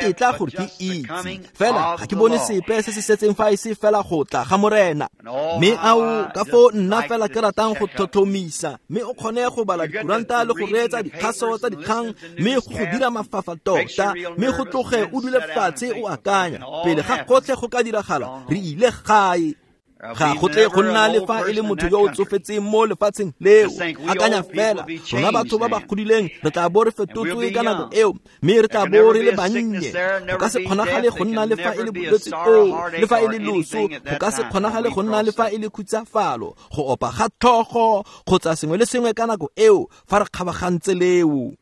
ntetla gore ke itse. Fela ga ke bone sepe se se setseng fa e se fela go tla ga Morena. Mme ao ka foo nna fela ke ratang go tlhotlhomisa, mme o kgone go bala dikuranta le go reetsa dikgaso tsa dikgang, mme go dira mafafa tota, mme go tloge o dule fatshe o akanya pele ga gotlhe go ka diragala, re ile gae. Ga go tle go nna le fa e le motho yo o tsofetseng mo lefatsheng leo. Akanya fela, rona batho ba ba godileng re tla bo re fetotswe ka nako eo, mme re tla bo re le bannye. Go ka se kgonagale go nna le fa e le bolwetse koo, le fa e le loso, go ka se kgonagale go nna le fa e le khutsafalo, go opa ga tlhogo kgotsa sengwe le sengwe ka nako eo fa re kgabagantse leo.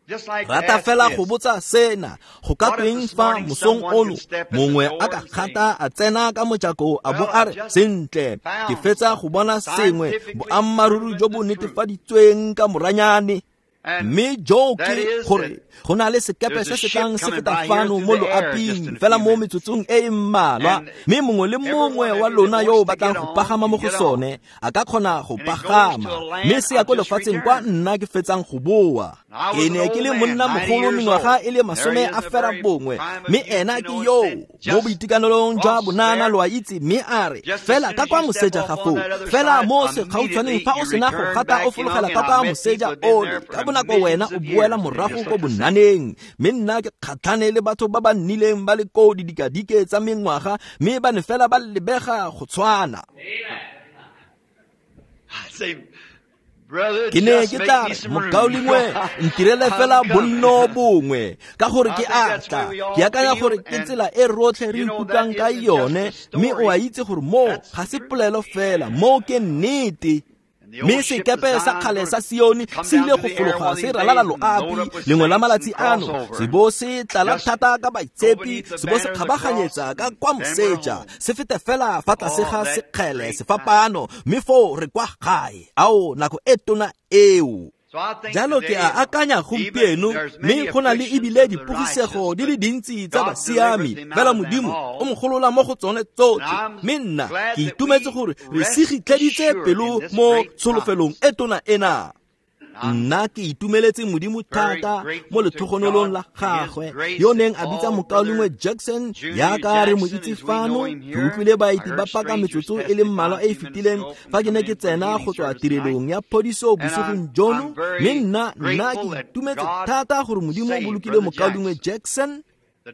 Rata fela go botsa sena, go ka tweng fa mosong ono mongwe a ka gata a tsena ka mojako a bo a re, sentle, ke fetsa go bona sengwe boammaaruri jo bo netefaditsweng ka moranyane, mme jo ke gore go na le sekepe se se tlang se feta fano mo loaping fela mo metsotsong e e mmalwa, mme mongwe le mongwe wa lona yo o batlang go pagama mo go sone a ka kgona go pagama, mme se ya ko lefatsheng kwa nna ke fetsang go boa. Ke ne ke le monna mogolo mengwaga e le 90, mme ena ke yo mo boitekanelong jwa bonana, lo a itse, mme a re fela ka kwa moseja ga foo, fela mo segautshwaneng fa o sena go gata o fologela ka kwa moseja ole, ka bonako wena o boela morago ko bonaneng. Mme nna ke kgatlhane le batho ba ba nnileng ba le koo didikadike tsa mengwaga, mme ba ne fela ba lebega go tshwana. Ke ne ke tla re, mokaulengwe, ntirele fela bonno bongwe, ka gore ke a tla. Ke akanya gore ke tsela e rotlhe re ikutlwang ka yone, mme o a itse gore moo ga se polelo fela, moo ke nnete. Mme sekepe sa kgale sa Sione se ile go fologa se ralala loapi lengwe la malatsi ano, se bo se tlala thata ka baitshepi, se bo se kgabaganyetsa ka kwa moseja, se fete fela fa tlase ga sekgele sefapano, mme foo re kwa gae. Ao, nako e tona eo. Jalo ke a akanya gompieno, mme go na le ebile dipogisego di le dintsi tsa basiami, fela Modimo o mogolola mo go tsone tsotlhe. Mme nna ke itumetse gore re sigitlheditse pelo mo tsholofelong e tona ena. Nna ke itumeletse Modimo thata mo letlhogonolong la gagwe, yo neng a bitsa mokaulengwe Jackson yaka re mo itse fano. Ke utlwile baeti ba paka metsotso e le mmalwa e e fetileng fa ke ne ke tsena go tswa tirelong ya phodiso bosigong jono, mme nna ke itumetse thata gore Modimo o bolokile mokaulengwe Jackson.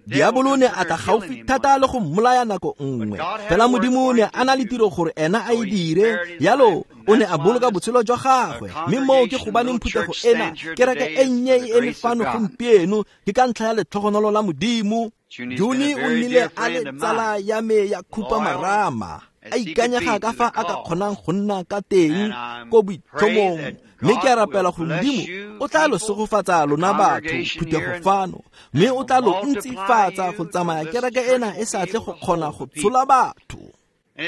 Diabolo ne a tla gaufi thata le go mmolaya nako nngwe, fela Modimo ne a na le tiro gore ena a e dire, yalo o ne a boloka botshelo jwa gagwe. Mme moo ke gobaneng phuthego ena, kereke e nnye e eme fano gompieno, ke ka ntlha ya letlhogonolo la Modimo. Juni o nnile a le tsala ya me ya khupamarama, a ikanyega ka fa a ka kgonang go nna ka teng ko boitlhomong. Mme ke a rapela gore Modimo o tla lo segofatsa lona batho phuthego fano, mme o tla lo ntsifatsa go tsamaya kereke ena e sa tle go kgona go tshola batho.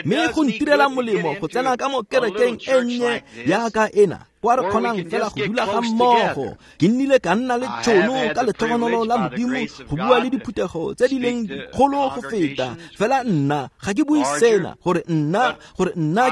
Mme go ntirela molemo go tsena ka mo kerekeng e nnye yaka ena, kwa re kgonang fela go dula ga mmogo. Ke nnile ka nna le tšhono ka letlhogonolo la Modimo go bua le diphuthego tse di leng dikgolo go feta, fela nna ga ke bue sena gore nna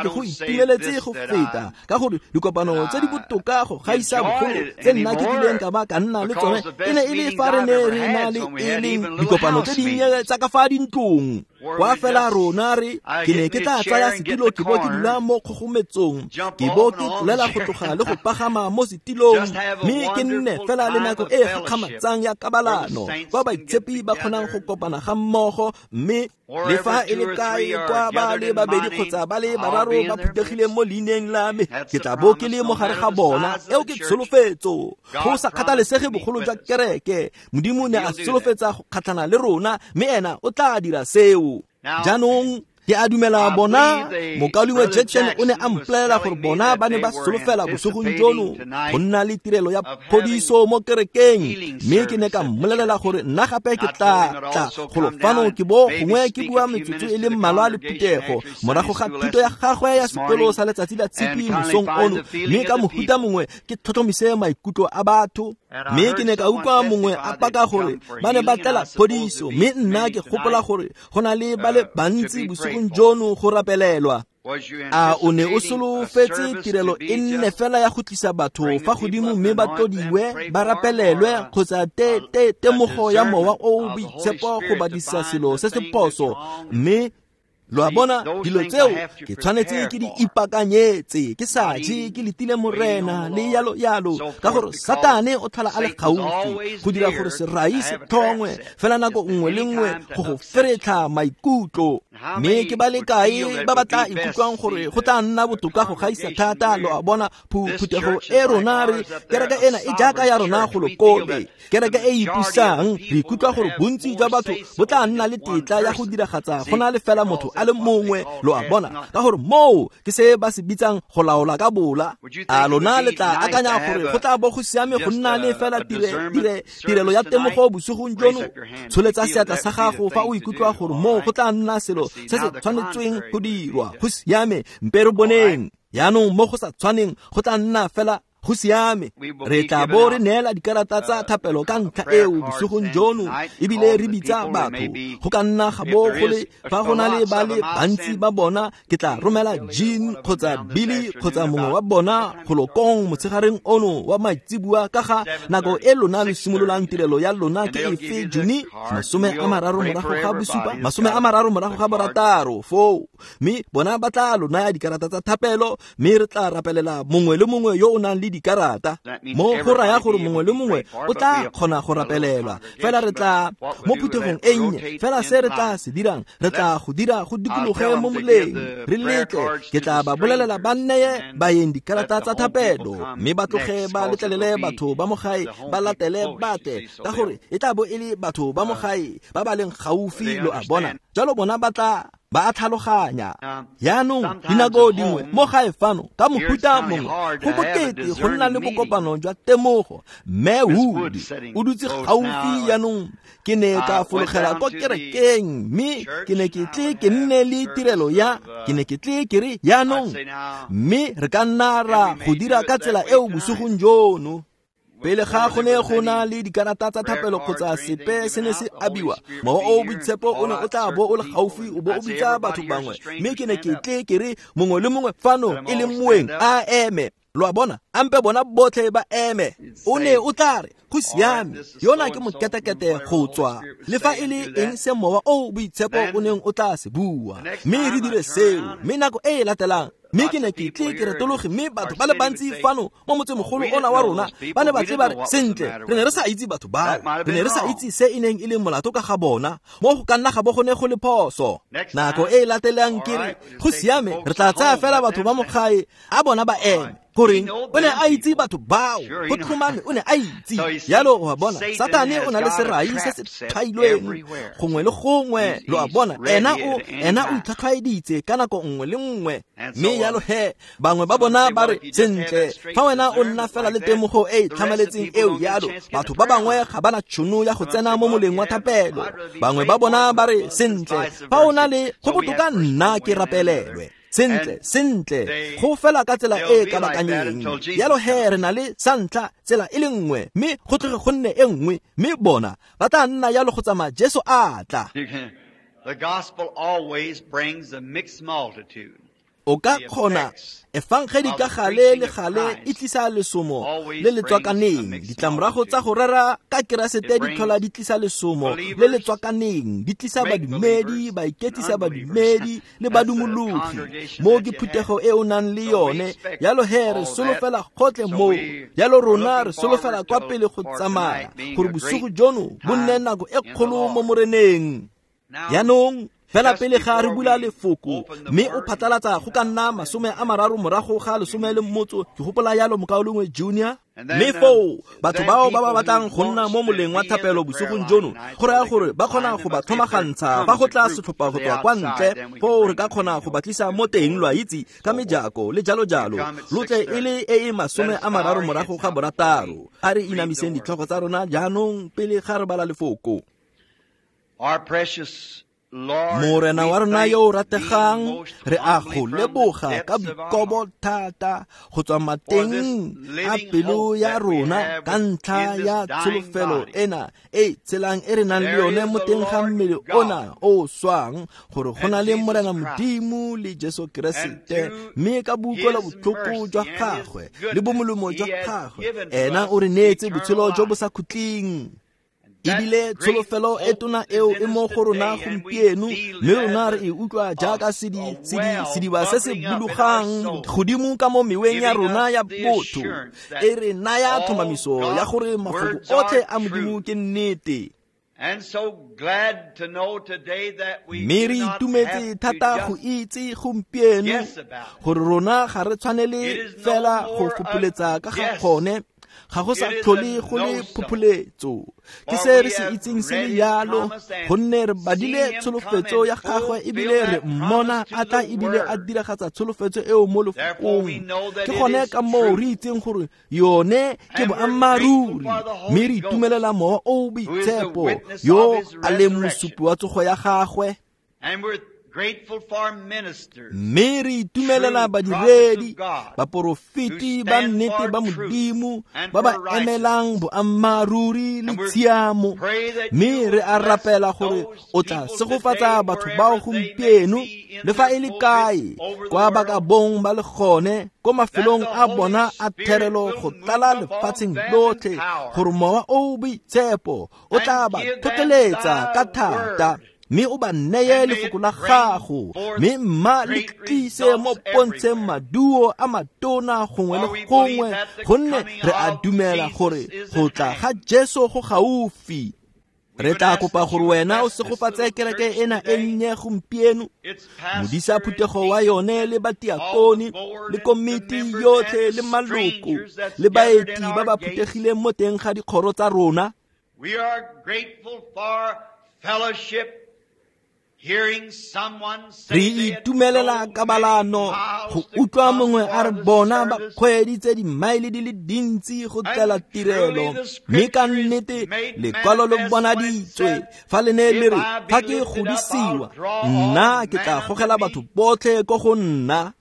ke go itumeletse go feta, ka gore dikopano tse di botoka go gaisa bogolo tse nna ke kileng ka ba ka nna le tsone e ne e le fa re ne re na le e leng dikopano tse dinnye tsa ka fa dintlong, kwa fela rona re ke ne ke tla tsaya setilo ke bo ke dula mo kgogometsong, ke bo ke tlolela go tloga le go pagama mo setilong, mme ke nne fela le nako e gakgamatsang ya kabalano kwa baitshepi ba kgonang go kopana ga mmogo. Mme le fa e le kae kwa ba le babedi kgotsa ba le bararo ba phuthegileng mo leineng la me, ke tla bo ke le mo gare ga bona. Eo ke tsholofetso. Go sa kgathalesege bogolo jwa kereke, Modimo ne a solofetsa go kgatlhana le rona, mme ena o tla dira seo. Jaanong ke a dumela bona mokaulengwe Jackson o ne a mpolelela gore bona ba ne ba solofela bosigong jono go nna le tirelo ya phodiso mo kerekeng, mme ke ne ka mmolelela gore nna gape ke tla tla golo fano ke bo gongwe ke bua metsotso e le mmalwa le phuthego morago ga thuto ya gagwe ya sekolo sa letsatsi la tshipi mosong ono, mme ka mohuta mongwe ke tlhotlhomise maikutlo a batho. Mme ke ne ka utlwa mongwe a paka gore ba ne ba tlela phodiso, mme nna ke gopola gore go na le ba le bantsi bosigong jono go rapelelwa. A o ne o solofetse tirelo e nne fela ya go tlisa batho fa godimo mme ba tlodiwe, ba rapelelwe, kgotsa temogo ya mowa o o boitshepo go badisa selo se se phoso? Mme Lo a bona, dilo tseo ke tshwanetse ke di ipakanyetse, ke sa je, ke letile Morena le yalo yalo, ka gore Satane o tlhola a le gaufi go dira gore serai se tlhongwe fela nako nngwe le nngwe go go feretlha maikutlo. Mme ke ba le kae ba ba tla ikutlwang gore go tla nna botoka go gaisa thata? Lo a bona, phuthego e rona re kereke ena e jaaka ya rona go lokole, kereke e ipusang, re ikutlwa gore bontsi jwa batho bo tla nna le tetla ya go diragatsa go na le fela motho a le mongwe. Lo a bona, ka gore moo ke se ba se bitsang go laola ka bola. A lona le tla akanya gore go tla bo go siame go nna le fela tirelo ya temogo bosigong jono? Tsholetsa seatla sa gago fa o ikutlwa gore moo go tla nna selo se se tshwanetsweng go dirwa. Go siame, mpe re boneng. Yaanong mo go sa tshwaneng go tla nna fela go siame. Re tla bo re neela dikarata tsa thapelo ka ntlha eo bosigong jono, ebile re bitsa batho. Go ka nna ga bo go le fa go na le ba le bantsi ba bona, ke tla romela Jean kgotsa Billy kgotsa mongwe wa bona go lokong motshegareng ono wa maitseboa ka ga nako e lona le simololang tirelo ya lona ke efe, Juni 37 36 foo. Mme bona ba tla lo naya dikarata tsa thapelo, mme re tla rapelela mongwe le mongwe yo o nang le dikarata. Mo go raya gore mongwe le mongwe o tla kgona go rapelelwa. Fela re tla mo phuthegong e nnye, fela se re tla se dirang, re tla go dira go dikologe mo moleng, re letle. Ke tla ba bolelela ba nneye baeng dikarata tsa thapelo, mme ba tloge ba letlelele batho ba mo gae ba latele batle, ka gore e tla bo e le batho ba mo gae ba ba leng gaufi. Lo a bona, jalo bona ba tla ba a tlhaloganya. Yaanong dinako dingwe mo gae fano ka mohuta mongwe go bokete go nna le bokopano jwa temogo. Mme Wood o dutse gaufi. Yaanong ke ne ka fologela ko kerekeng, mme ke ne ke tle ke nne le tirelo ya, ke ne ke tle ke re yaanong, mme re ka nna ra go dira ka tsela eo bosigong jono. Pele ga go ne go na le dikarata tsa thapelo kgotsa sepe se ne se abiwa, Mowa o Boitshepo o ne o tla bo o le gaufi o bo o bitsa batho bangwe. Mme ke ne ke tle ke re mongwe le mongwe fano e leng moeng a eme. Lo a bona, ampe bona botlhe ba eme. O ne o tla re go siame, yona ke moketekete go tswa le fa e le eng se Mowa o Boitshepo o neng o tla se bua, mme re dire seo. Mme nako e e latelang, mme ke ne ke tle ke retologe, mme batho ba le bantsi fano mo motsemogolo ona wa rona ba ne ba tle ba re, sentle, re ne re sa itse batho bao, re ne re sa itse se e neng e le molato ka ga bona, mo go ka nna ga bo go ne go le phoso. Nako e e latelang ke re go siame, re tla tsaya fela batho ba mo gae a bona ba eme. Goreng o ne a itse batho bao, go tlhomame o ne a itse. Yalo o a bona, Satane o na le serai se se tshwailweng gongwe le gongwe. Lo a bona, ena o itlhatlhwaeditse ka nako nngwe le nngwe. Mme yalo he, bangwe ba bona ba re, sentle, fa wena o nna fela le temogo e e tlhamaletseng eo yalo, batho ba bangwe ga ba na tšhono ya go tsena mo moleng wa thapelo. Bangwe ba bona ba re, sentle, fa o na le go botoka nna ke rapelelwe. Sentle, sentle, go fela ka tsela e kabakanyeng. Yalo he, re na le sa ntlha tsela e le nngwe, mme go tloge go nne e nngwe, mme bona ba tla nna yalo go tsamaya Jesu a tla. The gospel always brings a mixed multitude. O ka kgona efangedi ka gale le gale e tlisa lesomo le le tswakaneng. Ditlamorago tsa go rera ka Keresete di tlhola di tlisa lesomo le le tswakaneng, di tlisa badumedi, baiketsisa badumedi le badumologi. Mo ke phuthego e o nang le yone. Yalo he, re solofela gotlhe moo. Yalo rona re solofela kwa pele go tsamaya gore bosigo jono bo nne nako e kgolo mo Moreneng. Yaanong fela pele ga re bula lefoko, mme o phatlalatsa go ka nna 35:15, ke gopola yalo mokaulengwe Junior. Mme foo batho bao ba ba batlang go nna mo moleng wa thapelo bosigong jono, go raya gore ba kgona go ba tlhomagantsha fa go tla setlhopha go tswa kwa ntle, foo re ka kgona go ba tlisa mo teng, lo a itse, ka mejako le jalo jalo. Lo tle e le e e 36. A re inamiseng ditlhogo tsa rona jaanong pele ga re bala lefoko. Our precious Morena wa rona yo o rategang, re a go leboga ka boikobo thata go tswa mateng a pelo ya rona ka ntlha ya tsholofelo ena e tshelang e re nang le yone mo teng ga mmele ona o swang, gore go na le Morena Modimo le Jesu Keresete, mme ka boutlwelo botlhoko jwa gagwe le bomolemo jwa gagwe, ena o re neetse botshelo jo bo sa khutleng. Ebile tsholofelo e tona eo e mo go rona gompieno, mme rona re e utlwa jaaka sediba se se bulugang godimo ka mo meweng ya rona ya botho, e re naya tlhomamiso ya gore mafoko otlhe a Modimo ke nnete. Mme re itumetse thata go itse gompieno gore rona ga re tshwanele fela go fopholetsa ka ga gone, ga go sa tlhole go le phopholetso. Ke se re se itseng se le yalo, gonne re badile tsholofetso ya gagwe ebile re mmona a tla ebile a diragatsa tsholofetso eo mo lefokong. Ke gone ka moo re itseng gore yone ke boammaaruri, mme re itumelela Mowa o o Boitshepo yo a leng mosupi wa tsogo ya gagwe. Mme re itumelela badiredi, baporofeti ba nnete ba Modimo ba ba emelang boammaaruri le tshiamo. Mme re a rapela gore o tla segofatsa batho bao gompieno, le fa e le kae kwa ba ka bong ba le gone, ko mafelong a bona a therelo go tlala lefatsheng lotlhe, gore Mowa o o Boitshepo o tla ba tlhotlheletsa ka thata, mme o ba neye lefoko la gago, mme mma le tlise mo pontsheng maduo a matona gongwe le gongwe, gonne re a dumela gore go tla ga Jesu go gaufi. Re tla kopa gore wena o segofatse kereke ena e nnye gompieno, modisa phuthego wa yone le batiakone le komiti yotlhe le maloko le baeti ba ba phuthegileng mo teng ga dikgoro tsa rona. We are grateful for fellowship. Re itumelela kabalano go utlwa mongwe a re bona ba kgweeditse dimaele di le dintsi go tlela tirelo, mme ka nnete lekwalo le bonaditswe fa le ne le re, fa ke godisiwa nna ke tla gogela batho botlhe ko go nna.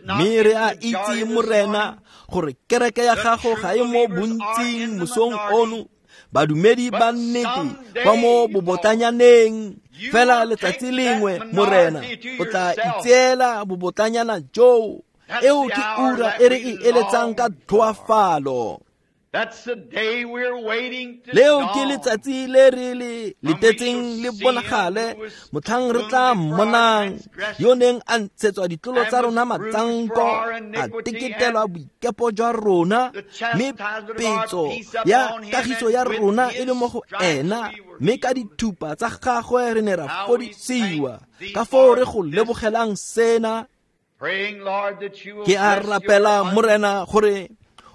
Mme re a itse, Morena, gore kereke ya gago ga e mo bontsing mosong ono, badumedi ba nnete ba mo bobotanyaneng. Fela letsatsi lengwe, Morena, o tla itseela bobotanyana joo. Eo ke ura e re e eletsang ka tlhoafalo. Leo ke letsatsi le re le letetseng le bonagale, motlhang re tla mmonang yo neng a ntshetswa ditlolo tsa rona matsanko, a teketelwa boikepo jwa rona, mme petso ya kagiso ya rona e le mo go ena, mme ka dithupa tsa gagwe re ne ra fodisiwa. Ka foo re go lebogelang sena. Ke a rapela, Morena, gore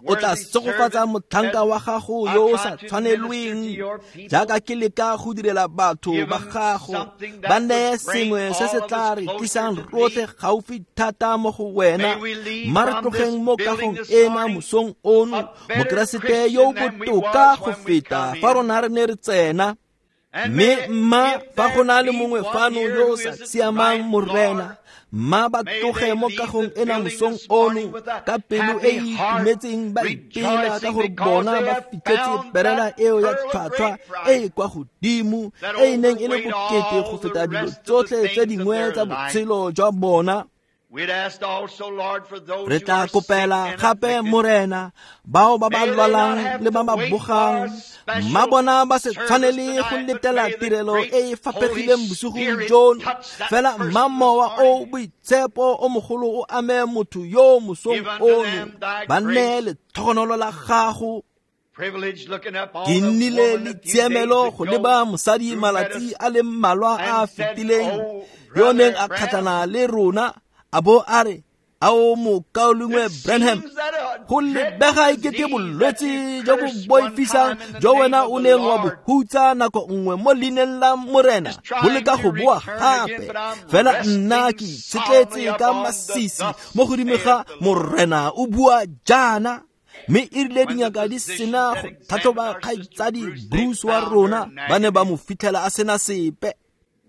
o tla segofatsa motlhanka wa gago yo o sa tshwanelweng, jaaka ke leka go direla batho ba gago, ba neye sengwe se se tla re tlisang rotlhe gaufi thata mo go wena. Mma re tlogeng mo kagong ena mosong ono, Mokeresete yo o botoka go feta fa rona re ne re tsena. Mme mma fa go na le mongwe fano yo o sa siamang, Morena, mma ba tloge mo kagong ena mosong ono ka pelo e e itumetseng, ba ipela ka gore bona ba fitlhetse perela eo ya tlhwatlhwa e e kwa godimo, e e neng e le bokete go feta dilo tsotlhe tse dingwe tsa botshelo jwa bona. Re tla kopela gape, Morena, bao ba ba lwalang le ba ba bogang, mma bona ba se tshwanele go letela tirelo e e faphegileng bosigong jono, fela mma Mowa o Boitshepo o mogolo o ame motho yo mosong ono, ba nne letlhogonolo la gago. Ke nnile le tshiamelo go leba mosadi malatsi a le mmalwa a a fetileng yo neng a kgatlhana le rona, a bo a re, ao mokaulengwe Branham, go lebega ekete bolwetse jo bo boifisang jo wena o neng wa bo hutsa nako nngwe mo leineng la Morena bo leka go boa gape, fela nna ke itshetletse ka masisi mo godimo ga Morena o bua jaana. Mme e rile dingaka di sena go tlhatlhoba kgaitsadi Bruce wa rona, ba ne ba mo fitlhela a sena sepe.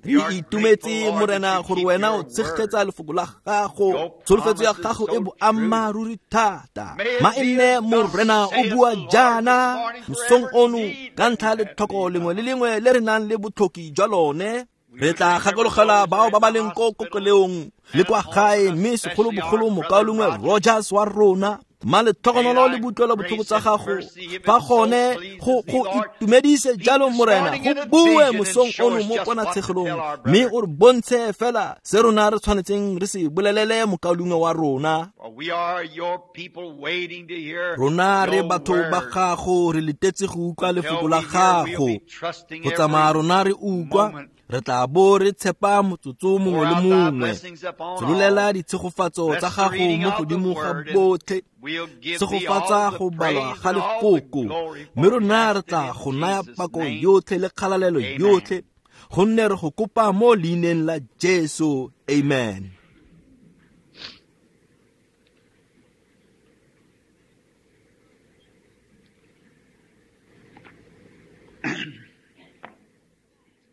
Re itumetse, Morena, gore wena o tshegetsa lefoko la gago, tsholofetso ya gago e boammaaruri thata. Ma e nne Morena o bua jaana mosong ono ka ntlha letlhoko lengwe le lengwe le re nang le botlhoki jwa lone. Re tla gakologela bao ba ba leng ko kokeleong le kwa gae, mme segolobogolo mokaulengwe Rogers wa rona. Mma letlhogonolo le butlwela botlhoko tsa gago fa gone go itumedise jalo Morena, go bue mosong ono mo ponatshegelong, mme o re bontshe fela se rona re tshwanetseng re se bolelele mokaulengwe wa rona. Rona re batho ba gago, re letetse go utlwa lefoko la gago. Go tsamaya rona re utlwa, re tla bo re tshepa motsotso mongwe le mongwe. Tsololela ditshegofatso tsa gago mo godimo ga botlhe, tshegofatsa go balwa ga lefoko, mme rona re tla go naya pako yotlhe le kgalalelo yotlhe, gonne re go kopa mo leineng la Jesu. Amen.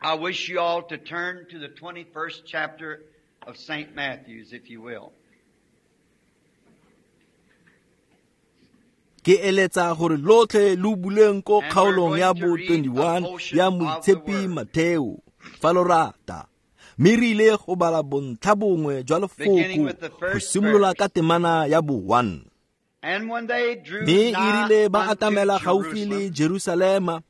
I wish you all to turn to the 21st chapter of St. Matthew's, if you will. Ke eletsa gore lotlhe lo buleng ko kgaolong ya bo 21 ya Moitshepi Mateo, fa lo rata. Mme re ile go bala bontlha bongwe jwa lefoko go simolola ka temana ya bo 1. Mme e rile ba atamela gaufi le Jerusalema,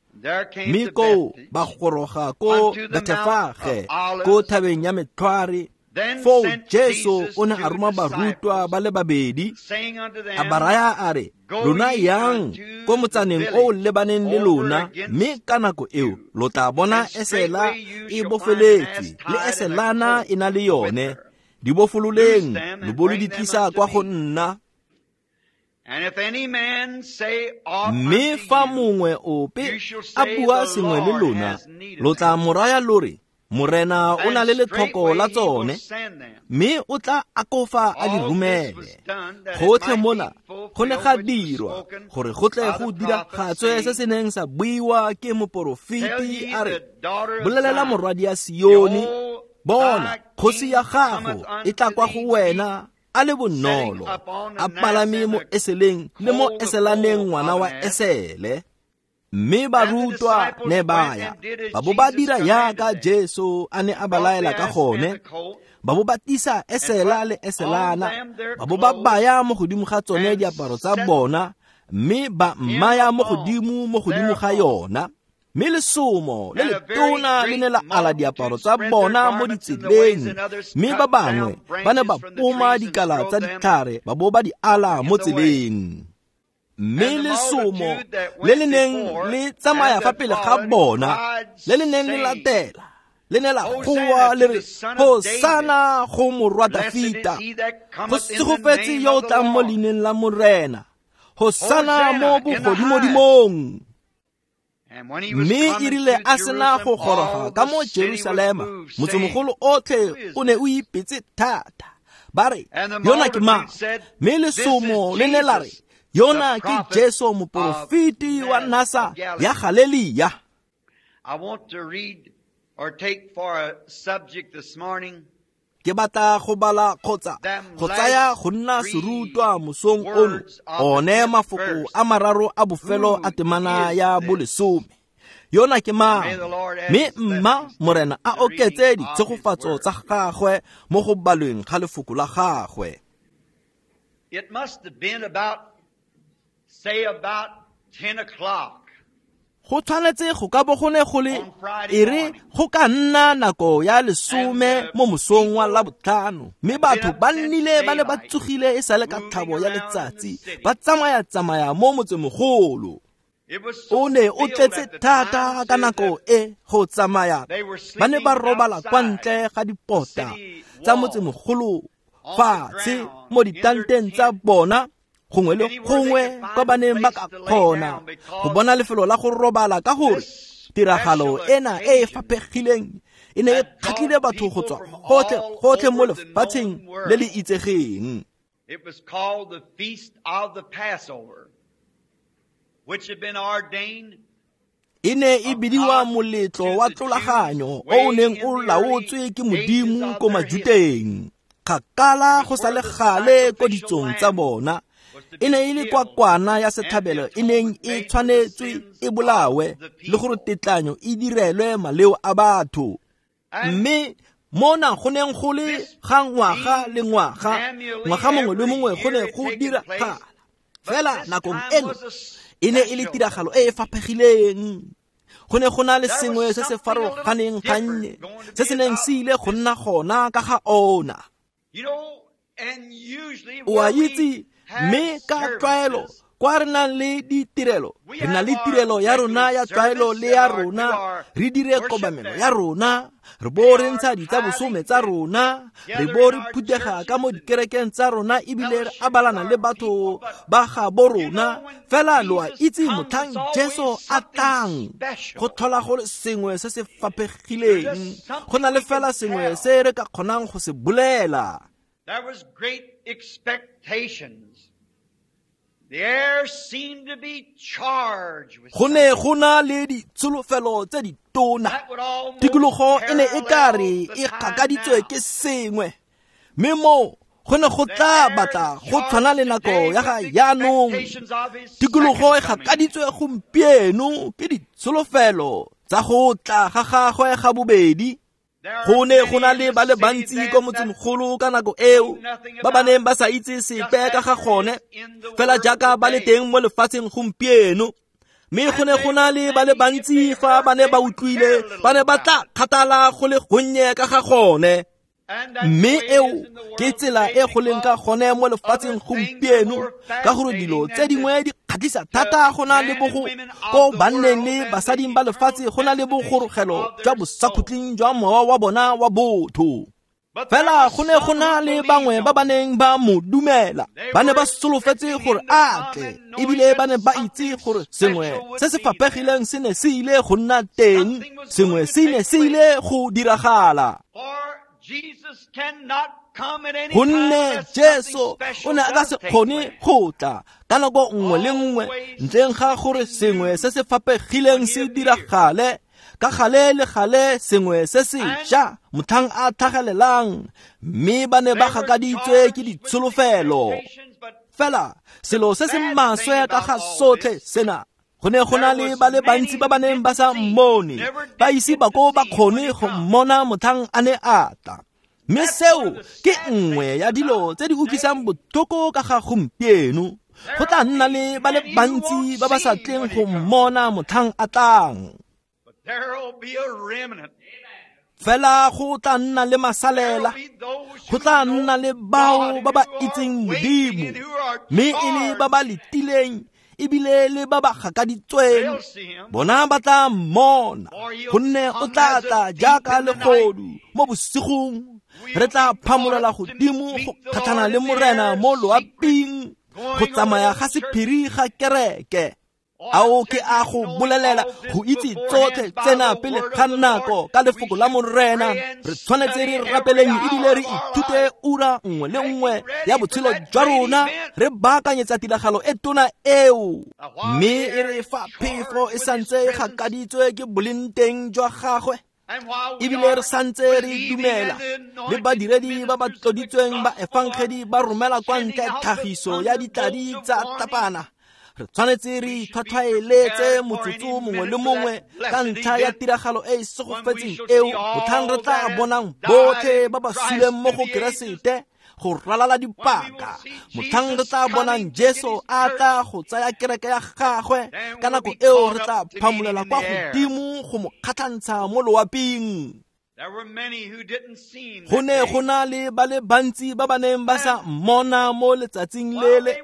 mme koo ba goroga ko Bethefage, ko thabeng ya Metlhware. Foo Jesu o ne a roma barutwa ba le babedi, a ba raya a re, lona yang ko motsaneng o o lebaneng le lona, mme ka nako eo lo tla bona esela e bofeletswe le eselana e na le yone. Di bofololeng lo bo lo di tlisa kwa go nna. Mme fa mongwe ope a bua sengwe le lona, lo tla mo raya lo re, Morena o na le letlhoko la tsone, mme o tla akofa a di romele. Gotlhe mona go ne ga dirwa gore go tle go diragatswe se se neng sa buiwa ke moporofeti a re, bolelela morwadi ya Sione, bona kgosi ya gago e tla kwa go wena a le bonolo, a palame mo eseleng le mo eselaneng ngwana wa esele. Mme barutwa ne ba ya, ba bo ba dira yaka Jesu a ne a ba laela ka gone, ba bo ba tisa esela le eselana, ba bo ba baya mo godimo ga tsone diaparo tsa bona, mme ba mmaya mo godimo ga yona. Mme lesomo le letona le ne la ala diaparo tsa bona mo ditseleng, mme ba bangwe ba ne ba poma dikala tsa ditlhare ba bo ba di ala mo tseleng. Mme lesomo le le neng le tsamaya fa pele ga bona, le le neng le latela, le ne la goa le re, Hosana go morwa Dafita, go segofetse yo o tlang mo leineng la Morena, Hosana mo bogodimodimong. Mme e rile a sena go goroga ka mo Jerusalema, motsemogolo otlhe o ne o ipetse thata, ba re, yona ke mang? Mme lesomo le ne la re, yona ke Jesu moporofeti wa Nasa ya Galelia. I want to read or take for a subject this morning. Ke batla go bala kgotsa go tsaya go nna serutwa mosong ono, one mafoko a mararo a bofelo a temana ya bolesome. Yona ke mang? Mme mma Morena a oketse ditshegofatso tsa gagwe mo go balweng ga lefoko la gagwe. It must have been about, say about 10 o'clock. Go tshwanetse go ka bo go ne go le e re go ka nna nako ya 10 mo mosong wa Labotlhano, mme batho ba nnile ba ne ba tsogile e sale ka tlhabo ya letsatsi, ba tsamaya-tsamaya mo motsemogolo. O ne o tletse thata ka nako e go tsamaya, ba ne ba robala kwa ntle ga dipota tsa motsemogolo fatshe mo ditanteng tsa bona, gongwe le gongwe kwa ba neng ba ka kgona go bona lefelo la go robala, ka gore tiragalo ena e e faphegileng e ne e kgatlhile batho go tswa gotlhe gotlhe mo lefatsheng le le itsegeng. It was called the Feast of the Passover, which had been ordained. E ne e bidiwa moletlo wa tlolaganyo o o neng o laotswe ke Modimo ko Majuteng, kgakala go sa le gale ko ditsong tsa bona. E ne e le kwa kwana ya setlhabelo e neng e tshwanetswe e bolawe, le gore tetlanyo e direlwe maleo a batho. Mme mona go neng go le ga ngwaga le ngwaga, ngwaga mongwe le mongwe go ne go diragala. Fela nakong eno e ne e le tiragalo e e faphegileng. Go ne go na le sengwe se se farologaneng gannye se se neng se ile go nna gona ka ga ona. O a itse, mme ka tlwaelo kwa re nang le ditirelo, re na le tirelo ya rona ya tlwaelo le ya rona, re dire kobamelo ya rona, re bo re ntsha ditsabosome tsa rona, re bo re phuthega ka mo dikerekeng tsa rona ebile re abalana le batho ba gabo rona. Fela lo a itse motlhang Jesu a tlang, go tlhola go le sengwe se se faphegileng, go na le fela sengwe se re ka kgonang go se bolela. There was great expectations. The air seemed to be charged with Go ne go na le ditsholofelo tse ditona. Tikologo e ne e ka re e gakaditswe ke sengwe, mme moo go ne go tla batla go tshwana le nako ya ga jaanong. Tikologo e gakaditswe gompieno ke ditsholofelo tsa go tla ga gagwe ga bobedi. Go ne go na le ba le bantsi kwa motsemogolo ka nako eo ba ba neng ba sa itse sepe ka ga gone, fela jaaka ba le teng mo lefatsheng gompieno. Mme go ne go na le ba le bantsi fa ba ne ba utlwile, ba ne ba tla kgathala go le gonnye ka ga gone. Mme eo ke tsela e go leng ka gone mo lefatsheng gompieno, ka gore dilo tse dingwe di kgatlhisa thata go na le bogo ko banneng le basading ba lefatshe go na le bogorogelo jwa bosakhutleng jwa mowa wa bona wa botho. Fela go ne go na le bangwe ba ba neng ba mo dumela, ba ne ba solofetse gore a tle, ebile ba ne ba itse gore sengwe se se faphegileng se ne se ile go nna teng, sengwe se ne se ile go diragala. Gonne Jesu o ne a ka se kgone go tla ka nako nngwe le nngwe ntleng ga gore sengwe se se faphegileng se diragale, ka gale le gale sengwe se sešwa motlhang a tlhagelelang. Mme ba ne ba gakaditswe ke ditsholofelo. Fela selo se se maswe ka ga sotlhe sena, go ne go na le ba le bantsi ba ba neng ba sa mmone, ba ise ba ko ba kgone go mmona motlhang a ne a tla. Mme seo ke nngwe ya dilo tse di utlwisang botlhoko ka ga gompieno. Go tla nna le ba le bantsi ba ba sa tleng go mmona motlhang a tlang. Fela go tla nna le masalela, go tla nna le bao ba ba itseng Modimo, mme e le ba ba letileng ebile le ba ba gakaditsweng. Bona ba tla mmona, gonne o tla tla jaaka legodu mo bosigong. Re tla phamolela godimo go kgatlhana le Morena mo loaping, go tsamaya ga sephiri ga kereke. Ao ke a go bolelela go itse tsotlhe tsena pele ga nako ka lefoko la Morena. Re tshwanetse re rapeleng ebile re ithute ura nngwe le nngwe ya botshelo jwa rona, re baakanyetsa tiragalo e tona eo. Mme e re fa phefo e santse e gakaditswe ke boleng teng jwa gagwe, ebile re santse re dumela le badiredi ba ba tloditsweng ba efangedi ba romela kwa ntle tlhagiso ya ditladi tsa tapana, re tshwanetse re itlhwatlhwaeletse motsotso mongwe le mongwe ka ntlha ya tiragalo e e segofetseng eo motlhang re tla bonang botlhe ba ba suleng mo go Keresete go ralala dipaka, motlhang re tla bonang Jesu a tla go tsaya kereke ya gagwe. Ka nako eo re tla phamolela kwa godimo go mo kgatlhantsha mo loaping. Go ne go na le ba le bantsi ba ba neng ba sa mmona mo letsatsing lele,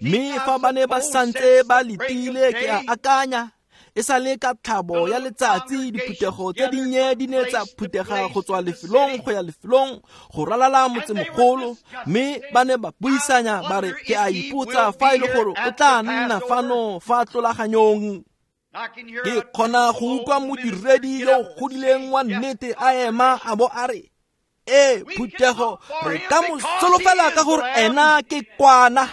mme fa ba ne ba santse ba letile, ke a akanya e sa le ka tlhabo ya letsatsi, diphuthego tse dinnye di ne tsa phuthega go tswa lefelong go ya lefelong go ralala motsemogolo, mme ba ne ba buisanya ba re, ke a ipotsa fa e le gore o tla nna fano fa tlolaganyong. Ke kgona go utlwa modiredi yo o godileng wa nnete a ema a bo a re, ee phuthego, re ka mo solofela ka gore ena ke kwana,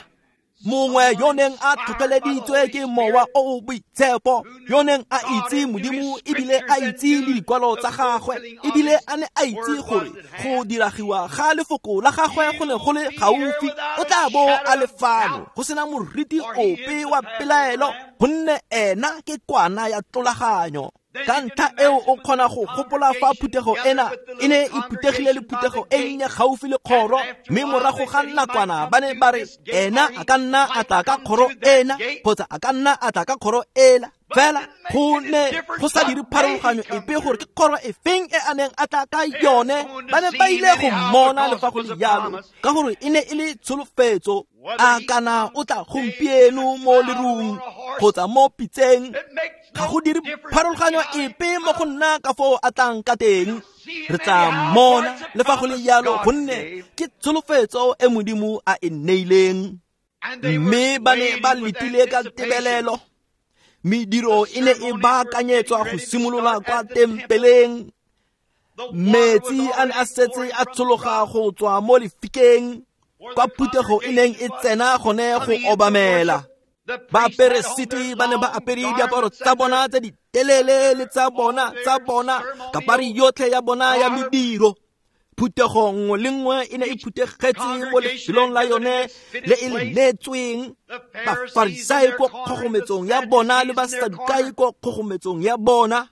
mongwe yo neng a tlhotlheleditswe ke mowa o o boitshepo, yo neng a itse Modimo ebile a itse le dikwalo tsa gagwe, ebile a ne a itse gore go diragiwa ga lefoko la gagwe go ne go le gaufi. O tla bo a le fano go sena moriti ope wa pelaelo, gonne ena ke kwana ya tlolaganyo. Ka ntlha eo o kgona go gopola fa phuthego ena e ne e phuthegile le phuthego e nnye gaufi le kgoro, mme morago ga nakwana ba ne ba re ena a ka nna a tla ka kgoro ena kgotsa a ka nna a tla ka kgoro ela. Fela go ne go sa dire pharologanyo epe gore ke kgoro e feng e a neng a tla ka yone. Ba ne ba ile go mmona le fa go le jalo, ka gore e ne e le tsholofetso. A kana o tla gompieno mo lerung kgotsa mo pitseng, ga go dire pharologanyo epe mo go nna ka foo a tlang ka teng. Re tla mmona le fa go le jalo, gonne ke tsholofetso e Modimo a e neileng. Mme ba ne ba letile ka tebelelo. Mediro e ne e baakanyetswa go simolola kwa tempeleng. Metsi a ne a setse a tshologa go tswa mo lefikeng kwa phuthego e neng e tsena gone go obamela. Baperesiti ba ne ba apere diaparo tsa bona tse di telele le tsa bona kapari yotlhe ya bona ya mediro. Phuthego nngwe le nngwe e ne e phuthegetse mo lefelong la yone le e le neetsweng. Bafarisai ko kgogometsong ya bona le Basadukai ko kgogometsong ya bona.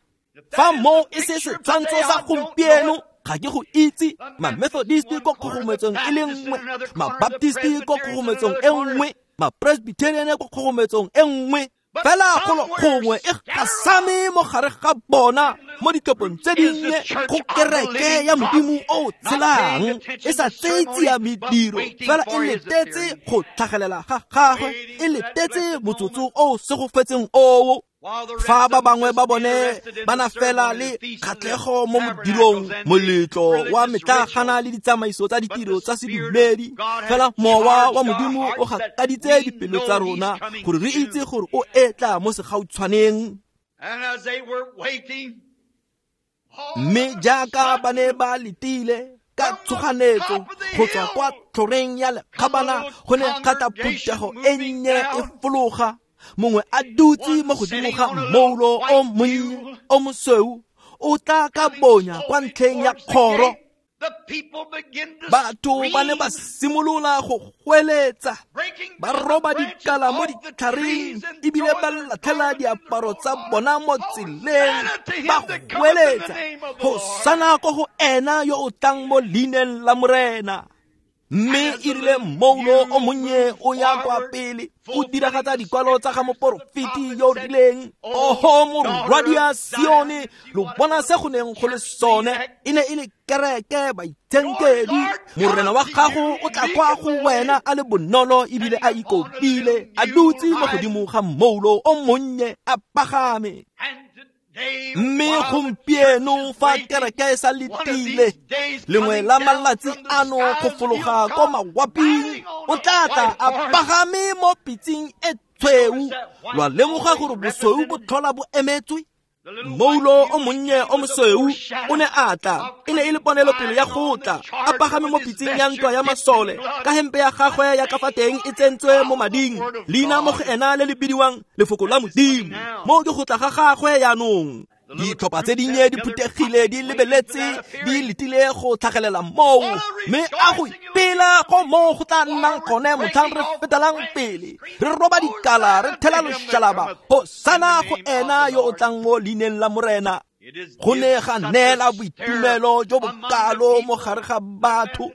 Fa moo e se setshwantsho sa gompieno, ga ke go itse. Ma-Methodisti ko kgogometsong e le nngwe, ma-Baptisti ko kgogometsong e nngwe, ma-Presbyterian ko kgogometsong e nngwe. Fela golo gongwe e gasame mo gare ga bona mo ditlhopheng tse dinnye go kereke ya Modimo o tshelang, e sa tseye tsia mediro, fela e letetse go tlhagelela ga gagwe, e letetse motsotso o segofetseng oo. Fa ba bangwe ba bone ba na fela le kgatlhego mo modirong, moletlo wa metlagana le ditsamaiso tsa ditiro tsa sedumedi, fela mowa wa Modimo o gakaditse dipelo tsa rona gore re itse gore o etla mo segautshwaneng. Mme jaaka ba ne ba letile ka tshoganetso go tswa kwa tlhoreng ya lekgabana, go ne ga tla phuthego e nnye e fologa, mongwe a dutse mo godimo ga mmoulo o monnye o mosweu, o tla ka bonya kwa ntlheng ya kgoro. Batho ba ne ba simolola go goeletsa, ba roba dikala mo ditlhareng ebile ba latlhela diaparo tsa bona mo tseleng, ba goeletsa Hosana ko go ena yo o tlang mo leineng la Morena. Mme e rile mmoulo o monnye o ya kwa pele, o diragatsa dikwalo tsa ga moporofeti yo o rileng, oho morwadia Sione, lo bona se go neng go le sone. E ne e le kereke baitshenkedi. Morena wa gago o tla kwa go wena a le bonolo ebile a ikobile, a dutse mo godimo ga mmoulo o monnye a pagame. Mme gompieno fa kereke e sa letile, lengwe la malatsi ano go fologa ko mawaping, o tla tla a pagame mo pitseng e tshweu. Lwa lemoga gore bosweu bo tlhola bo emetswe. Mmoulo o monnye o mosweu o ne a tla, e ne e le ponelopele ya go tla, a pagame mo pitseng ya ntwa ya masole, ka hempe ya gagwe ya ka fa teng e tsentswe mo mading, leina mo go ena le le bidiwang Lefoko la Modimo. Mo ke go tla ga gagwe jaanong. Ditlhopha tse dinnye di phuthegile di lebeletse, di letile go tlhagelela moo, mme a go ipela go moo go tla nnang gone motlhang re fetelang pele, re roba dikala, re thela loshalaba, Hosana go ena yo o tlang mo leineng la Morena. Go ne ga neela boitumelo jo bokalo mo gare ga batho,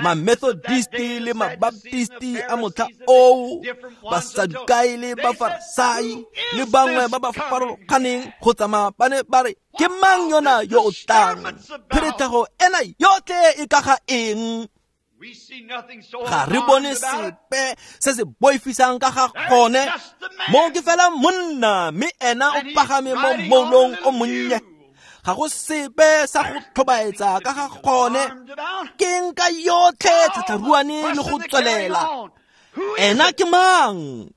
Ma-Methodisti le ma-Baptisti a motlha oo, Basadukai le Bafarisai le bangwe ba ba farologaneng go tsamaya ba ne ba re, ke mang yona yo o tlang? Pherethego ena yotlhe e ka ga eng? Ga re bone sepe se se boifisang ka ga gone. Mo ke fela monna, mme ena o pagame mo mmoulong o monnye. Ga go sepe sa go tlhobaetsa ka ga gone. Ke nka yotlhe tlhatlharuane le go tswelela. Ena ke mang?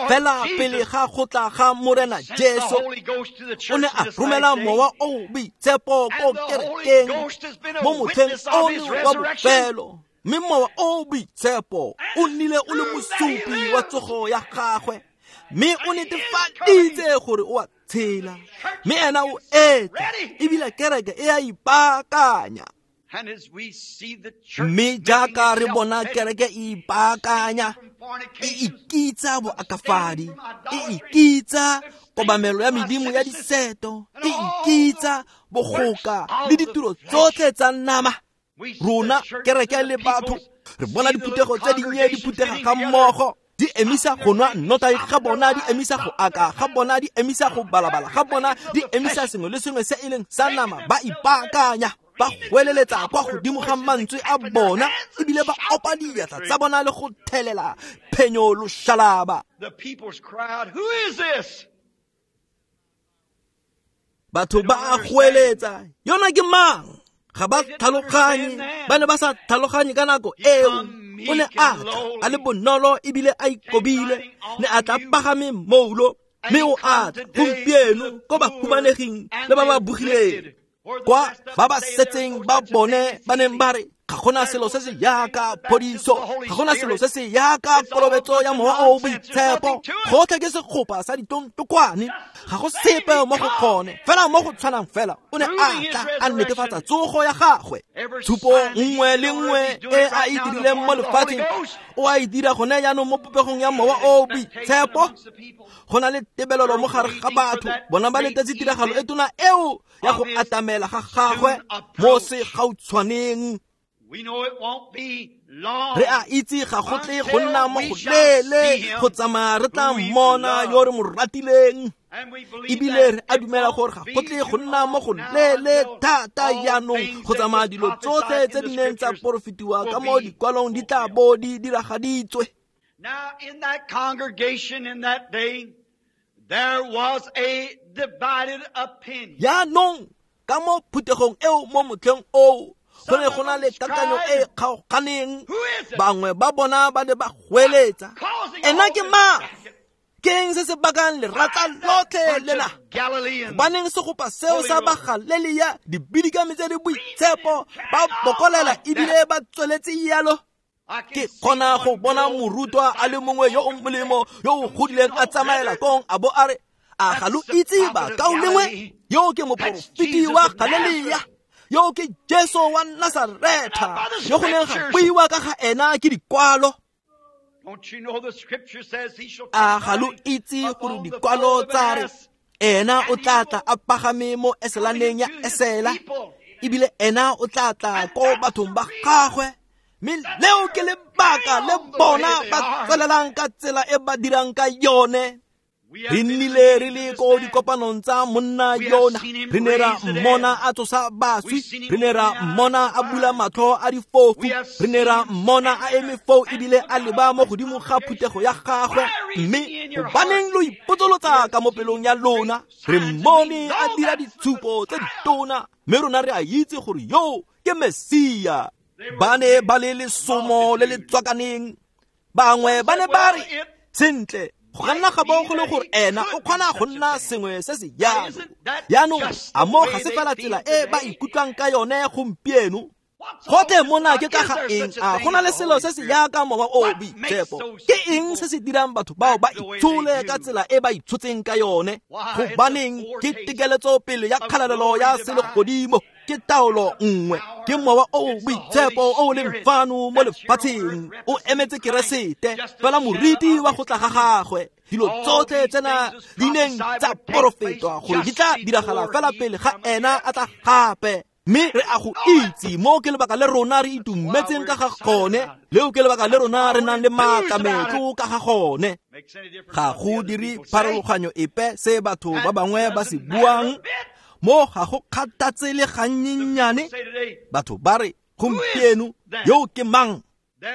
Fela pele ga go tla ga Morena Jesu, o ne a romela mowa o boitshepo ko kerekeng mo motlheng ono wa bofelo. Mme mowa o boitshepo o nnile o le mosupi wa tsogo ya gagwe, mme o netefaditse gore o a tshela, mme ena o etla, ebile kereke e a ipaakanya. Mme jaaka re bona kereke e ipaakanya E ikitsa boakafadi, e ikitsa kobamelo ya medimo ya diseto, e ikitsa bogoka le ditiro tsotlhe tsa nama. Rona kereke le batho re bona diphuthego tse dinnye di phuthega ga mmogo, di emisa go nwa nnotagi ga bona, di emisa go aka ga bona, di emisa go balabala ga bona, di emisa sengwe le sengwe se e leng sa nama. Ba ipaakanya, ba goeleletsa kwa godimo ga mantswe a bona, ebile ba opa diatla tsa bona le go thelela phenyo loshalaba. Batho ba a goeletsa, yona ke mang? Ga ba tlhaloganye, ba ne ba sa tlhaloganye ka nako eo. O ne a tla a le bonolo ebile a ikobile, ne a tla pagame moulo, mme o a tla gompieno ko ba humaneging le ba ba bogileng, kwa ba ba setseng ba bone ba neng ba re ga gona selo se se yaka phodiso, ga gona selo se se yaka kolobetso ya mowa o boitshepo, gotlhe ke segopa sa ditontokwane, ga go sepe mo go gone, fela mo go tshwanang fela. O ne a tla a netefatsa tsogo ya gagwe. Tshupo nngwe le nngwe e a e dirileng mo lefatsheng o a e dira gone jaanong mo popegong ya mowa o boitshepo. Go na le tebelelo mo gare ga batho, bona ba letetse tiragalo e tona eo ya go atamela ga gagwe mo segautshwaneng. Re a itse ga go tle go nna mo go leele go tsamaya re tla mmona yo re mo ratileng, ebile re a dumela gore ga go tle go nna mo go leele thata jaanong go tsamaya dilo tsotlhe tse di neng tsa porofetiwa ka mo dikwalong di tla bo di diragaditswe. Now in that congregation in that day, there was a divided opinion. Jaanong ka mo phuthegong eo mo motlheng oo, go ne go na le kakanyo e kgaoganeng. Bangwe ba bona ba ne ba goeletsa, ena ke mang? Ke eng se se bakang lerata lotlhe lena? Gobaneng segopa seo sa ba Galelia dibidikami tse di boitshepo ba bokolela ebile ba tsweletse yalo? Ke kgona go bona morutwa a le mongwe yo o molemo yo o godileng a tsamaela kong a bo a re, a ga lo itse bakaulengwe, yo ke moporofeti wa Galelia, yo ke Jesu wa Nasaretha, yo go neng ga buiwa ka ga ena ke dikwalo. A ga lo itse gore dikwalo tsa re ena o tla tla a pagame mo eselaneng ya esela, ebile ena o tla tla ko bathong ba gagwe? Mme leo ke lebaka le bona ba tswelelang ka tsela e ba dirang ka yone. Re nnile re le ko dikopanong tsa monna yona, re ne ra mmona a tsosa baswi, re ne ra mmona a bula matlho a difofu, re ne ra mmona a eme foo ebile a leba mo godimo ga phuthego ya gagwe. Mme gobaneng lo ipotsolotsa ka mo pelong ya lona? Re mmone a dira ditshupo tse ditona, mme rona re a itse gore yo ke Mesia. Ba ne ba le lesomo le le tswakaneng. Bangwe ba ne ba re, sentle, go ka nna ga bo go le gore ena o kgona go nna sengwe se se jalo. Jaanong a mo ga se fela tsela e ba ikutlwang ka yone gompieno? Gotlhe mona ke ka ga eng? A go na le selo se se yaka mowa o boitshepo? Ke eng se se dirang batho bao ba itshole ka tsela e ba itshotseng ka yone? Gobaneng ke tekeletso pele ya kgalalelo ya selegodimo, ke taolo nngwe, ke mowa o boitshepo o leng fano mo lefatsheng, o emetse Keresete fela moriti wa go tla ga gagwe. Dilo tsotlhe tsena di neng tsa porofetwa gore di tla diragala fela pele ga ena a tla gape. Mme re a go itse, mo ke lebaka le rona re itumetseng ka ga gone, leo ke lebaka le rona re nang le maatlametlo ka ga gone. Ga go dire pharologanyo epe se batho ba bangwe ba se buang, mo ga go kgathatse le gannyenyane. Batho ba re gompieno, yo ke mang?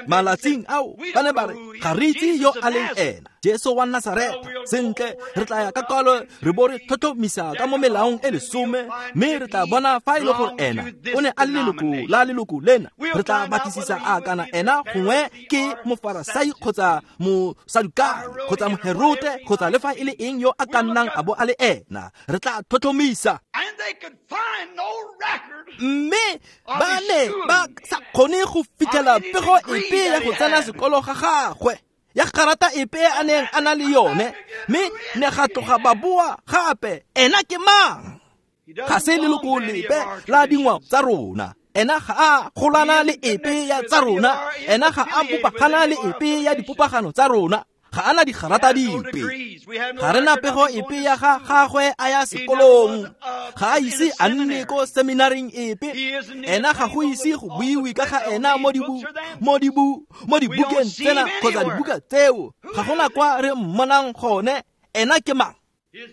Malatsing ao ba ne ba re ga re itse yo a leng ena, Jesu wa Nasaretha. Sentle, re tla ya ka kwalo re bo re tlhotlhomisa ka mo melaong e lesome, mme re tla bona fa e le gore ena o ne a le leloko la leloko lena. Re tla batlisisa a kana ena gongwe ke mofarasai kgotsa mosadukai kgotsa moherote kgotsa le fa e le eng yo a ka nnang a bo a le ena. Re tla tlhotlhomisa. Mme ba ne ba sa kgone go fitlhela pego epe ya go tsena sekolo ga gagwe, ya garata epe a neng a na le yone, mme ne ga tloga ba boa gape. Ena ke mang? Ga se leloko lepe la dingwao tsa rona. Ena ga a golana le epe ya tsa rona, ena ga a bopagana le epe ya dipopagano tsa rona, ga ana digarata dipe. Ga re na pego epe ya ga gagwe a ya sekolong, ga a ise a nne ko seminaring epe. Ena ga go ise go buiwe ka ga ena mo dibukeng tsena kgotsa dibuka tseo. Ga gona kwa re mmonang gone. Ena ke mang?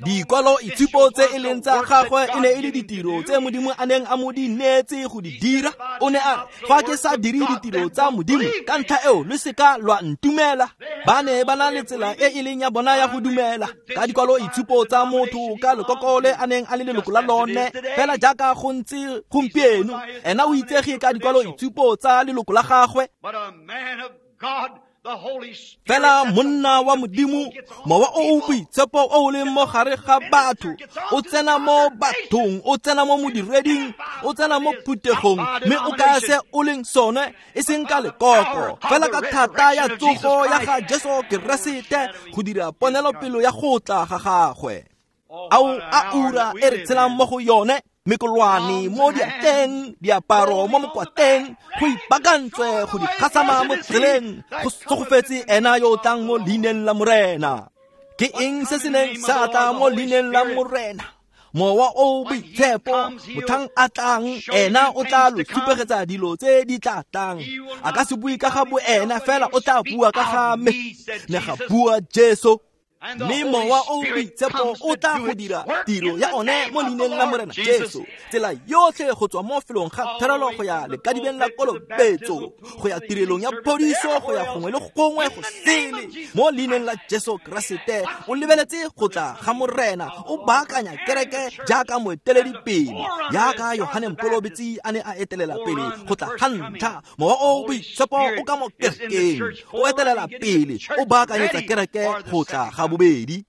Dikwalo itshupo tse e leng tsa gagwe e ne e le ditiro tse Modimo a neng a mo di neetse go di dira. O ne a re, fa ke sa dire ditiro tsa Modimo, ka ntlha eo le seka lwa ntumela. Ba ne ba na le tsela e e leng ya bona ya go dumela ka dikwalo itshupo tsa motho ka lekoko le a neng a le leloko la lone, fela jaaka go ntse gompieno. Ena o itsege ka dikwalo itshupo tsa leloko la gagwe. Fela monna wa Modimo, mowa o o boitshepo o o leng mo gare ga batho, o tsena mo bathong, o tsena mo modireding, o tsena mo phuthegong, mme o kaya se o leng sone, e seng ka lekoko, fela ka thata ya tsogo ya ga Jesu Keresete go dira ponelopele ya go tla ga gagwe. Ao a ura e re tshelang mo go yone, mekolwane mo diatleng, diaparo mo mokwateng, go ipakantswe go di gasama mo tseleng, go tsogofetse ena yo o tlang mo leineng la Morena. Ke eng se se neng sa tla mo leineng la Morena? Mowa o boitshepo, motlhang a tlang, ena o tla lo supegetsa dilo tse di tla tlang. A ka se bue ka ga bo ena, fela o tla bua ka ga me. Ne ga bua Jesu. Mme mowa o boitshepo o tla go dira tiro ya one mo leineng la Morena Jesu, tsela yotlhe go tswa mo felong ga therelo go ya lekadibeng la kolobetso, go ya tirelong ya phodiso, go ya gongwe le gongwe go sele mo leineng la Jesu Keresete. O lebeletse go tla ga Morena, o baakanya kereke jaaka moeteledipele, jaaka Yohane Mokolobetsi a ne a etelela pele go tla ga ntlha. Mowa o boitshepo o ka mo kerekeng, o etelela pele, o baakanyetsa kereke go tla ga bobedi.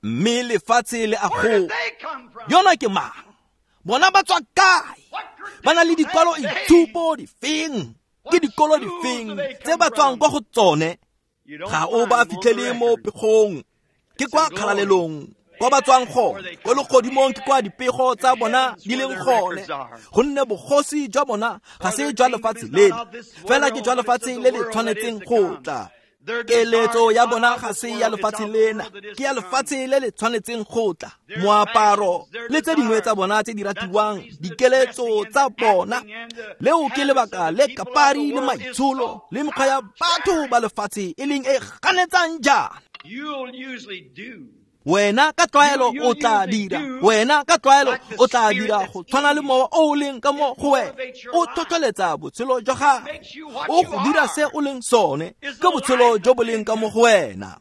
Mme lefatshe le a go, yona ke mang? Bona ba tswa kae? Ba na le dikwalo itshupo difeng? Ke dikolo difeng tse ba tswang kwa go tsone? Ga o ba fitlhele mo pegong, ke kwa kgalalelong kwa ba tswang gone, ko legodimong ke kwa dipego tsa bona di leng gone. Gonne bogosi jwa bona ga se jwa lefatshe leno, fela ke jwa lefatshe le le tshwanetseng go tla. Keletso ya bona ga se ya lefatshe lena, ke ya lefatshe le le tshwanetseng go tla. Moaparo le tse dingwe tsa bona tse di ratiwang, dikeletso tsa bona, leo ke lebaka le kapari le maitsholo le mekgwa ya batho ba lefatshe e leng e ganetsang jaana. Wena ka tlwaelo o tla dira, wena ka tlwaelo o tla dira go tshwana le mowa o o leng ka mo go wena. O tlhotlheletsa botshelo jwa gago, o go dira se o leng sone, ke botshelo jo bo leng ka mo go wena.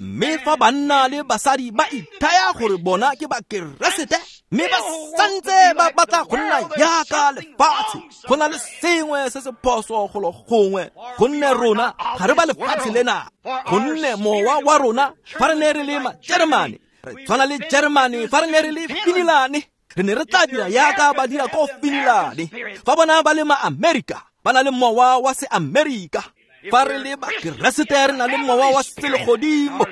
Mme fa banna le basadi ba ithaya gore bona ke Bakeresete, mme ba santse ba batla go nna jaaka lefatshe, go na le sengwe se se phoso golo gongwe, gonne rona ga re ba lefatshe lena. Gonne mowa wa rona, fa re ne re le Majeremane, re tshwana le Jeremane. Fa re ne re le Finilane, re ne re tla dira jaaka ba dira ko Finilane. Fa bona ba le Ma-Amerika, ba na le mowa wa se-Amerika. Fa re le Bakeresete, re na le mowa wa selegodimo,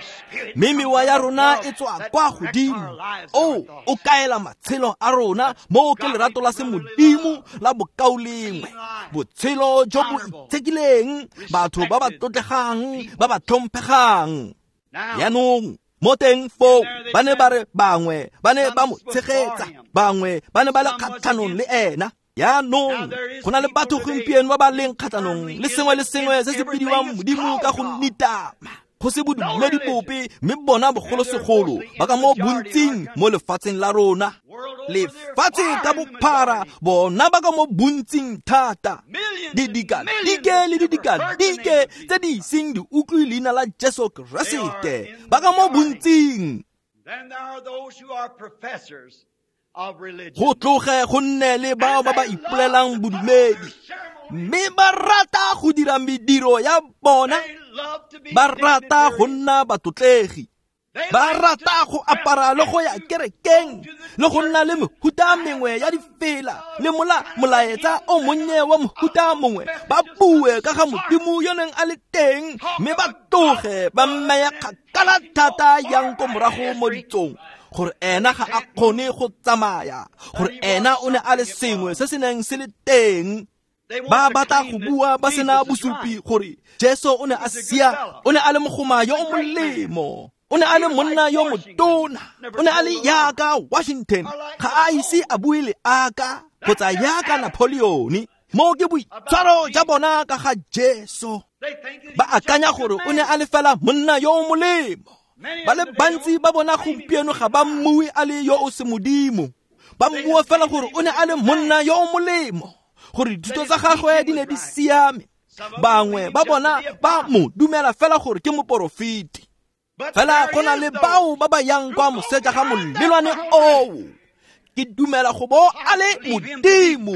mme mewa ya rona e tswa kwa godimo. O kaela matshelo a rona, moo ke lerato la semodimo la bokaulengwe, botshelo jo bo itshekileng, batho ba ba tlotlegang, ba ba tlhomphegang. Jaanong mo teng foo ba ne ba re bangwe ba ne ba mo tshegetsa, bangwe ba ne ba le kgatlhanong le ena. Jaanong go na le batho gompieno ba ba leng kgatlhanong le sengwe le sengwe se se bidiwang Modimo ka go nitama, go se bodumedi bope, mme bona bogolosegolo ba ka mo bontsing mo lefatsheng la rona. Lefatshe ka bophara bona ba ka mo bontsing thata, didikadike le didikadike tse di iseng di utlwe leina la Jesu Keresete, ba ka mo bontsing. Go tloge go nne le bao ba ba ipolelang bodumedi, mme ba rata go dira mediro ya bona, ba rata go nna batlotlegi. Ba rata go apara le go ya kerekeng le go nna le mehuta mengwe ya difela le molaetsa o monnye wa mohuta mongwe, ba bue ka ga Modimo yo neng a le teng, mme ba tloge ba mmeya kgakala thata yang ko morago mo ditsong, gore ena ga a kgone go tsamaya, gore ena o ne a le sengwe se se neng se le teng. Ba batla go bua ba sena bosupi gore Jesu o ne a sia, o ne a le mogoma yo o molemo, o ne a le monna yo motona, o ne a le yaka Washington, ga a ise a bue le aka kgotsa yaka Napoleon. Mo ke boitshwaro ja bona ka ga Jesu. Ba akanya gore o ne a le fela monna yo o molemo. Ba le bantsi ba bona gompieno ga ba mmue a le yo o se modimo, ba mmua fela gore o ne a le monna yo o molemo, gore dithuto tsa gagwe di ne di siame. Bangwe ba bona ba mo dumela fela gore ke moporofeti. Fela go na le bao ba ba yang kwa moseja ga molelwane oo. Ke dumela go bo a le Modimo,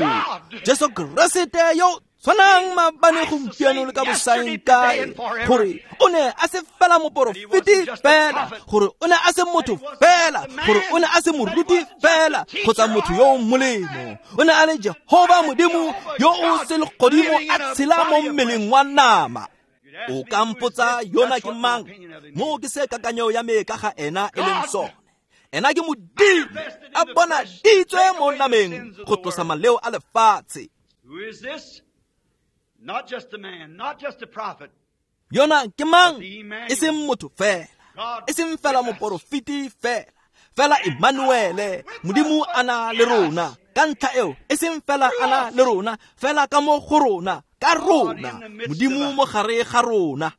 Jesu Keresete yo tshwanang maabane, gompieno le ka bosaengkae, gore o ne a se fela moporofeti fela, gore o ne a se motho fela, gore o ne a se moruti fela kgotsa motho yo o molemo. O ne a le Jehova Modimo yo o selegodimo a tshela mo mmeleng wa nama. O ka mpotsa yona ke mang? Mo ke se kakanyo ya me ka ga ena e leng sone. Ena ke Modimo a bonaditswe mo nameng go tlosa maleo a lefatshe. Yona ke mang? E seng motho fela, e seng fela moporofeti fela, fela Emmanuele, Modimo a na le rona. Ka ntlha eo, e seng fela a na le rona, fela ka mo go rona, ka rona, Modimo mo gare ga rona.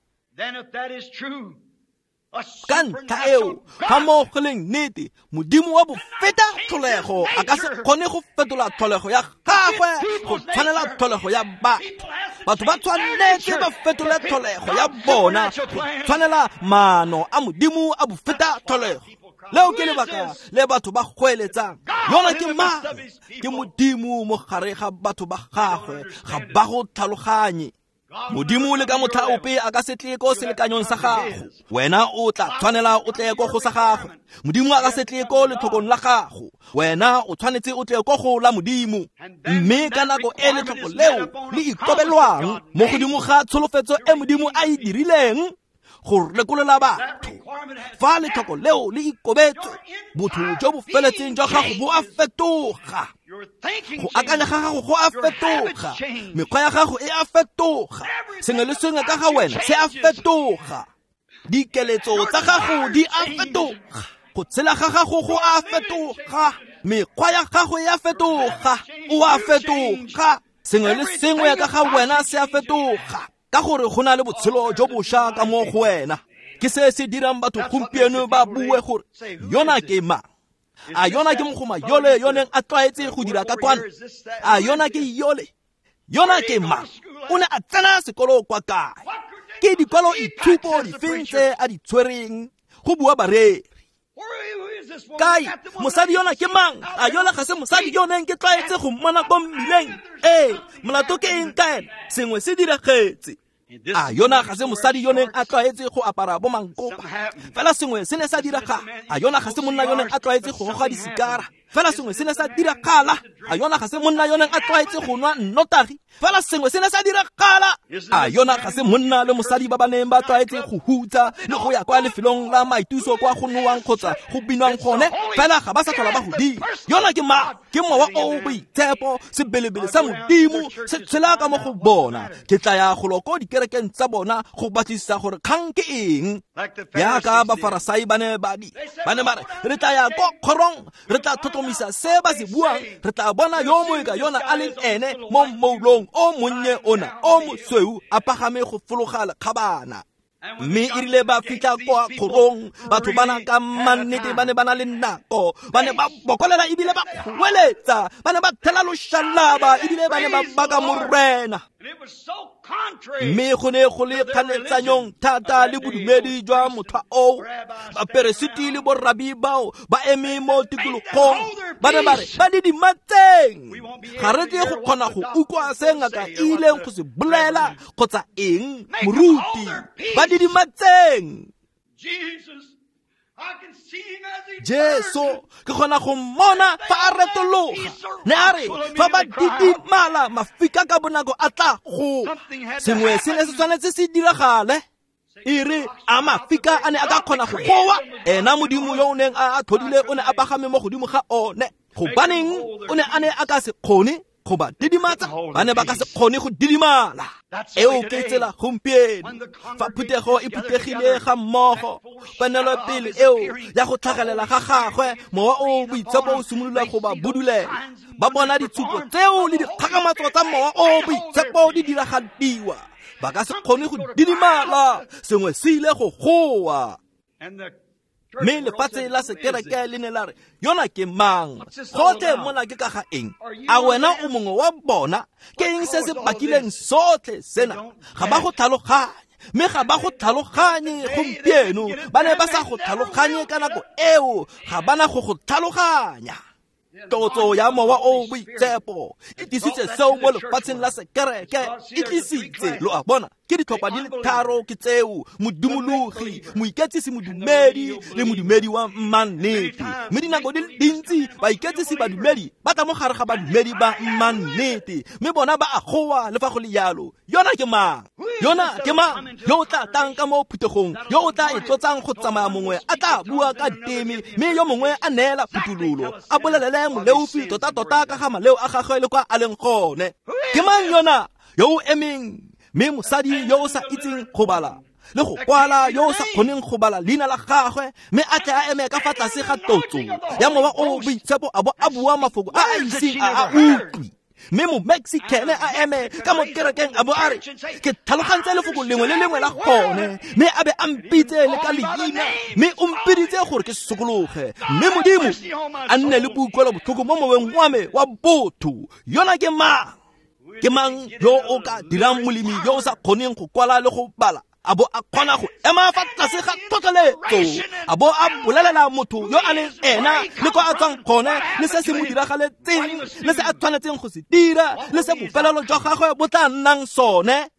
Ka ntlha eo, ga mo go leng nnete, Modimo wa bofeta tlholego a ka se kgone go fetola tlholego ya gagwe go tshwanela tlholego ya batho. Batho ba tshwanetse ba fetole tlholego ya bona go tshwanela maano a Modimo a bofeta tlholego. Leo ke lebaka le batho ba goeletsang, yona ke mang? Ke Modimo mo gare ga batho ba gagwe, ga ba go tlhaloganye. Modimo le ka motlha ope a ka se tle ko selekanyong sa gago, wena o tla tshwanela o tle ko go sa gagwe. Modimo a ka se tle ko letlhokong la gago, wena o tshwanetse o tle ko go la Modimo. Mme ka nako e letlhoko leo le ikobelwang mo godimo ga tsholofetso e Modimo a e dirileng go rekolola batho, fa letlhoko leo le ikobetswe, botho jo bo feletseng jwa gago bo a fetoga, go akanya ga gago go a fetoga, mekgwa ya gago e a fetoga, sengwe le sengwe ka ga wena se a fetoga, dikeletso tsa gago di a fetoga, go tshela ga gago go a fetoga, mekgwa ya gago e a fetoga, o a fetoga, sengwe le sengwe ka ga wena se a fetoga, ka gore go na le botshelo jo bošwa ka mo go wena. Ke se se dirang batho gompieno ba bue gore yona ke mang? A yona ke mogoma yole yo neng a tlwaetse go dira ka kwana? A yona ke yole? Yona ke mang? O ne a tsena sekolo kwa kae? Ke dikwalo itshupo difeng tse a di tshwereng? Go bua bareri. Kae mosadi yona ke mang? A yona ga se mosadi yo neng ke tlwaetse go mmona ko mmileng? Ee, molato ke eng ka ena? Sengwe se diragetse. A yona ga se mosadi yo neng a tlwaetse go apara bo mankopa, fela sengwe se ne sa diragala. A yona ga se monna yo neng a tlwaetse go goga disikara, fela sengwe se ne sa diragala. A yona ga se monna yo neng a tlwaetse go nwa nnotagi, fela sengwe se ne sa diragala. A yona ga se monna le mosadi ba ba neng ba tlwaetse go hutsa le go ya kwa lefelong la maituso kwa go nowang kgotsa go binwang gone, fela ga ba sa tlhola ba go dira. Yona ke mang? Ke mowa o boitshepo, sebelebele sa Modimo se tshela ka mo go bona. Ke tla ya go lo ko dikerekeng tsa bona go batlisisa gore kgang ke eng. Yaka Bafarasai ba ne ba re, re tla ya ko kgorong, re tla tlhotlhomisa se ba se buang, re tla bona yo mongwe ka yona a leng ene mo mmoulong o monnye ona o mosweu a pagame go fologa lekgabana. Mme e rile ba fitlha kwa kgorong, batho bana ka mannete ba ne ba na le nako, ba ne ba bokolela ebile ba kgoeletsa, ba ne ba thela loshalaba ebile ba ne ba baka Morena. Mme go ne go le kganetsanyong thata le bodumedi jwa motlha oo. Baperesiti le borabi bao ba eme mo tikologong, ba ne ba re ba didimatseng, ga re tle go kgona go utlwa se ngaka e ileng go se bolela kgotsa eng, moruti, ba didimatseng. Jesus Jesu ke kgona go mmona fa a retologa, ne a re fa ba didimala mafika ka bonako a tla go. Sengwe se ne se tshwanetse se diragale. E re a mafika a ne a ka kgona go goa, ena Modimo yo o neng a tlhodile o ne a pagame mo godimo ga one. Gobaneng o ne a ne a ka se kgone go ba didimatsa? Ba ne ba ka se kgone go didimala. Eo ke tsela gompieno fa phuthego e phuthegile ga mmogo, ponelopele eo ya go tlhagelela ga gagwe, mowa o boitshepo o simolola go ba budulela. Ba bona ditshupo tseo le dikgakgamatso tsa mowa o boitshepo di diragadiwa, ba ka se kgone go didimala. Sengwe se ile go goa. Mme lefatshe la sekereke le ne la re, yona ke mang? Gotlhe mona ke ka ga eng? A wena o mongwe wa bona? Ke eng se se bakileng sotlhe sena? Ga ba go tlhaloganye, mme ga ba go tlhaloganye gompieno. Ba ne ba sa go tlhaloganye ka nako eo, ga ba na go go tlhaloganya. Tlotso ya mowa o boitshepo e tlisitse seo mo lefatsheng la sekereke, e tlisitse, lo a bona, ke ditlhopha di le tharo ke tseo: modumologi, moiketsisi modumedi le modumedi wa mmannete. Mme dinako di le dintsi baiketsisi badumedi ba tla mo gare ga badumedi ba mmannete, mme bona ba a goa le fa go le yalo. Yona ke mang? Yona ke mang yo o tla tang ka mo phuthegong, yo o tla e tlotsang go tsamaya mongwe a tla bua ka diteme, mme yo mongwe a neela phuthololo, a bolelele moleofi tota-tota ka ga maleo a gagwe le kwa a leng gone? Ke mang yona yo o emeng, mme mosadi yo o sa itseng go bala le go kwala, yo o sa kgoneng go bala leina la gagwe, mme a tle a eme ka fa tlase ga tlotso ya mowa o boitshepo a bo a bua mafoko a a iseng a a utlwe? Mme mo-Mexican a eme ka mo kerekeng a bo a re, ke tlhalogantse lefoko lengwe le lengwe la gone, mme a be a mpitse le ka leina, mme o mpiditse gore ke sokologe, mme Modimo a nne le boikuelo botlhoko mo moweng wa me wa botho. Yona ke mang? Ke mang yo o ka dirang molemi yo o sa kgoneng go kwala le go bala, a bo a kgona go ema fa tlase ga tlhotlheletso, a bo a bolelela motho yo a leng ena le kwa a tswang gone, le se se mo diragaletseng, le se a tshwanetseng go se dira, le se bofelelo jwa gagwe bo tla nnang sone?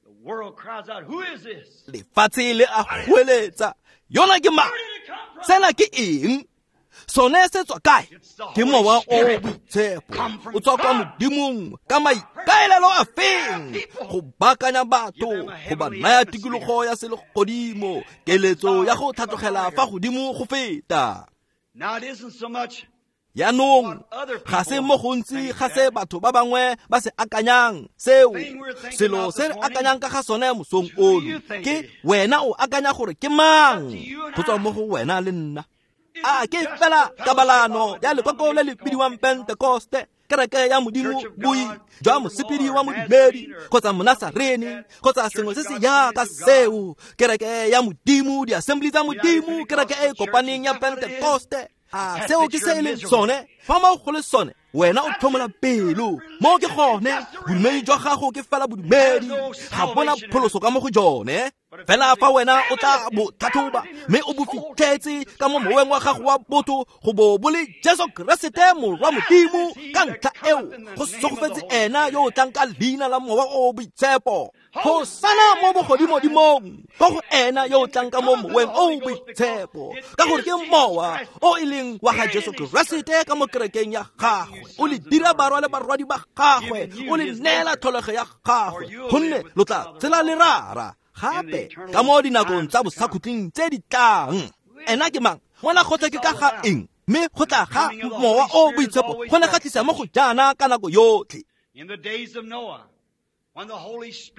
Lefatshe le a goeletsa, yona ke mang? Sena ke eng? Sone se tswa kae? Ke mowa o boitshepo, o tswa kwa Modimong ka maikaelelo a feng? Go baakanya batho, go ba naya tikologo ya selegodimo, keletso ya go tlhatlogela fa godimo go feta. Yaanong ga se mo gontsi ga se batho ba bangwe ba se akanyang seo. Selo se re akanyang ka ga sone mosong ono ke wena o akanya gore ke mang, go tswa mo go wena le nna. A ke fela kabalano ya lekoko le le bidiwang Pentekoste, kereke ya Modimo, boi jwa mosepedi wa modumedi kgotsa monasarene kgotsa sengwe se se jaaka seo, kereke ya Modimo, di-assembly tsa Modimo, kereke e e kopaneng ya Pentekoste? A seo ke se e leng sone? Fa mo go le sone, wena o tlhomola pelo. Mo ke gone, bodumedi jwa gago ke fela bodumedi, ga bona pholoso ka mo go jone. Fela fa wena o tla bo tlhatlhoba mme o bo fitlhetse ka mo moweng wa gago wa botho go bo bo le Jesu Keresete Morwa Modimo, ka ntlha eo go segofetse ena yo o tlang ka leina la mowa o boitshepo. Hosana mo bogodimodimong ko go ena yo o tlang ka mo moweng o boitshepo, ka gore ke mowa o e leng wa ga Jesu Keresete ka mo kerekeng ya gagwe. O le dira barwa le barwadi ba gagwe, o le neela tlholego ya gagwe, gonne lo tla tsela le rara gape ka mo dinakong tsa bosakhutleng tse di tlang. Ena ke mang? Mona gotlhe ke ka ga eng? Mme go tla ga mowa o boitshepo go ne ga tlisa mo go jaana ka nako yotlhe.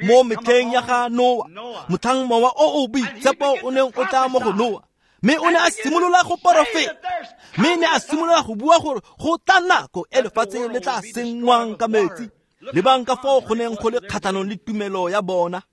Mo metlheng ya ga Noa, motlhang mowa o o boitshepo o neng o tla mo go Noa, mme o ne a simolola go porofeta, mme ne a simolola go bua gore go tla nako e lefatshe le tla senngwang ka metsi. Lebang ka foo go neng go le kgatlhanong le tumelo ya bona.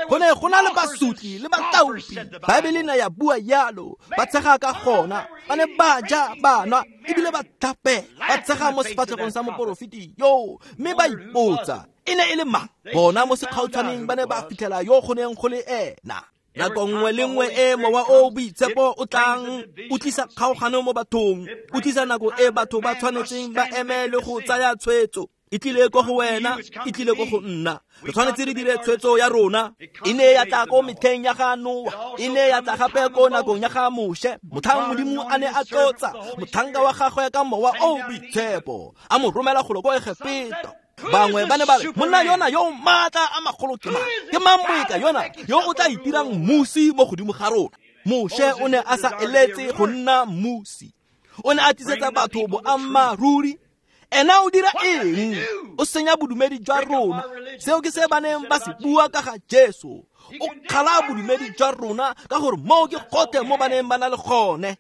Go ne go na le basotli le bataopi, Baebele ne ya bua yalo, ba tshega ka gona, ba ne ba ja, ba nwa, ebile ba tlhapela, ba tshega mo sefatlhegong sa moporofeti yoo, mme ba ipotsa e ne e le mang. Bona mo sekgautshwaneng ba ne ba fitlhela yo go neng go le ena. Nako nngwe le nngwe e mowa o boitshepo o tlang, o tlisa kgaogano mo bathong, o tlisa nako e batho ba tshwanetseng ba eme le go tsaya tshwetso. E tlile ko go wena, e tlile ko go nna. Re tshwanetse re dire tshwetso ya rona. E ne ya tla ko metlheng ya ga Noa, e ne ya tla gape ko nakong ya ga Moshe. Motlhang Modimo a ne a tlotsa motlhanka wa gagwe ka mowa o boitshepo, a mo romela golo ko Egepeta. Bangwe ba ne ba re, monna yona yo maatla a magolo ke mang? Ke mang moeka yona yo o tla itirang mmusi mo godimo ga rona? Moshe o ne a sa eletse go nna mmusi. O ne a tlisetsa batho boammaaruri. Ena o dira eng? O senya bodumedi jwa rona. Seo ke se ba neng ba se bua ka ga Jesu. O kgala bodumedi jwa rona ka gore moo ke gotlhe mo ba neng ba na le gone.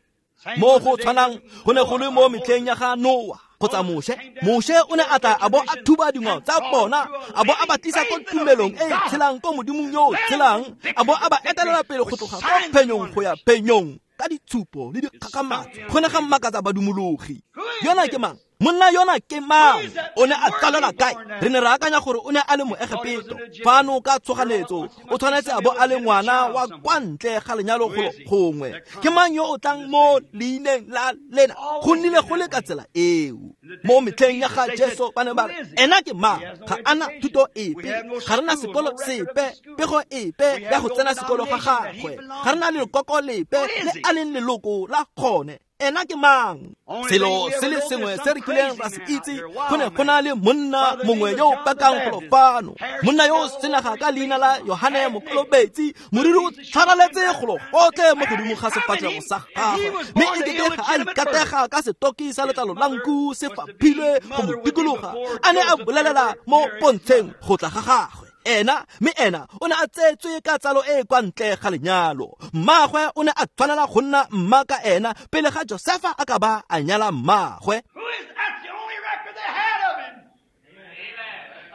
Mo go tshwanang go ne go le mo metlheng ya ga Noa kgotsa Moshe. Moshe o ne a tla a bo a thuba dingwao tsa bona, a bo a ba tlisa ko tumelong e e tshelang ko Modimong yo o tshelang, a bo a ba etelela pele go tloga ko phenyong go ya phenyong ka ditshupo le dikgakgamatso. Go ne ga mmakatsa badumologi. Yona ke mang? Monna yona ke mang? O ne a tsalelwa kae? Re ne re akanya gore o ne a le Moegepeto. Fano ka tshoganetso o tshwanetse a bo a le ngwana wa kwa ntle ga lenyalo golo gongwe. Ke mang yo o tlang mo leineng la lena? Go nnile go le ka tsela eo. Mo metlheng ya ga Jesu ba ne ba re, ena ke mang? Ga ana thuto epe, ga re na sekolo sepe, pego epe ya go tsena sekolo ga gagwe, ga re na lekoko lepe le a leng leloko la gone. Ena ke mang? Selo se le sengwe se re kileng ra se itse, go ne go na le monna mongwe yo o pakang golo fano, monna yo o senaga ka leina la Yohane Mokolobetsi, moriri o tshwaraletse golo gotlhe mo godimo ga sefatlhego sa gagwe, mme e kete ga a ikatega ka setoki sa letlalo la nku se faphilwe go mo dikologa, a ne a bolelela mo pontsheng go tla ga gagwe. Ena, mme ena o ne a tsetswe ka tsalo e kwa ntle ga lenyalo. Mmagwe o ne a tshwanela go nna mma ka ena pele ga Josefa a ka ba a nyala mmagwe.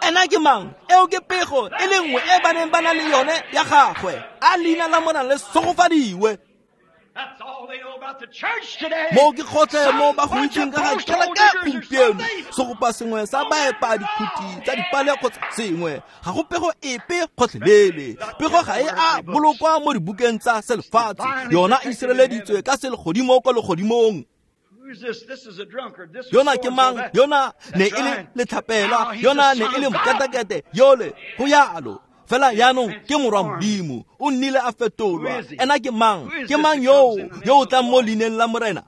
Ena ke mang? Eo ke pego e le nngwe e ba neng ba na le yone ya gagwe. A leina la Morena le segofadiwe. Mo ke gotlhe mo ba go itseng ka ga kereke gompieno, segopa sengwe sa baepa dikhuti tsa dipale kgotsa sengwe. Ga go pego epe gotlhelele. Pego ga e a bolokwa mo dibukeng tsa selefatshe. Yona e sireleditswe ka selegodimo ko legodimong. Yona ke mang? Yona ne e le letlhapela, yona ne e le mokatakete yole, go yalo. Fela yaanong ke morwa Modimo, o nnile a fetolwa. Ena ke mang? Ke mang yo o tlang mo leineng la Morena?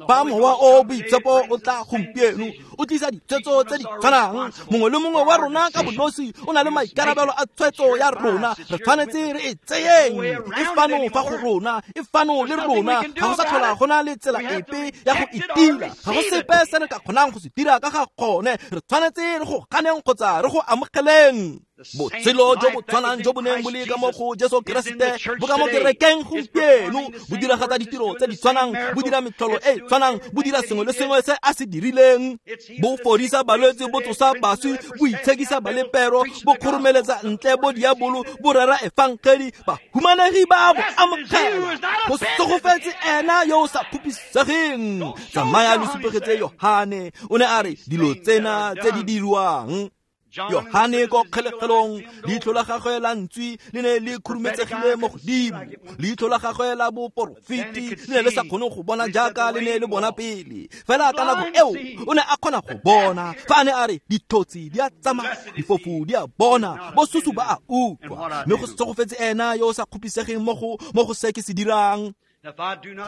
Fa mowa o boitshepo o tla gompieno, o tlisa ditshwetso tse di tshwanang. Mongwe le mongwe wa rona ka bonosi o na le maikarabelo a tshwetso ya rona. Re tshwanetse re e tseyeng. E fano fa go rona, e fano le rona. Ga go sa tlhola go na le tsela epe ya go itira. Ga go sepe se re ka kgonang go se dira ka ga gone. Re tshwanetse re go ganeng kgotsa re go amogeleng. Botshelo jo bo tshwanang jo bo neng bo le ka mo go Jesu Keresete bo ka mo kerekeng gompieno, bo diragatsa ditiro tse di tshwanang, bo dira metlholo e tshwanang, bo dira sengwe le sengwe se a se dirileng. Bo fodisa balwetse, bo tsosa baswi, bo itshekisa balepero, bo kgoromeletsa ntle bo diabolo, bo rera efangedi, bahumanegi ba bo amogela. Go segofetse ena yo o sa kgopisegeng. Tsamaya lo supegetse Yohane, o ne a re dilo tsena tse di dirwang. Yohane ko kgelegelong, leitlho la gagwe la ntswi le ne le khurumetsegile mo godimo. Leitlho la gagwe la boporofeti le ne le sa kgone go bona jaaka le ne le bona pele. Fela ka nako eo o ne a kgona go bona. Fa a ne a re dithotsi di a tsamaya, difofu di a bona, bosusu ba a utlwa. Mme go segofetse ena yo o sa kgopisegeng mo go se ke se dirang.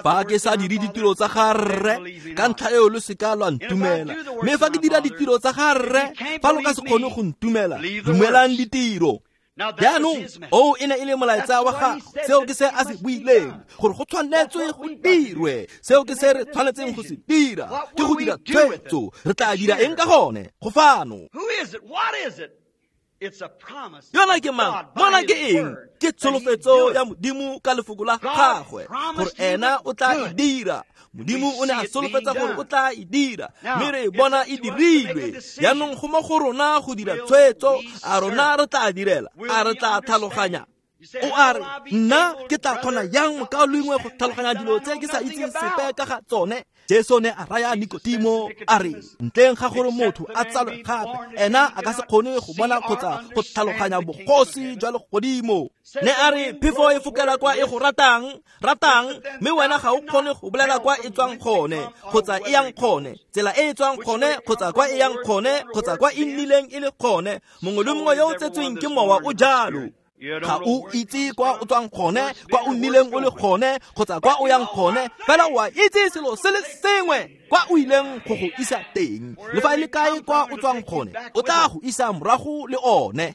Fa ke sa dire ditiro tsa ga rre, ka ntlha eo lo seka lwa ntumela. Mme fa ke dira ditiro tsa ga rre, fa lo ka se kgone go ntumela, dumelang ditiro. Jaanong oo e ne e le molaetsa wa gagwe. Seo ke se a se buileng, gore go tshwanetswe go dirwe. Seo ke se re tshwanetseng go se dira, ke go dira tshwetso. Re tla dira eng ka gone? Go fano. Yona ke mang? Mona ke eng? Ke tsholofetso ya Modimo ka lefoko la gagwe, gore ena o tla e dira. Modimo o ne a solofetsa gore o tla e dira, mme re bona e dirilwe. Jaanong go mo go rona go dira tshwetso. A rona re tla direla? A re tla tlhaloganya? O a re nna ke tla kgona yang mokaulengwe go tlhaloganya dilo tse ke sa itseng sepe ka ga tsone? Jesu ne a raya Nikodimo a re ntleng ga gore motho a tsalwe gape, ena a ka se kgone go bona kgotsa go tlhaloganya bogosi jwa legodimo. Ne a re phefo e fokela kwa e go ratang, mme wena ga o kgone go bolela kwa e tswang gone kgotsa e yang gone, tsela e e tswang gone kgotsa kwa e yang gone kgotsa kwa e nnileng e le gone. Mongwe le mongwe yo o tsetsweng ke mowa o jalo. Ga o itse kwa o tswang gone, kwa o nnileng o le gone kgotsa kwa o yang gone, fela o a itse selo se le sengwe kwa o ileng go go isa teng. Le fa e le kae kwa o tswang gone, o tla go isa morago le one.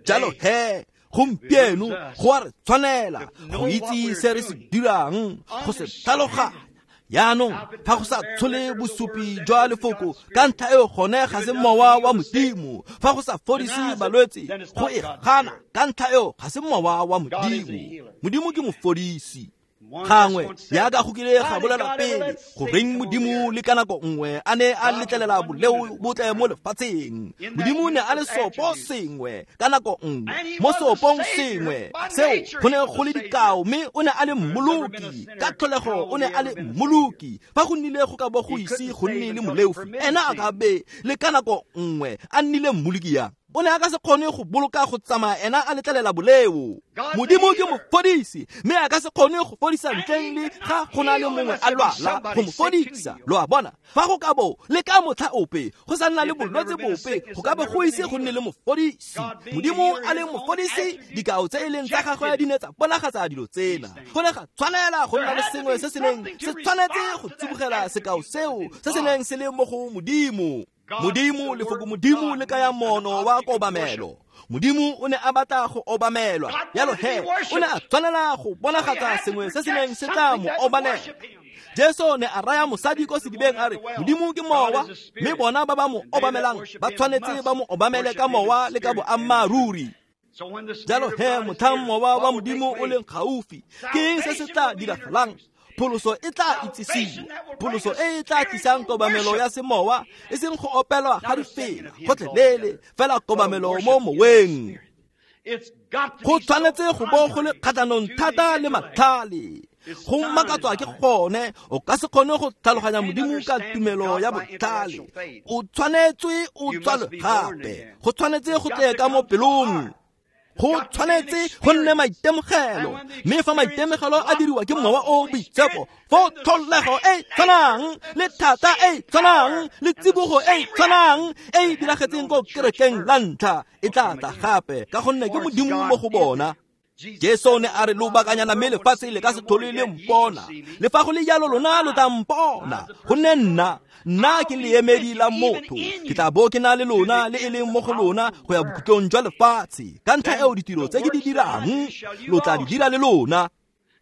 Jalo he, gompieno go a re tshwanela go itse se re se dirang, go se tlhaloganya. Jaanong fa go sa tshole bosupi jwa lefoko ka ntlha eo gone ga se mowa wa Modimo. Fa go sa fodise balwetse, go e gana ka ntlha eo ga se mowa wa Modimo. Modimo ke mofodisi. Gangwe jaaka go kile ga bolela pele goreng Modimo le ka nako nngwe a ne a letlelela boleo bo tle mo lefatsheng. Modimo ne a le sopo sengwe ka nako nngwe, mo sopong sengwe seo go ne go le dikao, mme o ne a le mmoloki ka tlholego, o ne a le mmoloki. Fa go nnile go ka bo go ise go nne le moleofi, ena a ka be le ka nako nngwe a nnile mmoloki yang. O ne a ka se kgone go boloka go tsamaya ena a letlelela boleo. Modimo ke mofodisi, mme a ka se kgone go fodisa ntleng le ga go na le mongwe a lwala go mo fodisa. Lo a bona, fa go ka bo le ka motlha ope go sa nna le bolwetse bope, go ka bo go ise go nne le mofodisi. Modimo a le mofodisi, dikao tse e leng tsa gagwe di ne tsa bonagatsa dilo tsena. Go ne ga tshwanela go nna le sengwe se se neng se tshwanetse go tsibogela sekao seo se se neng se le mo go Modimo. Modimo, lefoko Modimo le kaya mono wa kobamelo. Modimo o ne a batla go obamelwa, jalo he o ne a tshwanela go bonagatsa sengwe se se neng se tla mo obamela. Jesu ne a raya mosadi ko sedibeng a re Modimo ke mowa, mme bona ba ba mo obamelang ba tshwanetse ba mo obamele ka mowa le ka boammaaruri. Jalo he motlhang mowa wa Modimo o leng gaufi, ke eng se se tla diragalang? Pholoso e tla itsisiwa, pholoso e e tla tlisang kobamelo ya semowa, e seng go opelwa ga difela gotlhelele, fela kobamelo mo moweng. Go tshwanetse go bo go le kgatlhanong thata le matlhale. Go makatswa ke gone, o ka se kgone go tlhaloganya Modimo ka tumelo ya botlhale. O tshwanetswe o tswalwe gape, go tshwanetse go tle ka mo pelong. Go tshwanetse go nne maitemogelo, mme fa maitemogelo a diriwa ke mowa o boitshepo, fo tlholego e tshwanang le thata e tshwanang le tsibogo e tshwanang e e diragetseng ko kerekeng la ntlha e tla tla gape, ka gonne ke Modimo mo go bona. Jesu ne a re lobakanyana mme lefatshe le ka se tlhole le mpona, le fa go le jalo lona lo tla mpona, gonne nna ke leemedi la motho, ke tla bo ke na le lona le e leng mo go lona go ya bokhutlong jwa lefatshe. Ka ntlha eo ditiro tse ke di dirang lo tla di dira le lona.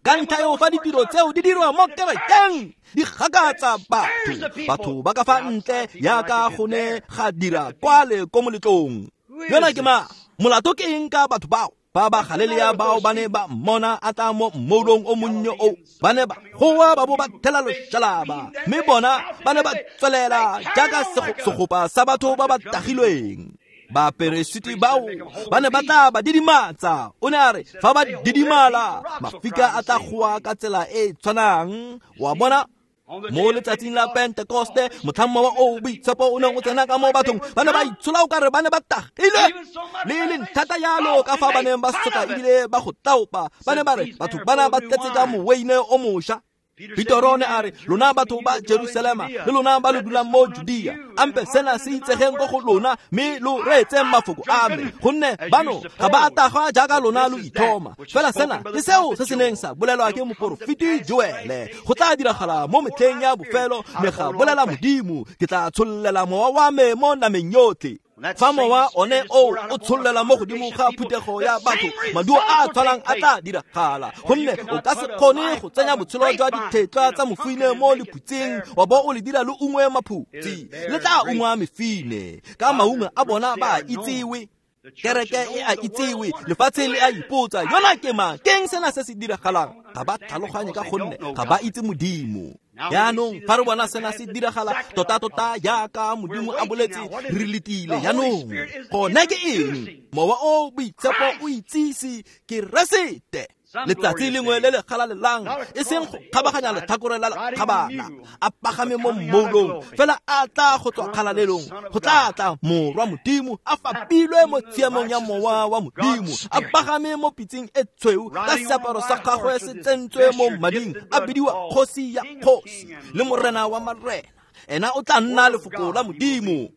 Ka ntlha eo fa ditiro tseo di dirwa mo kerekeng di gakatsa batho, batho ba ka fa ntle yaka go ne ga dira kwale ko moletlong. Yona ke mang? Molato ke eng ka batho bao? Ba ba Galilea bao ba ne ba mmona a tla mo mmoulong o monnye o, ba ne ba goa ba bo ba thela loshalaba, mme bona ba ne ba tswelela jaaka segopa sa batho ba ba tagilweng. Baperesiti bao ba ne ba tla ba didimatsa. O ne a re fa ba didimala, mafika a tla goa ka tsela e e tshwanang. Wa bona, mo letsatsing la Pentekoste, motlhang mowa o boitshepo o neng o tsena ka mo bathong, ba ne ba itshola o kare ba ne ba tagilwe. Le e leng thata jalo ka fa ba neng ba sotla ebile ba go taopa, ba ne ba re batho bana ba tletse ka moweine o mošwa. Petro ne a re lona batho ba Jerusalema le lona ba lo dulang mo Judea, ampe sena se itsegeng ko go lona, mme lo reetseng mafoko a me, gonne bano ga ba a tagwa jaaka lona lo ithoma. Fela sena ke seo se se neng sa bolelwa ke moporofeti Joele, go tla diragala mo metlheng ya bofelo, ne ga bolela Modimo, ke tla tshollela mowa wa me mo nameng yotlhe. Fa mowa one o o tshollela mo godimo ga phuthego ya batho, maduo a a tshwanang a tla diragala, gonne o ka se kgone go tsenya botshelo jwa dithetlwa tsa mofine mo lephutsing wa bo o le dira le ungwe maphutsi. Le tla ungwa mefine, ka maungo a bona ba a itsewe. Kereke e a itsewe, lefatshe le a ipotsa, yona ke mang? Ke eng sena se se diragalang? Ga ba tlhaloganye ka gonne ga ba itse Modimo. Jaanong fa re bona sena se diragala tota-tota jaaka Modimo a boletse, re letile jaanong. Gone ke eng? Mowa o Boitshepo o itsise Keresete. Letsatsi lengwe le le galalelang, e seng go kgabaganya letlhakore la lekgabana, a pagame mo mmoulong, fela a tla go tswa kgalalelong, go tla tla Morwa Modimo a fapilwe mo tshiamong ya Mowa wa Modimo, a pagame mo pitseng e tshweu ka seaparo sa gagwe se tsentswe mo mading, a bidiwa Kgosi ya Kgosi le Morena wa Marena. Ena o tla nna lefoko la Modimo.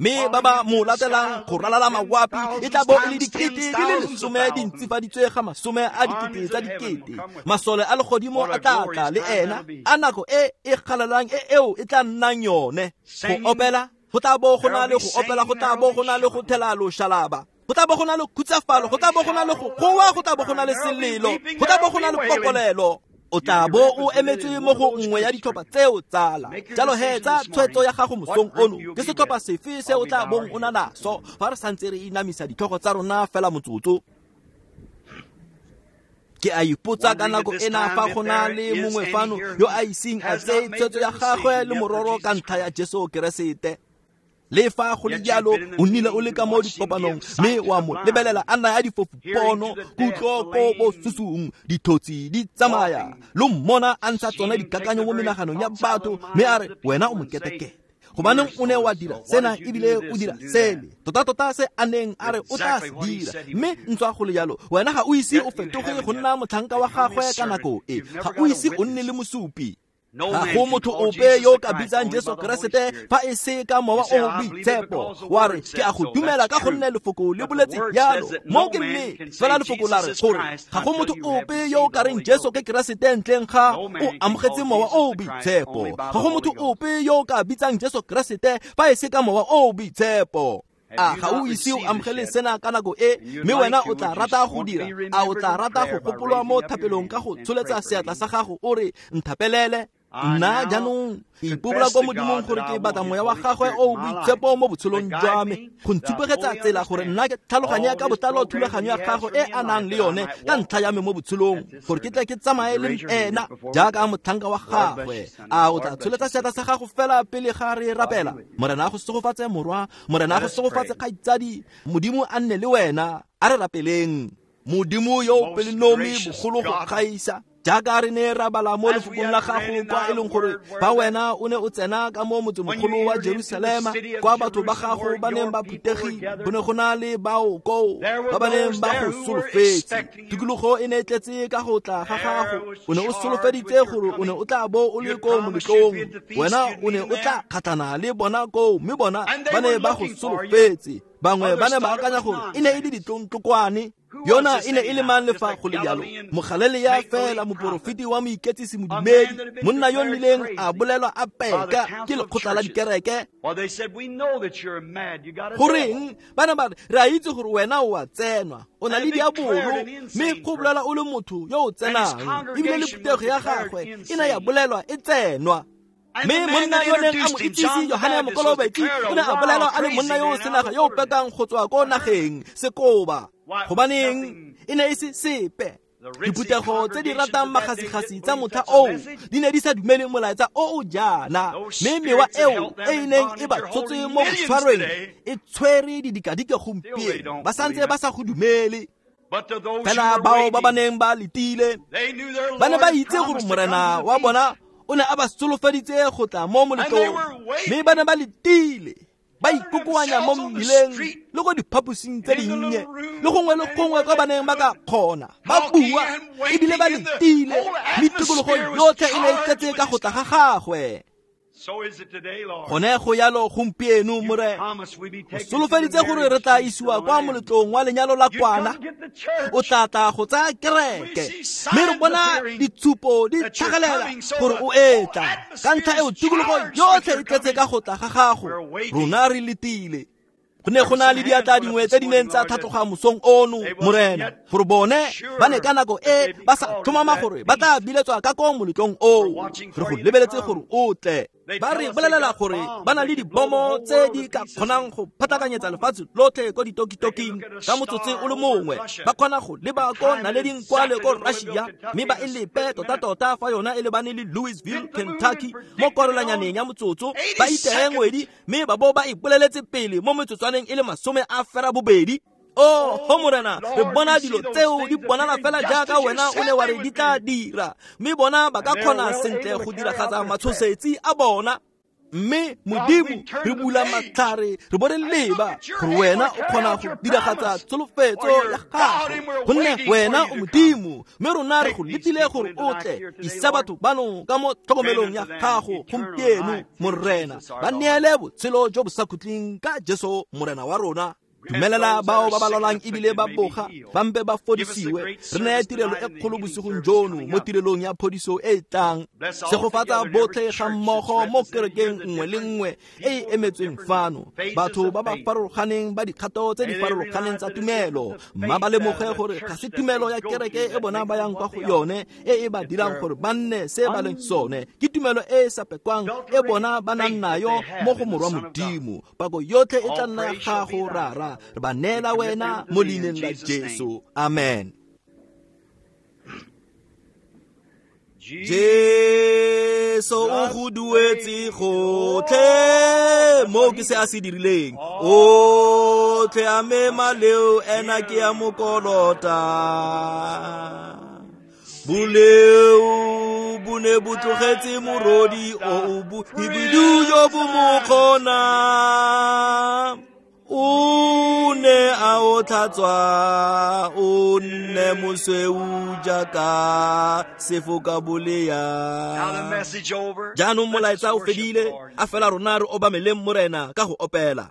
Mme ba ba mo latelang go ralala mawapi e tla bo e le 10,000 di le 10 di ntsifaditswe ga 10,000 tsa dikete. Masole a legodimo a tla tla le ena, a nako e e galelang e eo e tla nnang yone. Go opela, go tla bo go na le go opela, go tla bo go na le go thela loshalaba, go tla bo go na le khutsafalo, go tla bo go na le go goa, go tla bo go na le selelo, go tla bo go na le pokolelo. O tla bo o emetswe mo go nngwe ya ditlhopha tseo tsala. Jalo he tsa tshwetso ya gago mosong ono, ke setlhopha sefe se o tla bong o na naso fa re santse re inamisa ditlhogo tsa rona fela motsotso? Ke a ipotsa ka nako ena fa go na le mongwe fano yo a iseng a tseye tshwetso ya gagwe le mororo ka ntlha ya Jesu Keresete. Le fa go le jalo, o nnile o le ka mo dikopanong mme wa mo lebelela a naya difofu pono, kutlo ko bosusung, dithotsi di tsamaya, lo mmona a ntsha tsone dikakanyo mo menaganong ya batho, mme a re wena o moketekete, gobaneng o ne wa dira sena ebile o dira sele, tota-tota se a neng a re o tla se dira. Mme ntswa go le jalo, wena ga o ise o fetoge go nna motlhanka wa gagwe ka nako e, ga o ise o nne le mosupi. Ga go motho ope yo o ka bitsang Jesu Keresete fa e se ka Mowa o Boitshepo. Wa re, ke a go dumela ka gonne lefoko le boletse jalo. Mo ke nnete, fela lefoko la re gore ga go motho ope yo o ka reng Jesu ke Keresete ntleng ga o amogetse Mowa o Boitshepo. Ga go motho ope yo o ka bitsang Jesu Keresete fa e se ka Mowa o Boitshepo. A ga o ise o amogele sena ka nako e, mme wena o tla rata go dira? A o tla rata go gopolwa mo thapelong ka go tsholetsa seatla sa gago o re, nthapelele? Nna jaanong ke ipobola ko Modimong gore ke batla Moya wa gagwe o Boitshepo mo botshelong jwa me, go ntshupegetsa tsela gore nna ke tlhaloganye ka botlalo thulaganyo ya gagwe e a nang le yone ka ntlha ya me mo botshelong, gore ke tle ke tsamaye le ena jaaka motlhanka wa gagwe. A o tla tsholetsa seatla sa gago fela pele ga re rapela? Morena a go segofatse morwa, Morena a go segofatse kgaitsadi, Modimo a nne le wena. A re rapeleng. Modimo yo o pelonomi bogolo go gaisa, jaaka re ne ra bala mo lefokong la gago kwa e leng gore fa wena o ne o tsena ka mo motsemogolo wa Jerusalema, kwa batho ba gago ba neng ba phutegile, go ne go na le bao koo ba ba neng ba go solofetse. Tikologo e ne e tletse ka go tla ga gago. O ne o solofeditse gore o ne o tla bo o le ko moletlong, wena o ne o tla kgatlhana le bona koo, mme bona ba ne ba go solofetse. Bangwe ba ne ba akanya gore e ne e le ditlontlokwane. Yona e ne e le mang le fa go le jalo? Mogalelea fela, moporofeti wa moiketsisi modumedi, monna yo nnileng a bolelwa a peka ke lekgotla la dikereke. Goreng ba ne ba re, re a itse gore wena o a tsenwa, o na le diabolo, mme go bolelwa o le motho yo o tsenang, ebile le phuthego ya gagwe e ne ya bolelwa e tsenwa. Mme monna yo neng a mo itsise, Yohane Mokolobetsi, o ne a bolelwa a le monna yo o senaga yo o pekang go tswa ko nageng sekoba. Gobaneng e ne e se sepe? Diphuthego tse di ratang magasigasi tsa motlha oo di ne di sa dumele molaetsa o o jaana, mme mewa eo e e neng e ba tshotse mo go tshwarweng e tshwere didikadike gompieno, ba santse ba sa go dumele. Fela bao ba ba neng ba letile ba ne ba itse gore Morena wa bona o ne a ba solofeditse go tla mo moletlong, mme ba ne ba letile, ba ikokoanya mo mmileng le ko diphaposing tse dinnye le gongwe le gongwe kwa ba neng ba ka kgona, ba bua ebile ba letile, mme tikologo yotlhe e ne e tletse ka go tla ga gagwe. Gone go yalo gompieno, Morena. O solofeditse gore re tla isiwa kwa moletlong wa lenyalo la kwana, o tla tla go tsaya kereke, mme re bona ditshupo di tlhagelela gore o etla. Ka ntlha eo tikologo yotlhe e tletse ka go tla ga gago, rona re letile. Go ne go na le diatla dingwe tse di neng tsa tlhatloga mosong ono, Morena, gore bone ba ne ka nako e ba sa tlhomama gore ba tla biletswa ka ko moletlong oo. Re go lebeletse gore o tle. Ba re bolelela gore ba na le dibomo tse di ka kgonang go phatlakanyetsa lefatshe lotlhe ko ditokitoking ka motsotso o le mongwe. Ba kgona go leba ko naleding kwa le ko Russia mme ba e lepe tota-tota fa yona e lebane le Louisville, Kentucky mo korolanyaneng ya motsotso. Ba iteye ngwedi mme ba bo ba e boleletse pele mo metsotswaneng e le 28. Oh, ho Morena, re bona dilo tseo di bonala fela jaaka wena o ne wa re di tla dira, mme bona ba ka kgona sentle go diragatsa matshosetsi a bona. Mme Modimo, re bula matlhare re bo re leba gore wena o kgona go diragatsa tsholofetso ya gago, gonne wena o Modimo, mme rona re go letile gore o tle. Isa batho bano ka mo tlhokomelong ya gago gompieno, Morena. Ba neele botshelo jo bo sa khutleng ka Jesu Morena wa rona. Dumelela bao ba ba lwalang ebile ba boga ba mpe ba fodisiwe. Re neye tirelo e kgolo bosigong jono mo tirelong ya phodiso e e tlang. Segofatsa botlhe ga mmogo mo kerekeng nngwe le nngwe e e emetsweng fano, batho ba ba farologaneng ba dikgato tse di farologaneng tsa tumelo. Mma ba lemoge gore ga se tumelo ya kereke e bona ba yang kwa go yone e e ba dirang gore ba nne se ba leng sone. Ke tumelo e e sa pekwang e bona ba nang nayo mo go Morwa Modimo. Pako yotlhe e tla nna ya gago, Rara. Re ba neela wena mo leineng la Jesu. Amen. Jesu o go duetse gotlhe mo ke se a se dirileng. Otlhe a me maleo ena ke a mo kolota. Boleo bo ne bo tlogetse morodi o o bohibidu jo bo mo kgona. O ne a o tlhatswa, o nne mosweu jaaka sefoka bolea. Jaanong molaetsa o fedile, a fela rona re obameleng Morena ka go opela.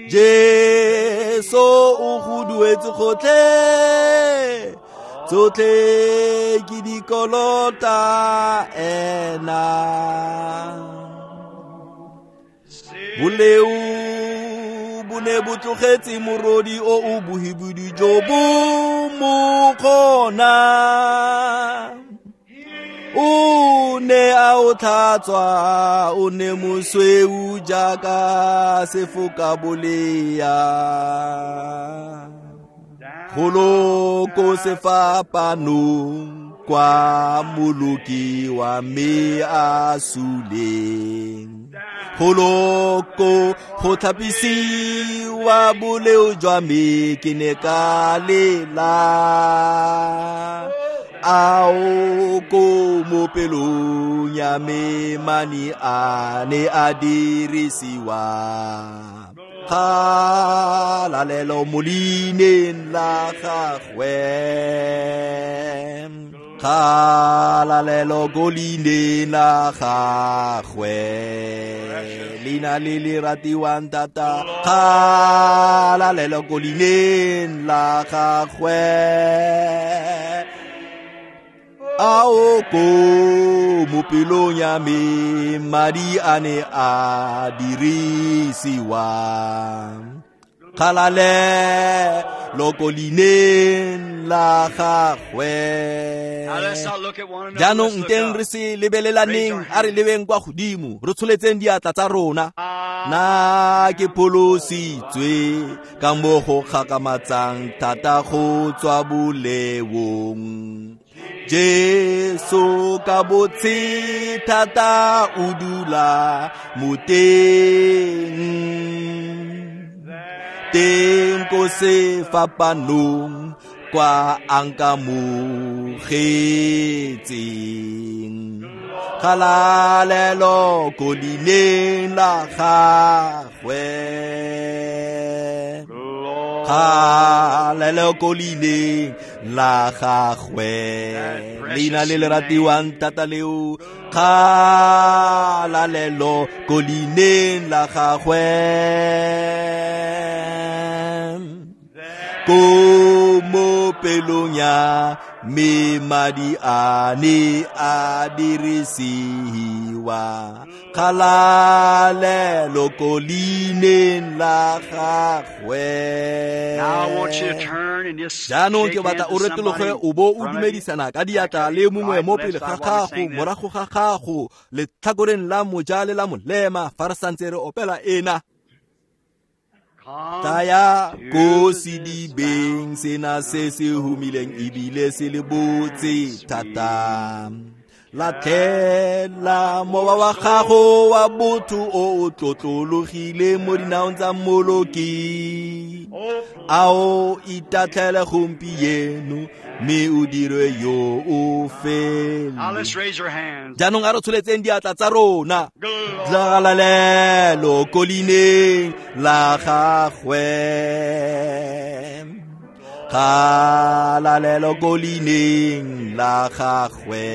Jesu o go duetse gotlhe, tsotlhe ke dikolota ena. Boleo bo ne bo tlogetse morodi o o bohibidu jo bo mo kgona. O ne a o tlhatswa, o ne mosweu jaaka sefoka bolea. Golo ko sefapanong kwa moloki wa me a suleng. Golo ko go tlhapisiwa boleo jwa me ke ne ka lela. Ao ko mo pelong ya me mani a ne a dirisiwa. Kgalalelo mo leineng la gagwe. Kgalalelo ko leineng la gagwe. Leina le le ratiwang thata. Kgalalelo ko leineng la gagwe. Ao ko mo pelong ya me madi a ne a dirisiwa. Kgalalelo ko leineng la gagwe. Jaanong nteng re se lebelelaneng, a re lebeng kwa godimo, re tsholetseng diatla tsa rona. Na ke pholositswe ka mo go gakgamatsang thata go tswa boleong. Jesu ka botse thata o dula mo teng. Teng ko sefapanong kwa a nkamogetseng. Kgalalelo ko leineng la gagwe. Kgalalelo ko leineng la gagwe. Leina le le ratiwang thata leo. Kgalalelo ko leineng la gagwe. Ko mo pelong ya me madi a ne a dirisiwa. Kgalalelo ko leineng la gagwe. Jaanong ke batla o retologe o bo o dumedisana ka diatla le mongwe mo pele ga gago, morago ga gago, letlhakoreng la moja le la molema fa re santse re opela ena. Tlaya ko sedibeng sena se se humileng ebile se le botse thata. Latlhela mowa wa gago wa botho o o tlotlologile mo dinaong tsa Mmoloki. A o itatlhele gompieno mme o dirwe yo o fele. Jaanong a re tsholetseng diatla tsa rona. Kgalalelo ko leineng la gagwe. Kgalalelo ko leineng la gagwe.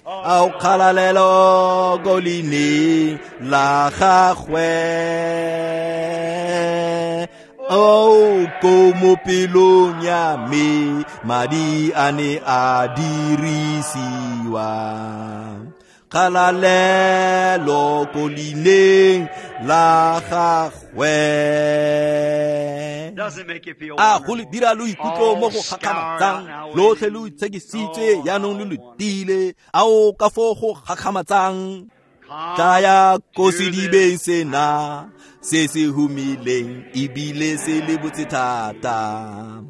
Ao kgalalelo ko leineng la gagwe. O ko mo pelong ya me madi a ne a dirisiwa. Kgalalelo ko leineng la gagwe. A go le dira lo ikutlo mo go gakgamatsang, lotlhe lo itshekisitswe jaanong lo letile. A o ka foo go gakgamatsang. Tlaya ko sedibeng sena se se humileng ebile se le botse thata.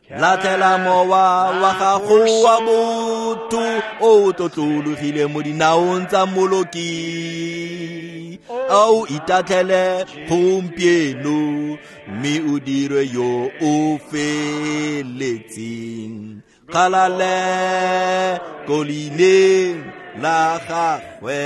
Latlhela mowa wa gago wa botho o tlotlologile mo dinaong tsa Mmoloki. A o itatlhele gompieno mme o dirwe yo o feletseng. Kgalalelo ko leineng la gagwe.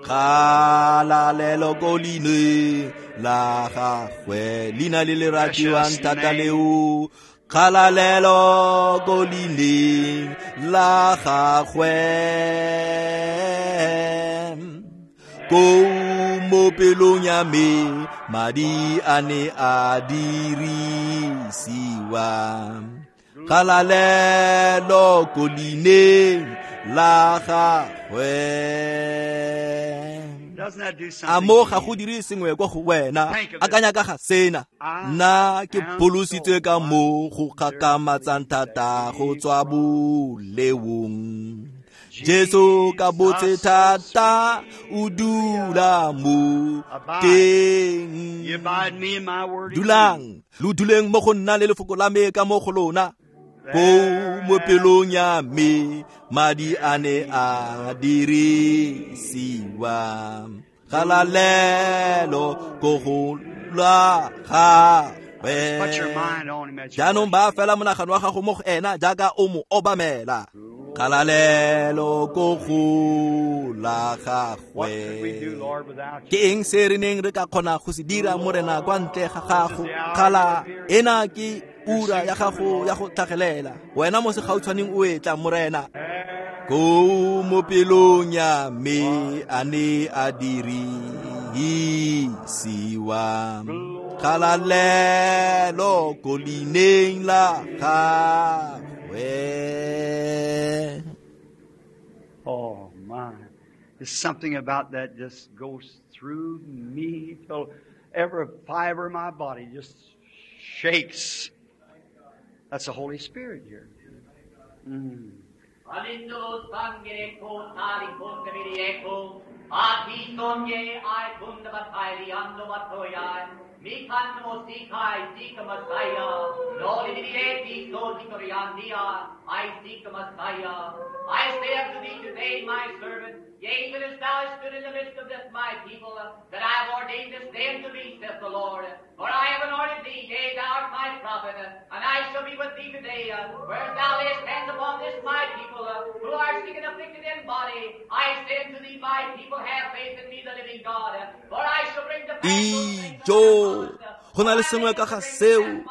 Kgalalelo ko leineng la gagwe. Leina le le ratiwang thata leo. Kgalalelo ko leineng la gagwe. Ko mo pelong ya me madi a ne a dirisiwa. Kgalalelo ko leineng la gagwe. A mo ga go dire sengwe kwa go wena. Akanya ka ga sena. Nna ke pholositswe ka mo go gakgamatsang thata go tswa boleong. Jesu ka botse thata o dula mo teng. Dulang, lo duleng mo go nna le lefoko la me ka mo go lona. Ko mo pelong ya me madi a ne a dirisiwa. Kgalalelo ko go la gagwe. Jaanong ba fela monagano wa gago mo go ena jaaka o mo obamela. Kgalalelo ko go la gagwe. Ke eng se re neng re ka kgona go se dira Morena kwa ntle ga gago? Kgala ena ke ura ya gago ya go tlhagelela. Wena mo segautshwaneng o etla Morena. Ko mo pelong ya me a ne a dirisiwa. Kgalalelo ko leineng la gagwe. Oh my. There's something about that just goes through me till every fiber of my body just shakes. That's the Holy Spirit here. I say unto thee today, my servant, yea, even as thou hast stood in the midst of this my people, that I have ordained this day unto thee, saith the Lord. For I have anointed thee, yea, thou art my prophet, and I shall be with thee today. Whereas thou layest hands upon this my people, who are sick and afflicted in body, I say unto thee, my people, have faith in me, the living God. For I shall bring to pass those things that I have promised. Go na le sengwe ka ga seo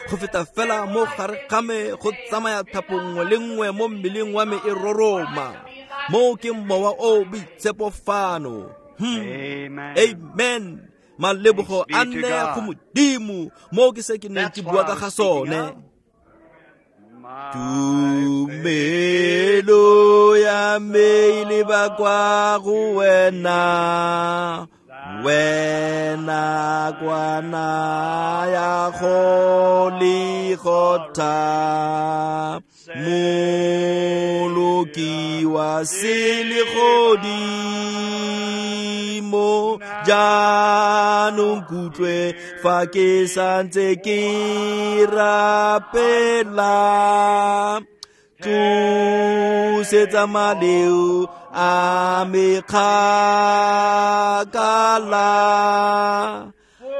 go feta fela mo gare ga me go tsamaya thapo nngwe le nngwe mo mmeleng wa me e roroma. Mo ke mowa o boitshepo fano. Amen. Malebogo a nne go Modimo, mo ke se ke neng ke bua ka ga sone. Tumelo ya me e leba kwa go wena, wena kwana ya Goligotha, Moloki wa selegodimo, jaanong kutlwe fa ke santse ke rapela. Tlosetsa maleo a me kgakala,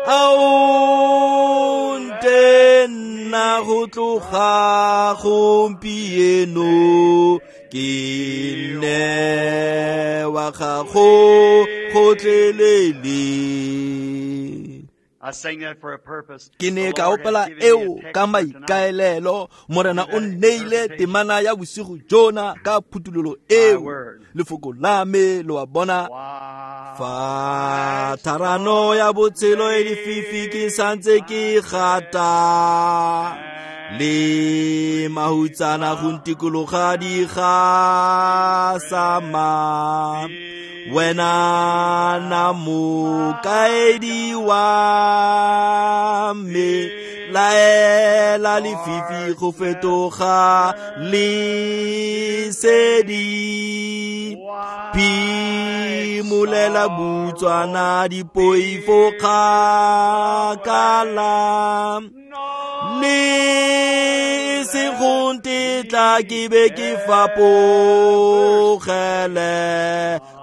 ao nte nna go tloga gompieno, ke nne wa gago gotlhelele. Ke ne ka opela eo ka maikaelelo. Morena o nneile temana ya bosigo jona ka phuthololo eo, lefoko la me lo a bona. Fa tharano ya botshelo e lefifi ke santse ke gata, le mahutsana go ntikologa di gasama, wena na mokaedi wa me, laela lefifi go fetoga lesedi, phimolela butswana dipoifo kgakala, le se go ntetla ke be ke fapogele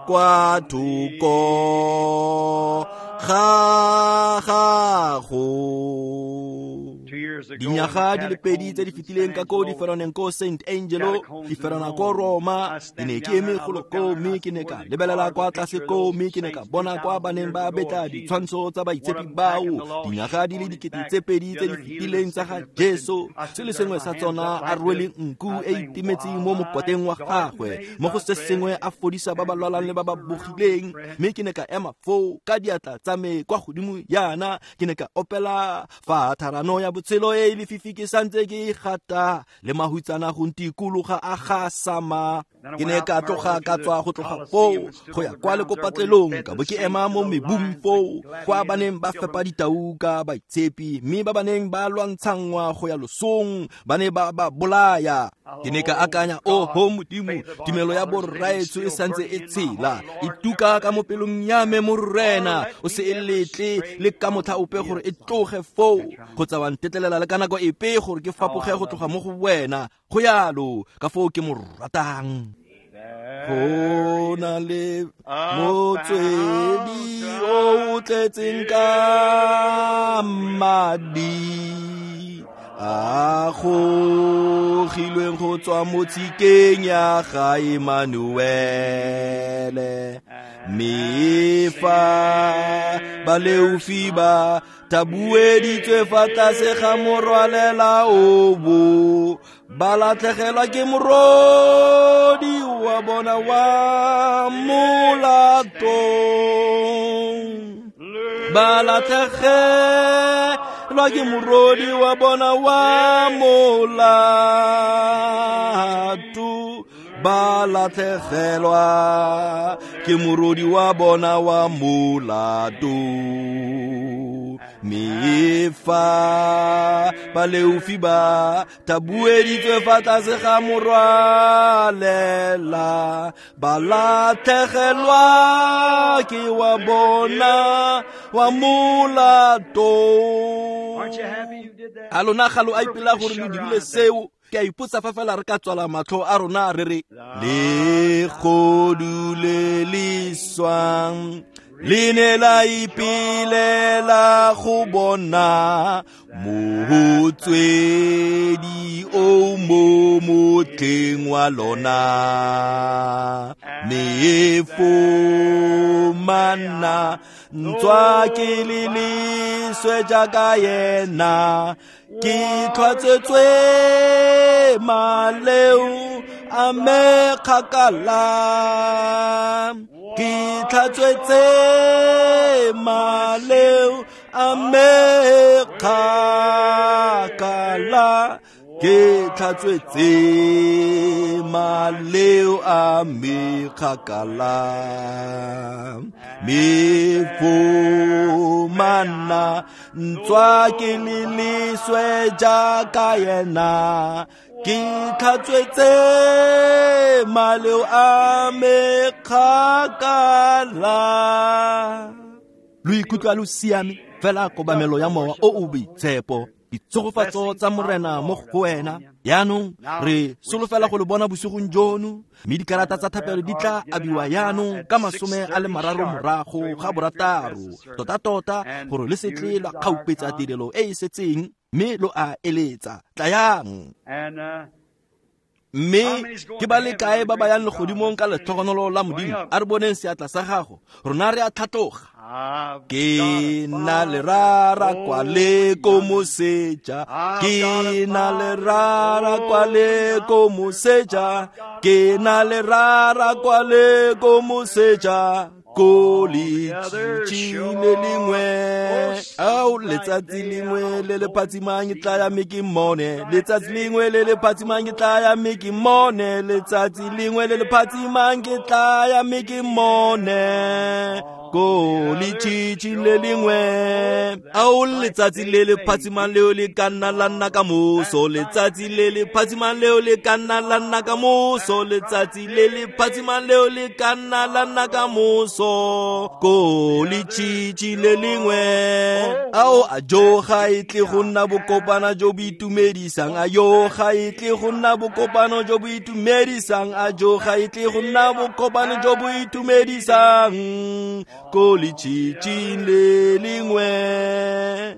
kwa thoko ga gago. Dinyaga di le pedi tse di fetileng ka ko diferaneng ko St. Angelo, diferana ko Roma, ke ne ke eme golo koo, mme ke ne ka lebelela kwa tlase koo, mme ke ne ka bona kwa ba neng ba betla ditshwantsho tsa baitshepi bao dinyaga di le 2000 tse di fetileng tsa ga Jesu, se le sengwe sa tsona a rwele nku e itimetseng mo mokoteng wa gagwe, mo go se sengwe a fodisa ba ba lwalang le ba ba bogileng. Mme ke ne ka ema foo ka diatla tsa me kwa godimo yana, ke ne ka opela fa tharano ya botshelo e lefifi ke santse ke gata, le mahutsana go ntikologa a gasama. Ke ne ka tloga ka tswa go tloga foo go ya kwa lekopatlelong, ka bo ke ema mo mebung foo kwa ba neng ba fepa ditau ka baitshepi, mme ba ba neng ba lwantshangwa go ya losong ba ne ba ba bolaya. Ke ne ka akanya, oho Modimo, tumelo ya borraetsho e santse e tshela, e tuka ka mo pelong ya me, Morena, o se e letle le ka motlha ope gore e tloge foo, kgotsa wa ntetlelela le ka nako epe gore ke fapoge go tloga mo go wena. Go yalo ka foo ke mo ratang. Go na le motswedi o tletseng ka madi a gogilweng go tswa mo tshikeng ya ga Emmanuele, mme fa baleofi ba tabueditswe fa tlase ga morwalela obo, ba latlhegelwa ke morodi wa bona wa molato, ba latlhegelwa ke morodi wa bona wa molato, ba latlhegelwa ke morodi wa bona wa molato. Mme fa baleofi ba tabueditswe fa tlase ga morwalela, ba latlhegelwa ke wa bona wa molato. A lona ga lo a ipela gore lo dirile seo? Ke a ipotsa fa fela re ka tswala matlho a rona re re, legodu le le swang le ne la ipelela go bona motswedi o mo motleng wa lona, mme fomana ntswa ke le leswe jaaka yena, ke tlhwatsetswe maleo a me kgakala. Ke tlhatswetse maleo a me kgakala. Ke tlhatswetse maleo a me kgakala. Me fumana ntswa ke le leswe jaaka yena. Ke tlhatswetse maleo a me kgakala. Lo ikutlwa lo siame fela kobamelo ya mowa o o boitshepo. Ditshegofatso tsa Morena mo go wena. Yaanong re solofela go le bona bosigong jono, mme dikarata tsa thapelo di tla abiwa yaanong ka 30 morago ga 6, tota-tota gore le se tle lwa kgaupetsa tirelo e e setseng, mme lo a eletsa. Tlayang. Mme ke ba le kae ba ba yang legodimong ka letlhogonolo la Modimo? A re boneng seatla sa gago. Rona re a tlhatloga. Ke na le rara kwa le ko moseja. Ke na le rara kwa le ko moseja. Ke na le rara kwa le ko moseja. Ko letšitši le lengwe. Ao, letsatsi lengwe le le phatsimang ke tla ya mme ke mmone. Letsatsi lengwe le le phatsimang ke tla ya mme ke mmone. Letsatsi lengwe le le phatsimang ke tla ya mme ke mmone. Ko letšitši le lengwe. Ao, letsatsi le le phatsimang leo le ka nna la nna ka moso. Letsatsi le le phatsimang leo le ka nna la nna ka moso. Letsatsi le le phatsimang leo le ka nna la nna ka moso. Ko letšitši le lengwe. Ao, a jo ga e tle go nna bokopano jo bo itumedisang. A yo ga e tle go nna bokopano jo bo itumedisang. A jo ga e tle go nna bokopano jo bo itumedisang. Ko letšitši le lengwe.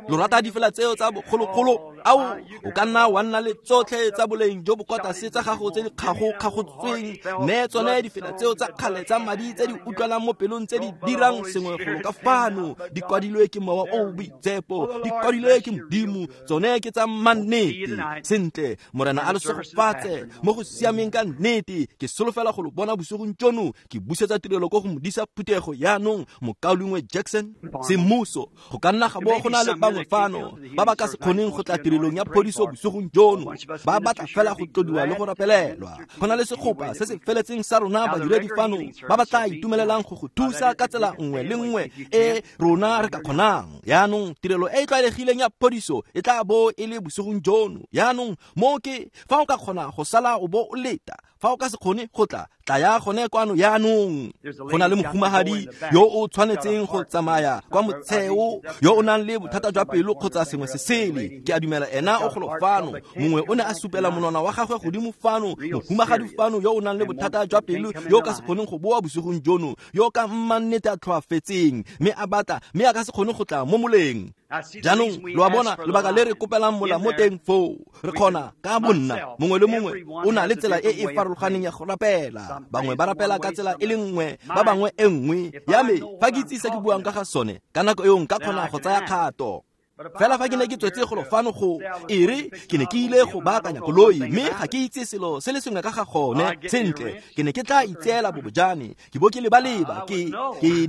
Lo rata difela tseo tsa bogologolo? Ao, o ka nna wa nna le tsotlhe tsa boleng jo bo kwa tlase tsa gago tse di kgago-kgagotsweng, mme tsone difela tseo tsa kgale tsa madi tse di utlwalang mo pelong tse di dirang sengwe golo ka fano, di kwadilwe ke mowa o o boitshepo, di kwadilwe ke Modimo, tsone ke tsa mannete. Sentle, Morena a le segofatse mo go siameng ka nnete. Ke solofela go lo bona bosigong jono. Ke busetsa tirelo ko go modisa phuthego yaanong, Mokaulengwe Jackson Semmuso. Go ka nna ga bo go na le bangwe fano ba ba ka se kgoneng go tla tirelong ya phodiso bosigong jono, ba batla fela go tlodiwa le go rapelelwa. Go na le segopa se se feletseng sa rona badiredi fano ba ba tla itumelelang go go thusa ka tsela nngwe le nngwe e rona re ka kgonang. Yaanong tirelo e e tlwaelegileng ya phodiso e tla bo e le bosigong jono. Yaanong mo ke fa o ka kgona go sala o bo o leta, fa o ka se kgone go tla, tlaya gone kwano yaanong. Go na le mohumagadi yo o tshwanetseng go tsamaya kwa motsheo, yo o nang le bothata jwa pelo kgotsa sengwe se sele. Ke a dumela ena o golo fano. Mongwe o ne a supela monwana wa gagwe godimo fano. Mohumagadi fano yo o nang le bothata jwa pelo, yo o ka se kgoneng go boa bosigong jono, yo ka mmannete a tlhoafetseng, mme a batla, mme a ka se kgone go tla mo moleng. Jaanong lo a bona lebaka le re kopelang mola mo teng foo. Re kgona ka bonna, mongwe le mongwe o na le tsela e e farologaneng ya go rapela. Bangwe ba rapela ka tsela e le nngwe, ba bangwe e nngwe. Ya me, fa ke itse se ke buang ka ga sone, ka nako eo nka kgona go tsaya kgato. Fela fa ke ne ke tswetse golo fano go e re ke ne ke ile go baakanya koloi, mme ga ke itse selo se le sengwe ka ga gone. Sentle, ke ne ke tla itseela bobojane, ke bo ke lebaleba, ke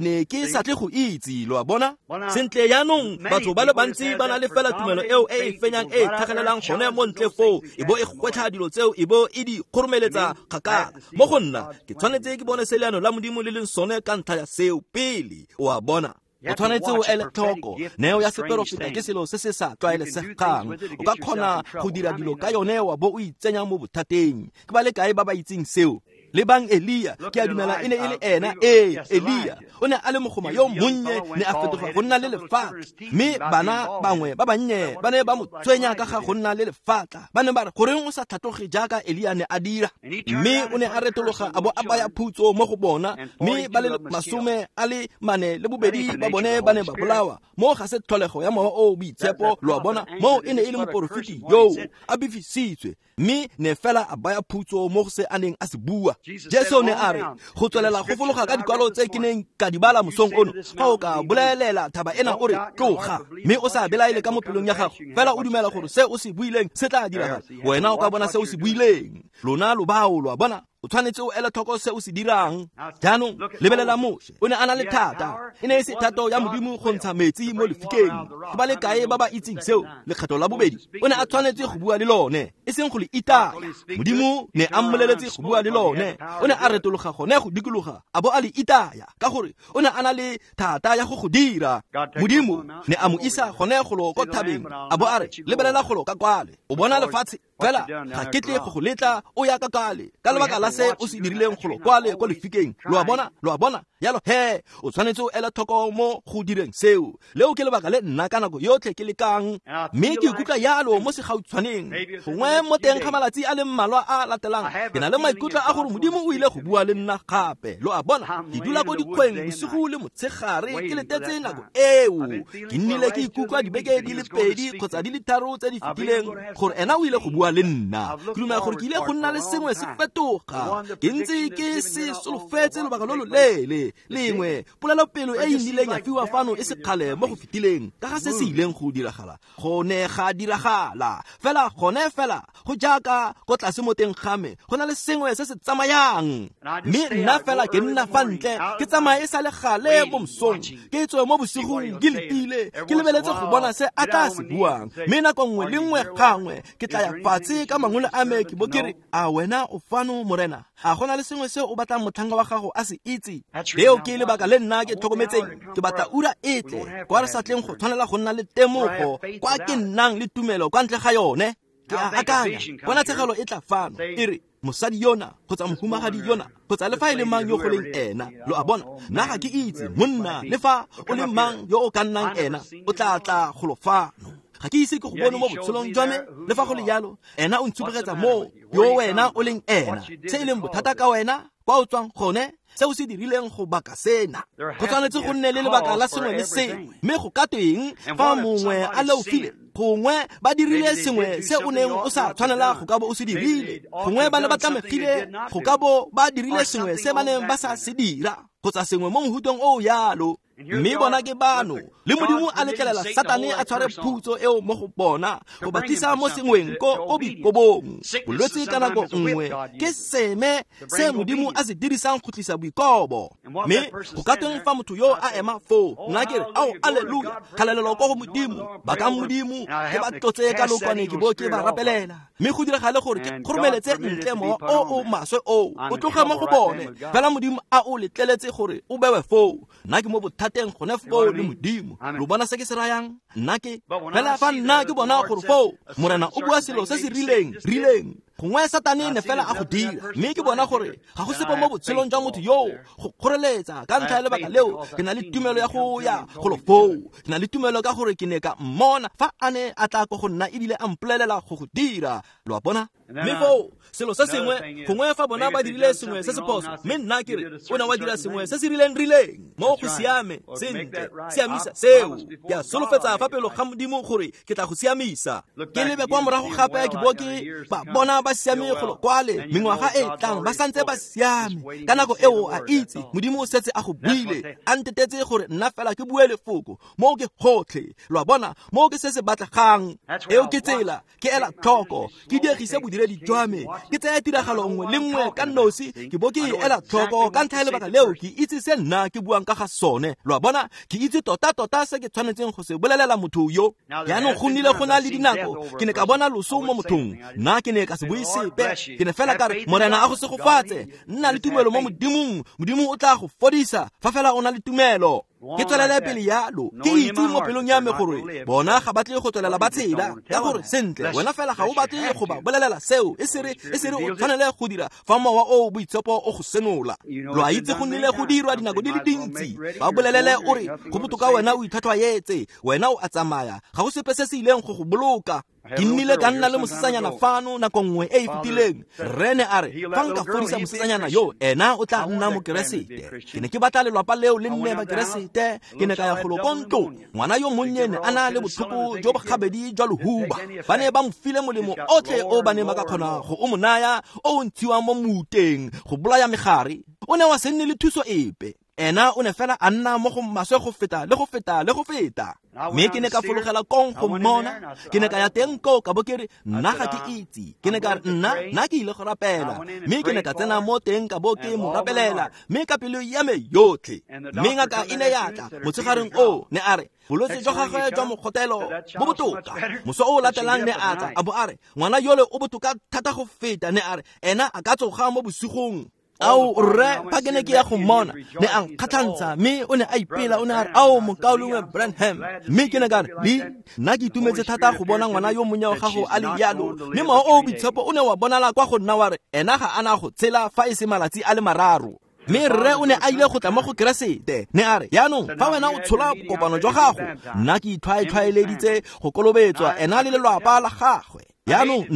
ne ke sa tle go itse, lo a bona. Sentle, yaanong batho ba le bantsi ba na le fela tumelo eo e e fenyang e e tlhagelelang gone mo ntle foo, e bo e gwetlha dilo tseo, e bo e di kgoromeletsa kgakala. Mo go nna, ke tshwanetse ke bone se leano la Modimo le leng sone ka ntlha ya seo pele, o a bona. O tshwanetse o ele tlhoko. Neo ya seperofeta ke selo se se sa tlwaelesegang. O ka kgona go dira dilo ka yone wa bo o itsenya mo bothateng. Ke ba le kae ba ba itseng seo? Lebang Elia, ke a dumela e ne e le ena. Ee, Elia o ne a le mogoma yo monnye, ne a fetoga go nna le lefatla. Mme bana bangwe ba bannye ba ne ba mo tshwenya ka ga go nna le lefatla. Ba ne ba re, goreng o sa tlhatloge jaaka Elia ne a dira? Mme o ne a retologa a bo a baya phutso mo go bona, mme ba le 42 ba bone ba ne ba bolawa. Mo ga se tlholego ya mowa o boitshepo, lo a bona. Mo e ne e le moporofeti yoo a befisitswe, mme ne fela a baya phutso mo go se a neng a se bua. Jesu ne a re, go tswelela go fologa ka dikwalo tse ke neng ka di bala mosong ono, fa o ka bolelela thaba ena o re tloga, mme o sa belaele ka mo pelong ya gago, fela o dumela gore se o se buileng se tla diragala, wena o ka bona se o se buileng. Lona lo bao, lo a bona. O tshwanetse o ele tlhoko se o se dirang. Jaanong lebelela Moshe, o ne a na le thata. E ne e se thato ya Modimo go ntsha metsi mo lefikeng. Ke ba le kae ba ba itseng seo? Lekgetho la bobedi, o ne a tshwanetse go bua le lone, e seng go le itaya. Modimo ne a mmoleletse go bua le lone. O ne a retologa gone go dikologa, a bo a le itaya, ka gore o ne a na le thata ya go go dira. Modimo ne a mo isa gone golo ko thabeng, a bo a re, lebelela golo ka kwale, o bona lefatshe fela ga ke tle go go letla o ya ka kwale ka lebaka la se o se dirileng golo kwale ko lefikeng. Lo a bona, lo a bona? Yalo he, o tshwanetse o ele tlhoko mo go direng seo. Leo ke lebaka le nna ka nako yotlhe ke lekang, mme ke ikutlwa yalo mo segautshwaneng. Gongwe mo teng ga malatsi a le mmalwa a latelang, ke na le maikutlo a gore Modimo o ile go bua le nna gape. Lo a bona? Ke dula ko dikgweng bosigo le motshegare ke letetse nako eo. Ke nnile ke ikutlwa dibeke di le 2 kgotsa di le 3 tse di fetileng gore ena o ile go bua le nna. Ke dumela gore ke ile go nna le sengwe se fetoga. Ke ntse ke se solofetse lobaka lo loleele. Lengwe polelopelo e e nnileng ya fiwa fano e sekgale mo go fetileng ka ga se se ileng go diragala, go ne ga diragala fela gone fela go jaaka ko tlase mo teng ga me go na le sengwe se se tsamayang. Mme nna fela ke nna fa ntle, ke tsamaye e sa le gale mo mosong, ke tswe mo bosigong ke letile, ke lebeletse go bona se a tla se buang. Mme nako nngwe le nngwe gangwe ke tla ya fatshe ka mangole a me, ke bo ke re, a wena o fano Morena? A gona le sengwe se o batlang motlhanka wa gago a se itse? Leo ke lebaka le nna ke tlhokometseng. Ke batla ura e tle kwa re sa tleng go tshwanela go nna le temogo, kwa ke nnang le tumelo kwa ntle ga yone. Ke a akanya ponatshegelo e tla fano e re, mosadi yona kgotsa mohumagadi yona kgotsa le fa e le mang yo go leng ena. Lo a bona? Nna ga ke itse monna, le fa o le mang yo o ka nnang ena, o tla tla golo fano. Ga ke ise ke go bone mo botshelong jwa me, le fa go le jalo ena o ntshupegetsa mo yo wena o leng ena, se e leng bothata ka wena, kwa o tswang gone, se o se dirileng go baka sena. Go tshwanetse go nne le lebaka la sengwe le sengwe. Mme go ka tweng fa mongwe a leofile? Gongwe ba dirile sengwe se o neng o sa tshwanela go ka bo o se dirile. Gongwe ba ne ba tlamegile go ka bo ba dirile sengwe se ba neng ba sa se dira, kgotsa sengwe mo mohutong o yalo. Mme bona ke bano, le Modimo a letlelela Satane a tshware phutso eo mo go bona, go ba tlisa mo sengweng ko boikobong. Bolwetse ka nako nngwe ke seme se Modimo a se dirisang go tlisa boikobo. Mme go ka tweng fa motho yo a ema foo, nna ke re, ao, alleluia, kgalalelo ko go Modimo, bakang Modimo, ke ba tlotse ka lokwane ke bo ke ba rapelela. Mme go diragale gore ke kgoromeletse ntle mowa o o maswe oo, o tloge mo go bone. Fela Modimo a o letleletse gore o bewe foo. Nna ke mo bothateng gone foo le Modimo. Lo bona se ke se rayang? Nna ke fela fa nna ke bona gore foo Morena o bua selo se se rileng rileng, gongwe Satane ne fela a go dira, mme ke bona gore ga go sepe mo botshelong jwa motho yoo go kgoreletsa. Ka ntlha ya lebaka leo ke na le tumelo ya go ya golo foo. Ke na le tumelo ka gore ke ne ka mmona fa a ne a tla ko go nna ebile a mpolelela go go dira. Lo a bona? Mme foo selo se sengwe, gongwe fa bona ba dirile sengwe se se phoso, mme nna ke re, o ne wa dira sengwe se se rileng rileng mo go siame sentle, siamisa seo. Ke a solofetsa fa pelo ga Modimo gore ke tla go siamisa. Ke lebe kwa morago gape ke bo ke ba bona ba siame golo kwale, mengwaga e tlang ba santse ba siame. Ka nako eo a itse Modimo o setse a go buile, a ntetetse gore nna fela ke bue lefoko. Mo ke gotlhe. Lo a bona? Mo ke se se batlegang. Eo ke tsela ke ela tlhoko, ke diegise bodiredi jwa me, ke tsaya tiragalo nngwe le nngwe ka nosi, ke bo ke e ela tlhoko. Ka ntlha ya lebaka leo ke itse se nna ke buang ka ga sone. Lo a bona? Ke itse tota-tota se ke tshwanetseng go se bolelela motho yo. Jaanong go nnile go na le dinako ke ne ka bona loso mo mothong, nna ke ne ka se bue sepe. Ke ne fela ka re, Morena a go segofatse, nna le tumelo mo Modimong, Modimo o tla go fodisa fa fela o na le tumelo. Ke tswelele pele yalo, ke itse mo pelong ya me gore bona ga batle go tswelela ba tshela, ka gore sentle wena fela ga o batle go ba bolelela seo, e sere o tshwanele go dira fa mowa o boitshepo o go senola. Lo a itse go nnile go dirwa dinako di le dintsi. Ba bolelele o re, go botoka wena o itlhwatlhwaetse, wena o a tsamaya, ga go sepe se se ileng go go boloka. Ke nnile ka nna le mosetsanyana fano nako nngwe e e fetileng. Rre ne a re, fa nka fodisa mosetsanyana yo, ena o tla nna mokeresete. Ke ne ke batla lelwapa leo le nne bakeresete. Ke ne ka ya golo ko ntlong. Ngwana yo monnye ne a na le botlhoko jo bogabedi jwa lehuba. Ba ne ba mo file molemo otlhe o ba neng ba ka kgona go o mo naya, o o ntshiwang mo muteng go bolaya megare. O ne wa se nne le thuso epe. Ena o ne fela a nna mo go maswe go feta le go feta le go feta. Mme ke ne ka fologela kong go mmona. Ke ne ka ya teng koo ka bo ke re nna ga ke itse. Ke ne ka re nna ke ile go rapela. Mme ke ne ka tsena mo teng ka bo ke mo rapelela. Mme ka pelo ya me yotlhe. Mme ngaka e ne ya tla motshegareng oo ne a re bolwetse jwa gagwe jwa mogotelo bo botoka. Moso o latelang ne a tla a bo a re ngwana yole o botoka thata go feta. Ne a re ena a ka tsoga mo bosigong. Ao rre fa ke ne ke ya go mmona ne a nkgatlhantsha mme o ne a ipela o ne a re ao mokaulengwe Branham. Mme ke ne ka re le nna ke itumetse thata go bona ngwana yo monnye wa gago a le jalo. Mme mowa o o boitshepo o ne wa bonala kwa go nna wa re ena ga ana go tshela fa e se malatsi a le mararo. Mme rre o ne a ile go tla mo go Keresete. Ne a re jaanong fa wena o tshola kopano jwa gago nna ke itlhwaetlhwaeleditse go kolobetswa ena le lelwapa la gagwe. Jaanong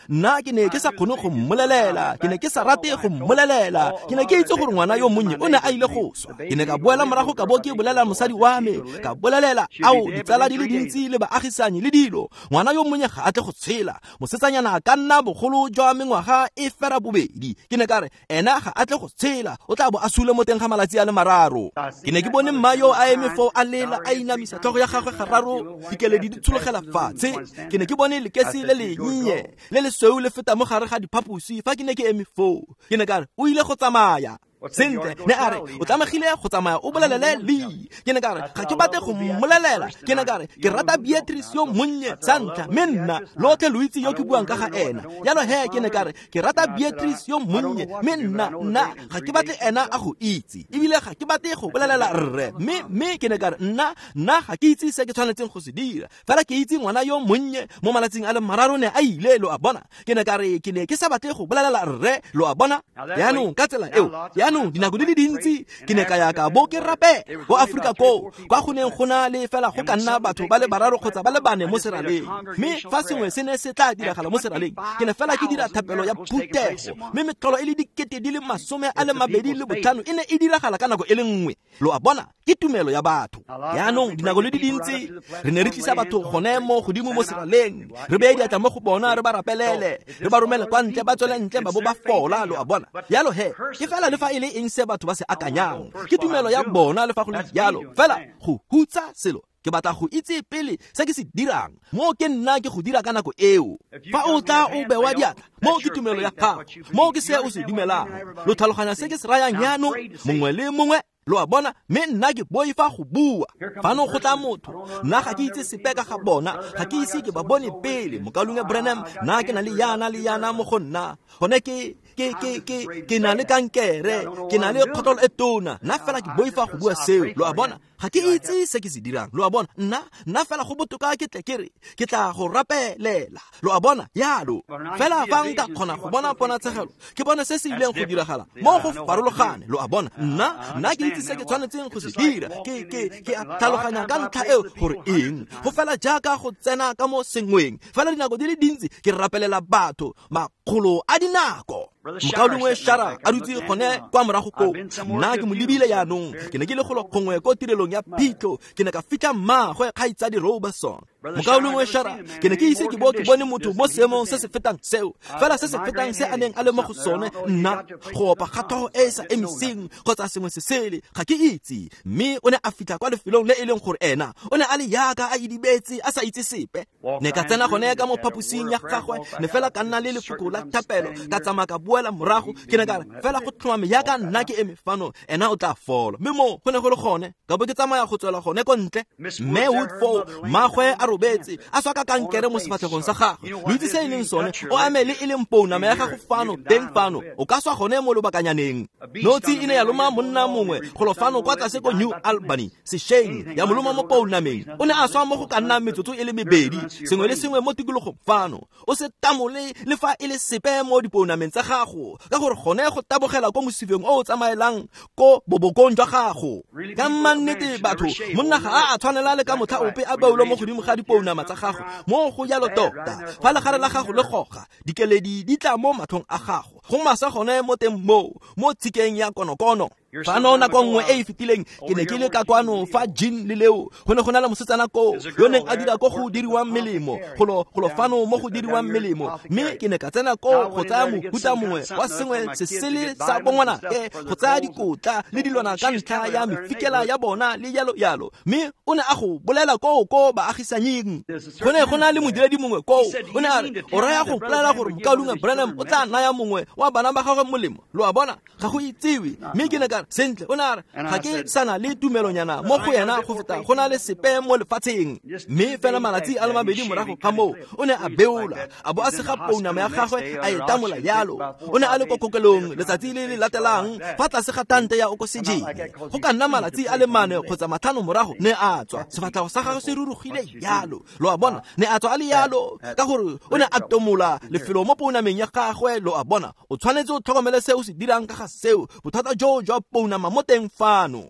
nna ke ne ke sa kgone go mmolelela, ke ne ke sa rate go mmolelela, ke ne ke itse gore ngwana yo monnye o ne a ile go swa. Ke ne ka boela morago ka bo ke bolela mosadi wa me, ka bolelela ao ditsala di le dintsi le baagisanyi le dilo. Ngwana yo monnye ga a tle go tshela, mosetsanyana a ka nna bogolo jwa mengwaga e fera bobedi. Ke ne ka re ena ga a tle go tshela, o tla bo a sule mo teng ga malatsi a le mararo. Ke ne ke bone mma yo a eme foo a lela a inamisa tlhogo ya gagwe gararo, dikeledi di tshologela fatshe. Ke ne ke bone lekesi le le le lesweu le feta mo gare ga diphaposi fa ke ne ke eme foo. Ke ne ka re o ile go tsamaya. Sentle ne a re o tlamegile go tsamaya o bolelele Lee. Ke ne ka re ga ke batle go mmolelela. Ke ne ka re ke rata Beatrice yo monnye sa ntlha, mme nna lotlhe lo itse yo ke buang ka ga ena. Jalo he ke ne ka re ke rata Beatrice yo monnye, mme nna ga ke batle ena a go itse, ebile ga ke batle go bolelela rre. Mme ke ne ka re nna ga ke itse se ke tshwanetseng go se dira, fela ke itse ngwana yo monnye mo malatsing a le mararo ne a ile, lo a bona. Ke ne ka re ke ne ke sa batle go bolelela rre, lo a bona. Jaanong ka tsela eo jaanong dinako di le dintsi ke ne ka ya ka bo ke rape ko Afrika koo kwa go neng go na le fela go ka nna batho ba le bararo kgotsa ba le bane mo seraleng. Mme fa sengwe se ne se tla diragala mo seraleng, ke ne fela ke dira thapelo ya phuthego, mme metlholo e le 25,000 e ne e diragala ka nako e le nngwe. Lo a bona, ke tumelo ya batho. Jaanong dinako le di dintsi re ne re tlisa batho gone mo godimo mo seraleng, re beye diatla mo go bona, re ba rapelele, re ba romele kwa ntle, ba tswele ntle ba bo ba fola, lo a bona. Jalo he ke fela le fa e le eng se batho ba se akanyang, ke tumelo ya bona le fa go le jalo. Fela go hutsa selo ke batla go itse pele se ke se dirang, mo ke nna ke go dira ka nako eo. Fa o tla o bewa diatla, mo ke tumelo ya gago, mo ke se o se dumelang. Lo tlhaloganya se ke se rayang jaanong, mongwe le mongwe, lo a bona. Mme nna ke boifa go bua. Fano go tla motho, nna ga ke itse sepe ka ga bona, ga ke ise ke ba bone pele. Mokaulengwe Branham, nna ke na le yana le yana mo go nna, gone ke na le kankere, ke na le kgotlelo e tona. Nna fela ke boifa go bua seo, lo a bona. Ga ke itse se ke se dirang, lo a bona. Nna fela go botoka ke tle ke re ke tla go rapelela, lo a bona. Yalo fela fa nka kgona go bona ponatshegelo, ke bone se se ileng go diragala mo go farologane, lo a bona. Nna ke itse se ke tshwanetseng go se dira, ke a tlhaloganya ka ntlha eo gore eng. Go fela jaaka go tsena ka mo sengweng, fela dinako di le dintsi ke rapelela batho makgolo a dinako. Mokaulengwe Shara a dutse gone kwa morago koo, nna ke mo lebile jaanong. Ke ne ke le golo gongwe ko tirelong ya phitlho, ke ne ka fitlha mmaagwe kgaitsadi Robertson. Mokaulengwe Shara, ke ne ke ise ke bo ke bone motho mo seemong se se fetang seo, fela se se fetang se a neng a le mo go sone. Nna go opa ga tlhogo e e sa emiseng kgotsa sengwe se sele, ga ke itse. Mme o ne a fitlha kwa lefelong le e leng gore ena o ne a le yaka a idibetse a sa itse sepe. Ne ka tsena gone ka mo phaposing ya gagwe, ne fela ka nna le lefoko la thapelo, ka tsamaya ka boela morago. Ke ne ka re fela go tlhomame yaka nna ke eme fano, ena o tla fola. Mme mo go ne go le gone, ka bo ke tsamaya go tswela gone ko ntle. Mme Wood foo, mmagwe a robetse a swa ka kankere mo sefatlhegong sa gagwe. Lo itse se e leng sone, o ame le e leng pounama ya gago fano teng fano, o ka swa gone mo lobakanyaneng. Notsi e ne ya loma monna mongwe golo fano kwa tlase ko New Albany sešweng, ya mo loma mo pounameng. O ne a swa mo go ka nnang metsotso e le mebedi. Sengwe le sengwe mo tikologong fano, o se tamole le fa e le sepe mo dipounameng tsa gago, ka gore gone go tabogela ko mosifeng o o tsamaelang ko bobokong jwa gago. Ka mannete batho, monna ga a tshwanela le ka motlha ope a beolwe mo godimo ga dipounama tsa gago. Mo go jalo tota, fa legare la gago le goga, dikeledi di tla mo matlhong a gago, go masa gone mo teng moo mo tshikeng ya konokono. Fano nako nngwe e e fetileng ke ne ke le ka kwano fa Jean le Leo go ne go na le mosetsana koo yo neng a dira ko go diriwang melemo golo fano mo go diriwang melemo, mme ke ne ka tsena koo go tsaya mohuta mongwe wa sengwe se sele sa bongwanake, go tsaya dikotla le dilwana ka ntlha ya mefikela ya bona le jalo jalo, mme o ne a go bolela koo ko baagisanying. Go ne go na le modiredi mongwe koo, o ne a re, o raya go mpolelela gore mokaulengwe Branham o tla naya mongwe wa bana ba gagwe molemo? Lo a bona, ga go itsewe. Mme ke ne ka re, sentle, o ne a re, ga ke sana le tumelonyana mo go yena go feta go na le sepe mo lefatsheng. Mme fela malatsi a le mabedi morago ga moo, o ne a beola, a bo a sega pounama ya gagwe a e tamola yalo. O ne a le ko kokelong letsatsi le le latelang fa tlase ga tante ya okosejene. Go ka nna malatsi a le 4 kgotsa 5 morago ne a tswa, sefatlhego sa gagwe se rurugile yalo. Lo a bona, ne a tswa a le yalo ka gore o ne a tomola lefelo mo pounameng ya gagwe. Lo a bona, o tshwanetse o tlhokomele se o se dirang ka ga seo, bothata joo jwa pounama mo teng fano.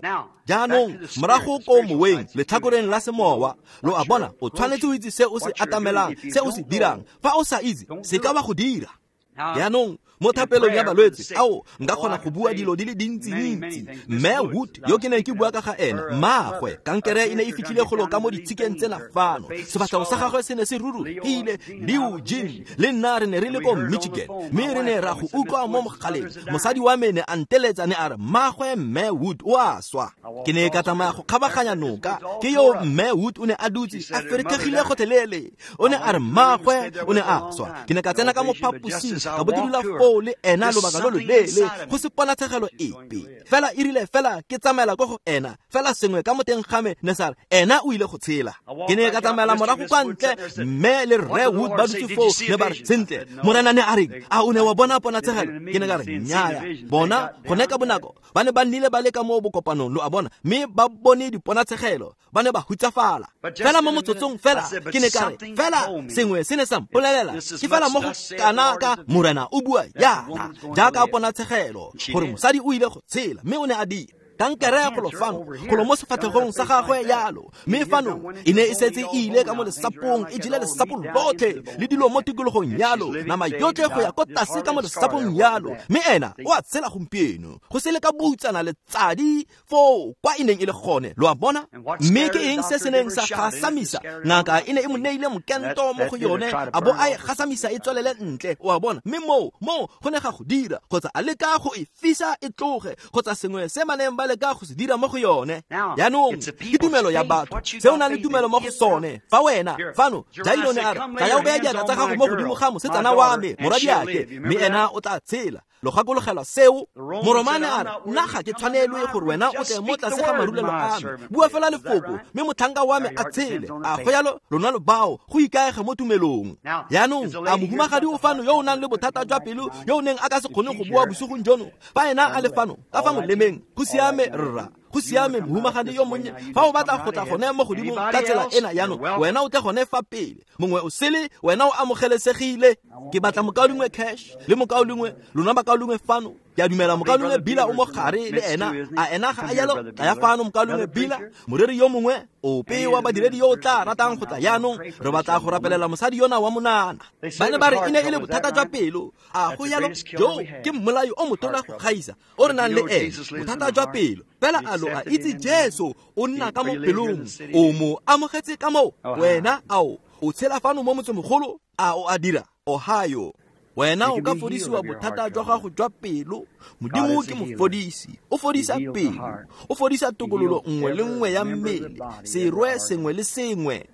Jaanong morago ko moweng, letlhakoreng la semowa, lo a bona, o tshwanetse o itse se o se atamelang, se o se dirang. Fa o sa itse, se ka wa go dira. Jaanong mo thapelong ya balwetse, ao nka kgona go bua dilo di le dintsi-ntsi. Mme Wood yo ke neng ke bua ka ga ena, mmaagwe kankere e ne e fitlhile golo ka mo ditshikeng tsena fano, sefatlhego sa gagwe se ne se rurugile. Leo Jean le nna re ne re le ko Michigan, mme re ne ra go utlwa mo mogaleng. Mosadi wa me ne a nteletsa, ne a re, mmaagwe Mme Wood o a swa. Ke ne ka tsamaya go kgabaganya noka, ke yo Mme Wood o ne a dutse a ferekegile gotlhelele. O ne a re mmaagwe o ne a swa. Ke ne ka tsena ka mo phaposing, ka bo ke dula foo le ena lobaka lo loleele, go se ponatshegelo epe. Fela e rile fela ke tsamaela ko go ena, fela sengwe ka mo teng ga me ne sa re, ena o ile go tshela. Ke ne ka tsamaela morago kwa ntle, mme le Rre Wood ba dutse foo, ne ba re, sentle, Morena ne a reng? A o ne wa bona ponatshegelo? Ke ne ka re, nnyaya. Bona gone ka bonako ba ne ba nnile ba le ka mo bokopanong, lo a bona, mme ba bone diponatshegelo, ba ne ba hutsafala. Fela mo motsotsong fela ke ne ka re, fela sengwe se ne sa mpolelela, ke fela mo go kana ka Morena o bua yana, jaaka ponatshegelo, gore mosadi o ile go tshela, mme o ne a dira. Kankere golo fano, golo mo sefatlhegong sa gagwe yalo, mme fano e ne e setse e ile ka mo lesapong, e jele lesapo lotlhe le dilo mo tikologong yalo, nama yotlhe go ya ko tlase ka mo lesapong yalo, mme ena o a tshela gompieno, go se le ka boutsana letsadi foo kwa e neng e le gone. Lo a bona? Mme ke eng se se neng sa gasamisa? Ngaka e ne e mo neile mokento mo go yone, a bo a e gasamisa e tswelele ntle, o a bona. Mme moo go ne ga go dira, kgotsa a leka go e fisa e tloge, kgotsa sengwe se ba neng ba leka go se dira mo go yone. Jaanong ke tumelo ya batho, se o nang le tumelo mo go sone. Fa wena fano, Jairo ne a re, tlaya o beye diatla tsa gago mo godimo ga mosetsana wa me, morwadiake, mme ena o tla tshela. Lo gakologelwa seo? Moromane a re, nna ga ke tshwanelwe gore wena o tle mo tlase ga marulelo a me, bua fela lefoko, mme motlhanka wa me a tshele. A go yalo lona lo bao go ikaega mo tumelong. Jaanong a mohumagadi o fano yo o nang le bothata jwa pelo, yo o neng a ka se kgone go bua bosigong jono, fa ena a le fano ka fa molemeng, go siame rra, go siame mohumagadi yo monnye. Fa o batla go tla gone mo godimo ka tsela ena jaanong, wena o tle gone fa pele, mongwe o sele, wena o amogelesegile. Ke batla mokaulengwe Cash le mokaulengwe lona bakaulengwe fano. Ke a dumela mokaulengwe Bila o mo gare le ena. A ena ga a yalo? Tlaya fano mokaulengwe Bila, moreri yo mongwe ope wa badiredi yo o tla ratang go tla jaanong. Re batla go rapelela mosadi yona wa monana. Ba ne ba re e ne e le bothata jwa pelo. A go yalo? Jo ke mmolai o motona go gaisa o re nang le ene, bothata jwa pelo. Fela a lo a itse Jesu o nna ka mo pelong, o mo amogetse ka moo. Wena ao o tshela fano mo motsemogolo, a o a dira? Ohio. Wena o ka fodisiwa bothata jwa gago jwa pelo. Modimo ke mofodisi, o fodisa pelo, o fodisa tokololo nngwe le nngwe ya mmele, serwe sengwe le sengwe.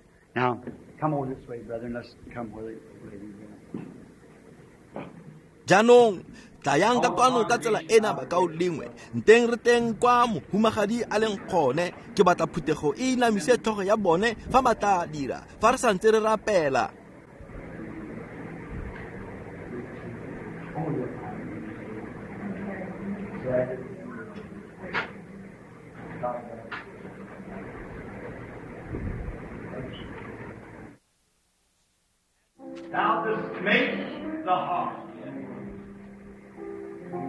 Jaanong tlayang ka kwano ka tsela ena bakaulengwe, nteng re teng kwa mohumagadi a leng gone. Ke batla phuthego e inamise tlhogo ya bone fa ba tla dira, fa re santse re rapela. Thou dost make the heart.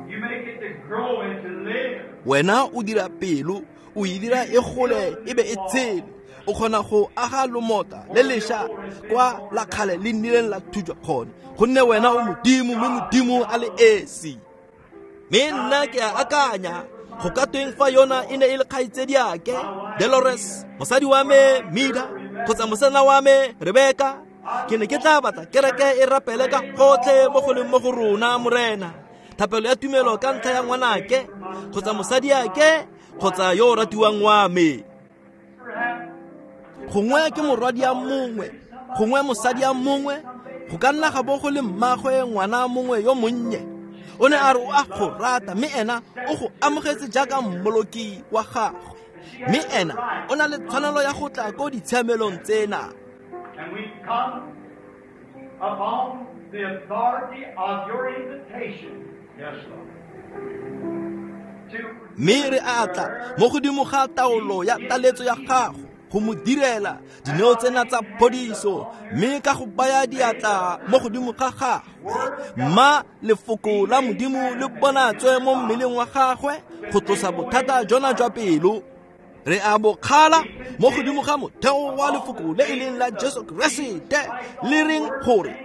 You make it to grow and to live. Wena o dira pelo, o e dira e gole e be e tshele. O kgona go aga lomota le lesha kwa la kgale le nnileng la thujwa gone, gonne wena o Modimo, mme Modimo a le esi. Mme nna ke a akanya Go ka tweng fa yona e ne e le kgaitsediake Dolores, mosadi wa me Mida, kgotsa mosana wa me Rebeka? Ke ne ke tla batla kereke e rapele ka gotlhe mo go leng mo go rona, Morena. Thapelo ya tumelo ka ntlha ya ngwanake kgotsa mosadiake kgotsa yo o ratiwang wa me. Gongwe ke morwadi ya mongwe, gongwe mosadi ya mongwe, go ka nna ga bo go le mmagwe ngwana mongwe yo monnye. O ne a re o a go rata, mme ena o go amogetse jaaka mmoloki wa gagwe. Mme ena o na le tshwanelo ya go tla ko ditshiamelong tsena. And we come upon the authority of your invitation. Yes, Lord. Mme re a tla mo godimo ga taolo ya taletso ya gago go mo direla dineo tsena tsa phodiso, mme ka go baya diatla mo godimo ga gagwe, mma lefoko la Modimo le bonatswe mo mmeleng wa gagwe go tlosa bothata jona jwa pelo. Re a bo kgala mo godimo ga motheo wa lefoko le e leng la Jesu Keresete, le reng gore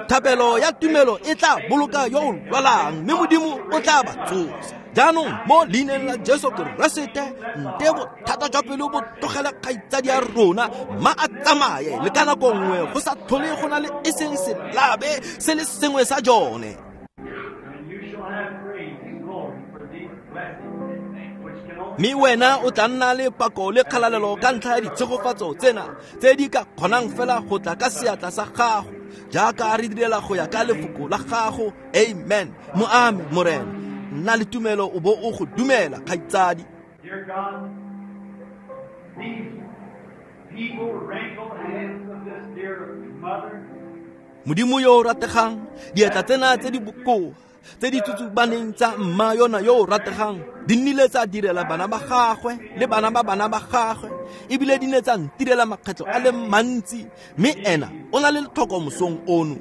thapelo ya tumelo e tla boloka yo o lwalang, mme Modimo o tla ba tsosa. Jaanong mo leineng la Jesu Keresete, nte bothata jwa pelo bo tlogele kgaitsadi ya rona, mma a tsamaye le ka nako nngwe go sa tlhole go na le e seng selabe se le sengwe sa jone. And you shall have praise and glory for these blessings, which can only Mme wena o tla nna le pako le kgalalelo ka ntlha ya ditshegofatso tsena tse di ka kgonang fela go tla ka seatla sa gago, jaaka re direla go ya ka lefoko la gago. Amen. Mo ame, Morena. Nna le tumelo o bo o go dumela, kgaitsadi. Dear God, these feeble, wrinkled hands of this dear mother, Modimo yo o rategang, diatla tsena tse di bokoa, tse di tsutsubaneng tsa mma yona yo o rategang, di nnile tsa direla bana ba gagwe le bana ba bana ba gagwe, ebile di ne tsa ntirela makgetlho a le mantsi, mme ena o na le letlhoko mosong ono.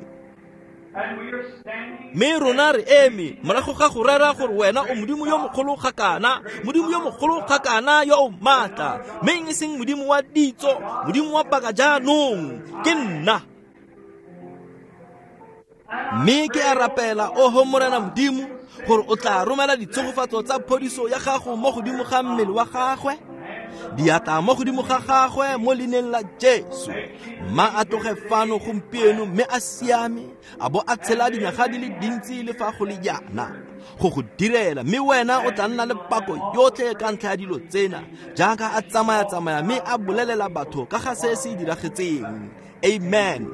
and we are standing Mme rona re eme morago ga go rera gore wena o Modimo yo mogolo ga kana, Modimo yo mogolo ga kana yo o maatla, mme e seng Modimo wa ditso, Modimo wa paka jaanong ke nna. Mme ke a rapela, oho Morena Modimo, gore o tla romela ditshegofatso tsa phodiso ya gago mo godimo ga mmele wa gagwe, diatla mo godimo ga gagwe mo leineng la Jesu. Mma a tloge fano gompieno mme a siame, a bo a tshela dinyaga di le dintsi le fa go le jaana go go direla, mme wena o tla nna le pako yotlhe ka ntlha ya dilo tsena, jaaka a tsamaya-tsamaya mme a bolelela batho ka ga se se diragetseng. Amen.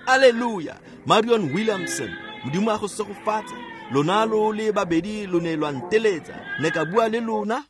Alleluia. Marion Williamson, Modimo a go segofatse. Lona lo le babedi lo ne lwa nteletsa, ne ka bua le lona.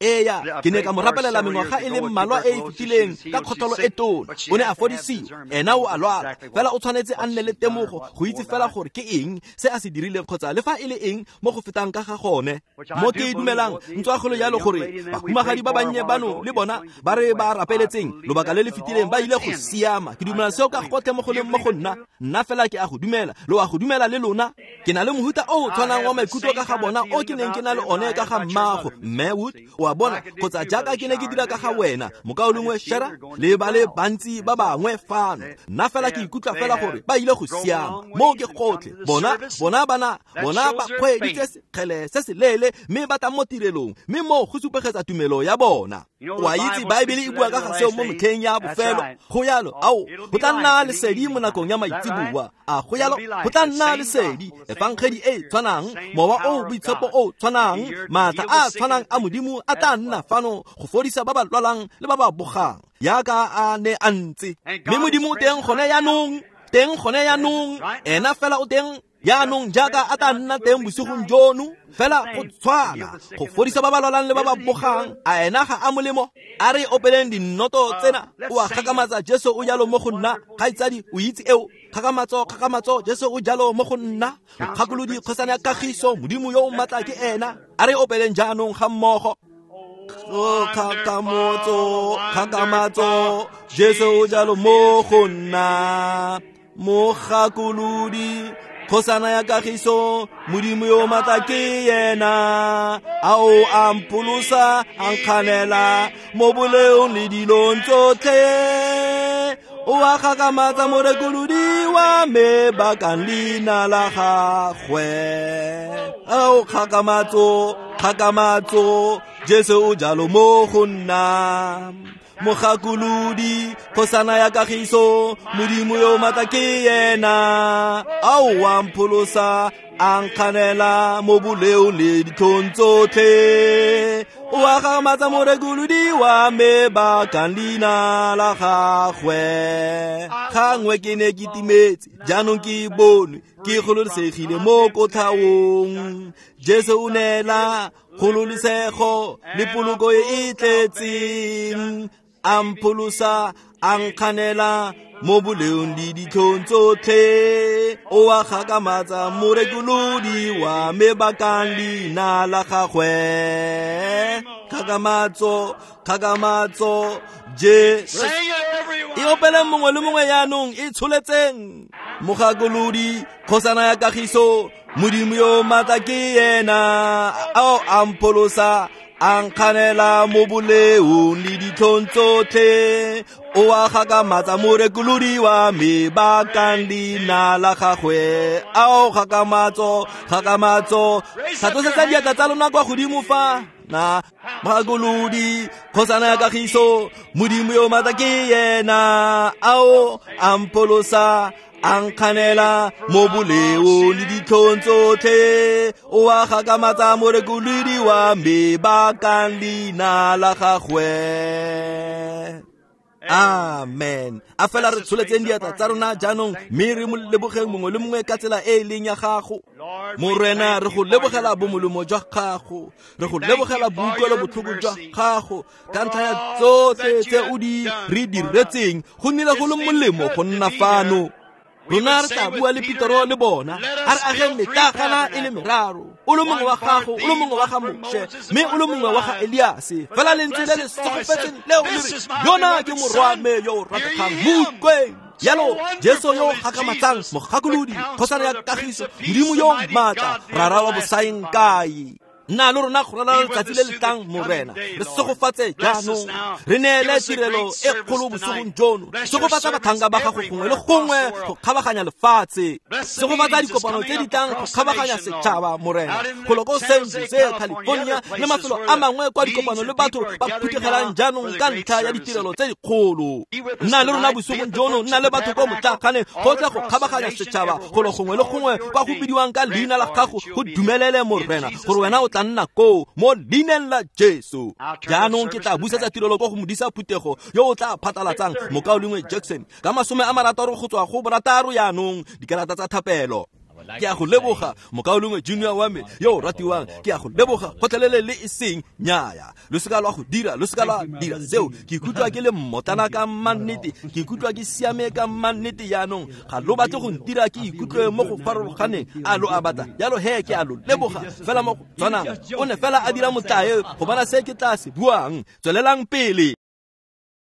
Eya, ke ne ka mo rapelela mengwaga e le mmalwa e e fetileng ka kgotlholo e tona. O ne a fodisiwa, ena o a lwala, fela o tshwanetse a nne le temogo go itse fela gore ke eng se a se dirileng kgotsa le fa e le eng mo go fetang ka ga gone. Mo ke dumelang ntswa go le jalo gore bahumagadi ba bannye bano le bona ba re ba rapeletseng lobaka le le fetileng ba ile go siama. Ke dumela seo ka gotlhe mo go leng mo go nna, nna fela ke a go dumela, lo a go dumela le lona. Ke na le mohuta o o tshwanang wa maikutlo ka ga bona o ke neng ke na le one ka ga mmago, Mme Wood, o a bona, kgotsa jaaka ke ne ke dira ka ga wena, mokaulengwe Shera, le ba le bantsi ba bangwe fano. Nna fela ke ikutlwa fela gore ba ile go siama. Moo ke gotlhe. Bona ba kgweeditse sekgele se se leele mme ba tla mo tirelong, mme moo go supegetsa tumelo ya bona. O a itse Baebele e bua ka ga seo mo metlheng ya bofelo. Go yalo, ao, go tla nna lesedi mo nakong ya maitseboa. A go yalo, go tla nna lesedi, efangedi e tshwanang, mowa o boitshepo o tshwanang, maatla a tshwanang a Modimo a tla nna fano go fodisa ba ba lwalang le ba ba bogang, jaaka a ne a ntse. Mme Modimo o teng gone jaanong, teng gone jaanong, ena fela o teng jaanong jaaka a tla nna teng bosigong jono, fela go tshwana go fodisa ba ba lwalang le ba ba bogang. A ena ga a molemo? A re opeleng dinnoto tsena. O a gakamatsa, Jesu o jalo mo go nna. Kgaitsadi, o itse eo. Kgakamatso, kgakamatso, Jesu o jalo mo go nna. Mokgakolodi, kgosana ya kagiso, Modimo yo o maatla ke ena. A re opeleng jaanong ga mmogo. O kgakamatso, kgakamatso, Jesu o jalo mo go nna. Mokgakolodi, kgosana ya kagiso, Modimo yo matla ke yena. Ao a mpolosa, a nkganela mo boleong le dilong tsotlhe. O a gakamatsa morekolodi wa me bakang leina la gagwe. Ao kgakamatso, kgakamatso, Jesu o jalo mo go nna. Mogakolodi, kgosana ya kagiso, Modimo yo maatla ke yena. Ao wa mpholosa, a nkganela mo boleong le ditlhong tsotlhe. O gakgamatsa morekolodi wa me bakang leina la gagwe. Gangwe ke ne ke timetse, jaanong ke bonwe, ke gololosegile mo kotlhaong. Jesu o neela kgololosego le poloko e e tletseng. A mpholosa, a nkganela mo boleong le ditlhong tsotlhe. O a gakgamatsa morekolodi wa me bakang leina la gagwe. Kgakamatso, kgakamatso, Jesu. E opeleng mongwe le mongwe jaanong, e tsholetseng. Mogakolodi, kgosana ya kagiso, Modimo yo maatla ke yena. Ao a mpholosa, a nkganela mo boleong le ditlhong tsotlhe. O a gakgamatsa morekolodi wa me bakang leina la gagwe. Ao kgakamatso, kgakamatso. Tlhatlosetsa diatla tsa lona kwa godimo fa na. Mogakolodi, kgosana ya kagiso, Modimo yo maatla ke yena. Ao a mpholosa, a nkganela mo boleong le ditlhong tsotlhe. O a gakgamatsa morekolodi wa me bakang leina la gagwe. Amen. A fela re tsholetseng diatla tsa rona jaanong, mme re mo lebogeng mongwe le mongwe ka tsela e e leng ya gago. Morena, re go lebogela bomolemo jwa gago, re go lebogela boutlwelo botlhoko jwa gago ka ntlha ya tsotlhe tse o di re diretseng. Go nnile go le molemo go nna fano. Rona re tla bua le Petero le bona, a re ageng metlagana e le meraro, o le mongwe wa gago, o le mongwe wa ga Moshe, mme o le mongwe wa ga Eliase. Fela lentswe le le segofetseng leo le re, yona ke morwa me yo o rategang, mo utlweng. Jalo Jesu yo o gakgamatsang, mogakolodi, kgosana ya kagiso, Modimo yo maatla, Rara wa bosaengkae. Nna le rona go ralala letsatsi le le tlang, Morena. Re segofatse jaanong, re neele tirelo e kgolo bosigong jono. Segofatsa batlhanka ba gago gongwe le gongwe go kgabaganya lefatshe. Segofatsa dikopano tse di tlang go kgabaganya setšhaba, Morena, golo ko San Jose, California le mafelo a mangwe kwa dikopano le batho ba phuthegelang jaanong ka ntlha ya ditirelo tse dikgolo. Nna le rona bosigong jono, nna le batho ko motlaaganeng gotlhe go kgabaganya setšhaba, golo gongwe le gongwe kwa go bidiwang ka leina la gago. Go dumelele, Morena, gore wena o tla nna koo mo leineng la Jesu. Jaanong ke tla busetsa tirelo ko go modisa phuthego yo o tla phatlalatsang, mokaulengwe Jackson, ka 60 go tswa go 6 jaanong dikarata tsa thapelo. Ke a go leboga, mokaulengwe Junior wa me yo o ratiwang, ke a go leboga gotlhelele le e seng nnyaya. Lo seka lwa go dira, lo seka lwa dira seo. Ke ikutlwa ke le mmotlana ka mannete, ke ikutlwa ke siame ka mannete jaanong. Ga lo batle go ntira ke ikutlwe mo go farologaneng, a lo a batla? Jalo he ke a lo leboga fela mo go tshwanang. O ne fela a dira motlae go bona se ke tla se buang. Tswelelang pele.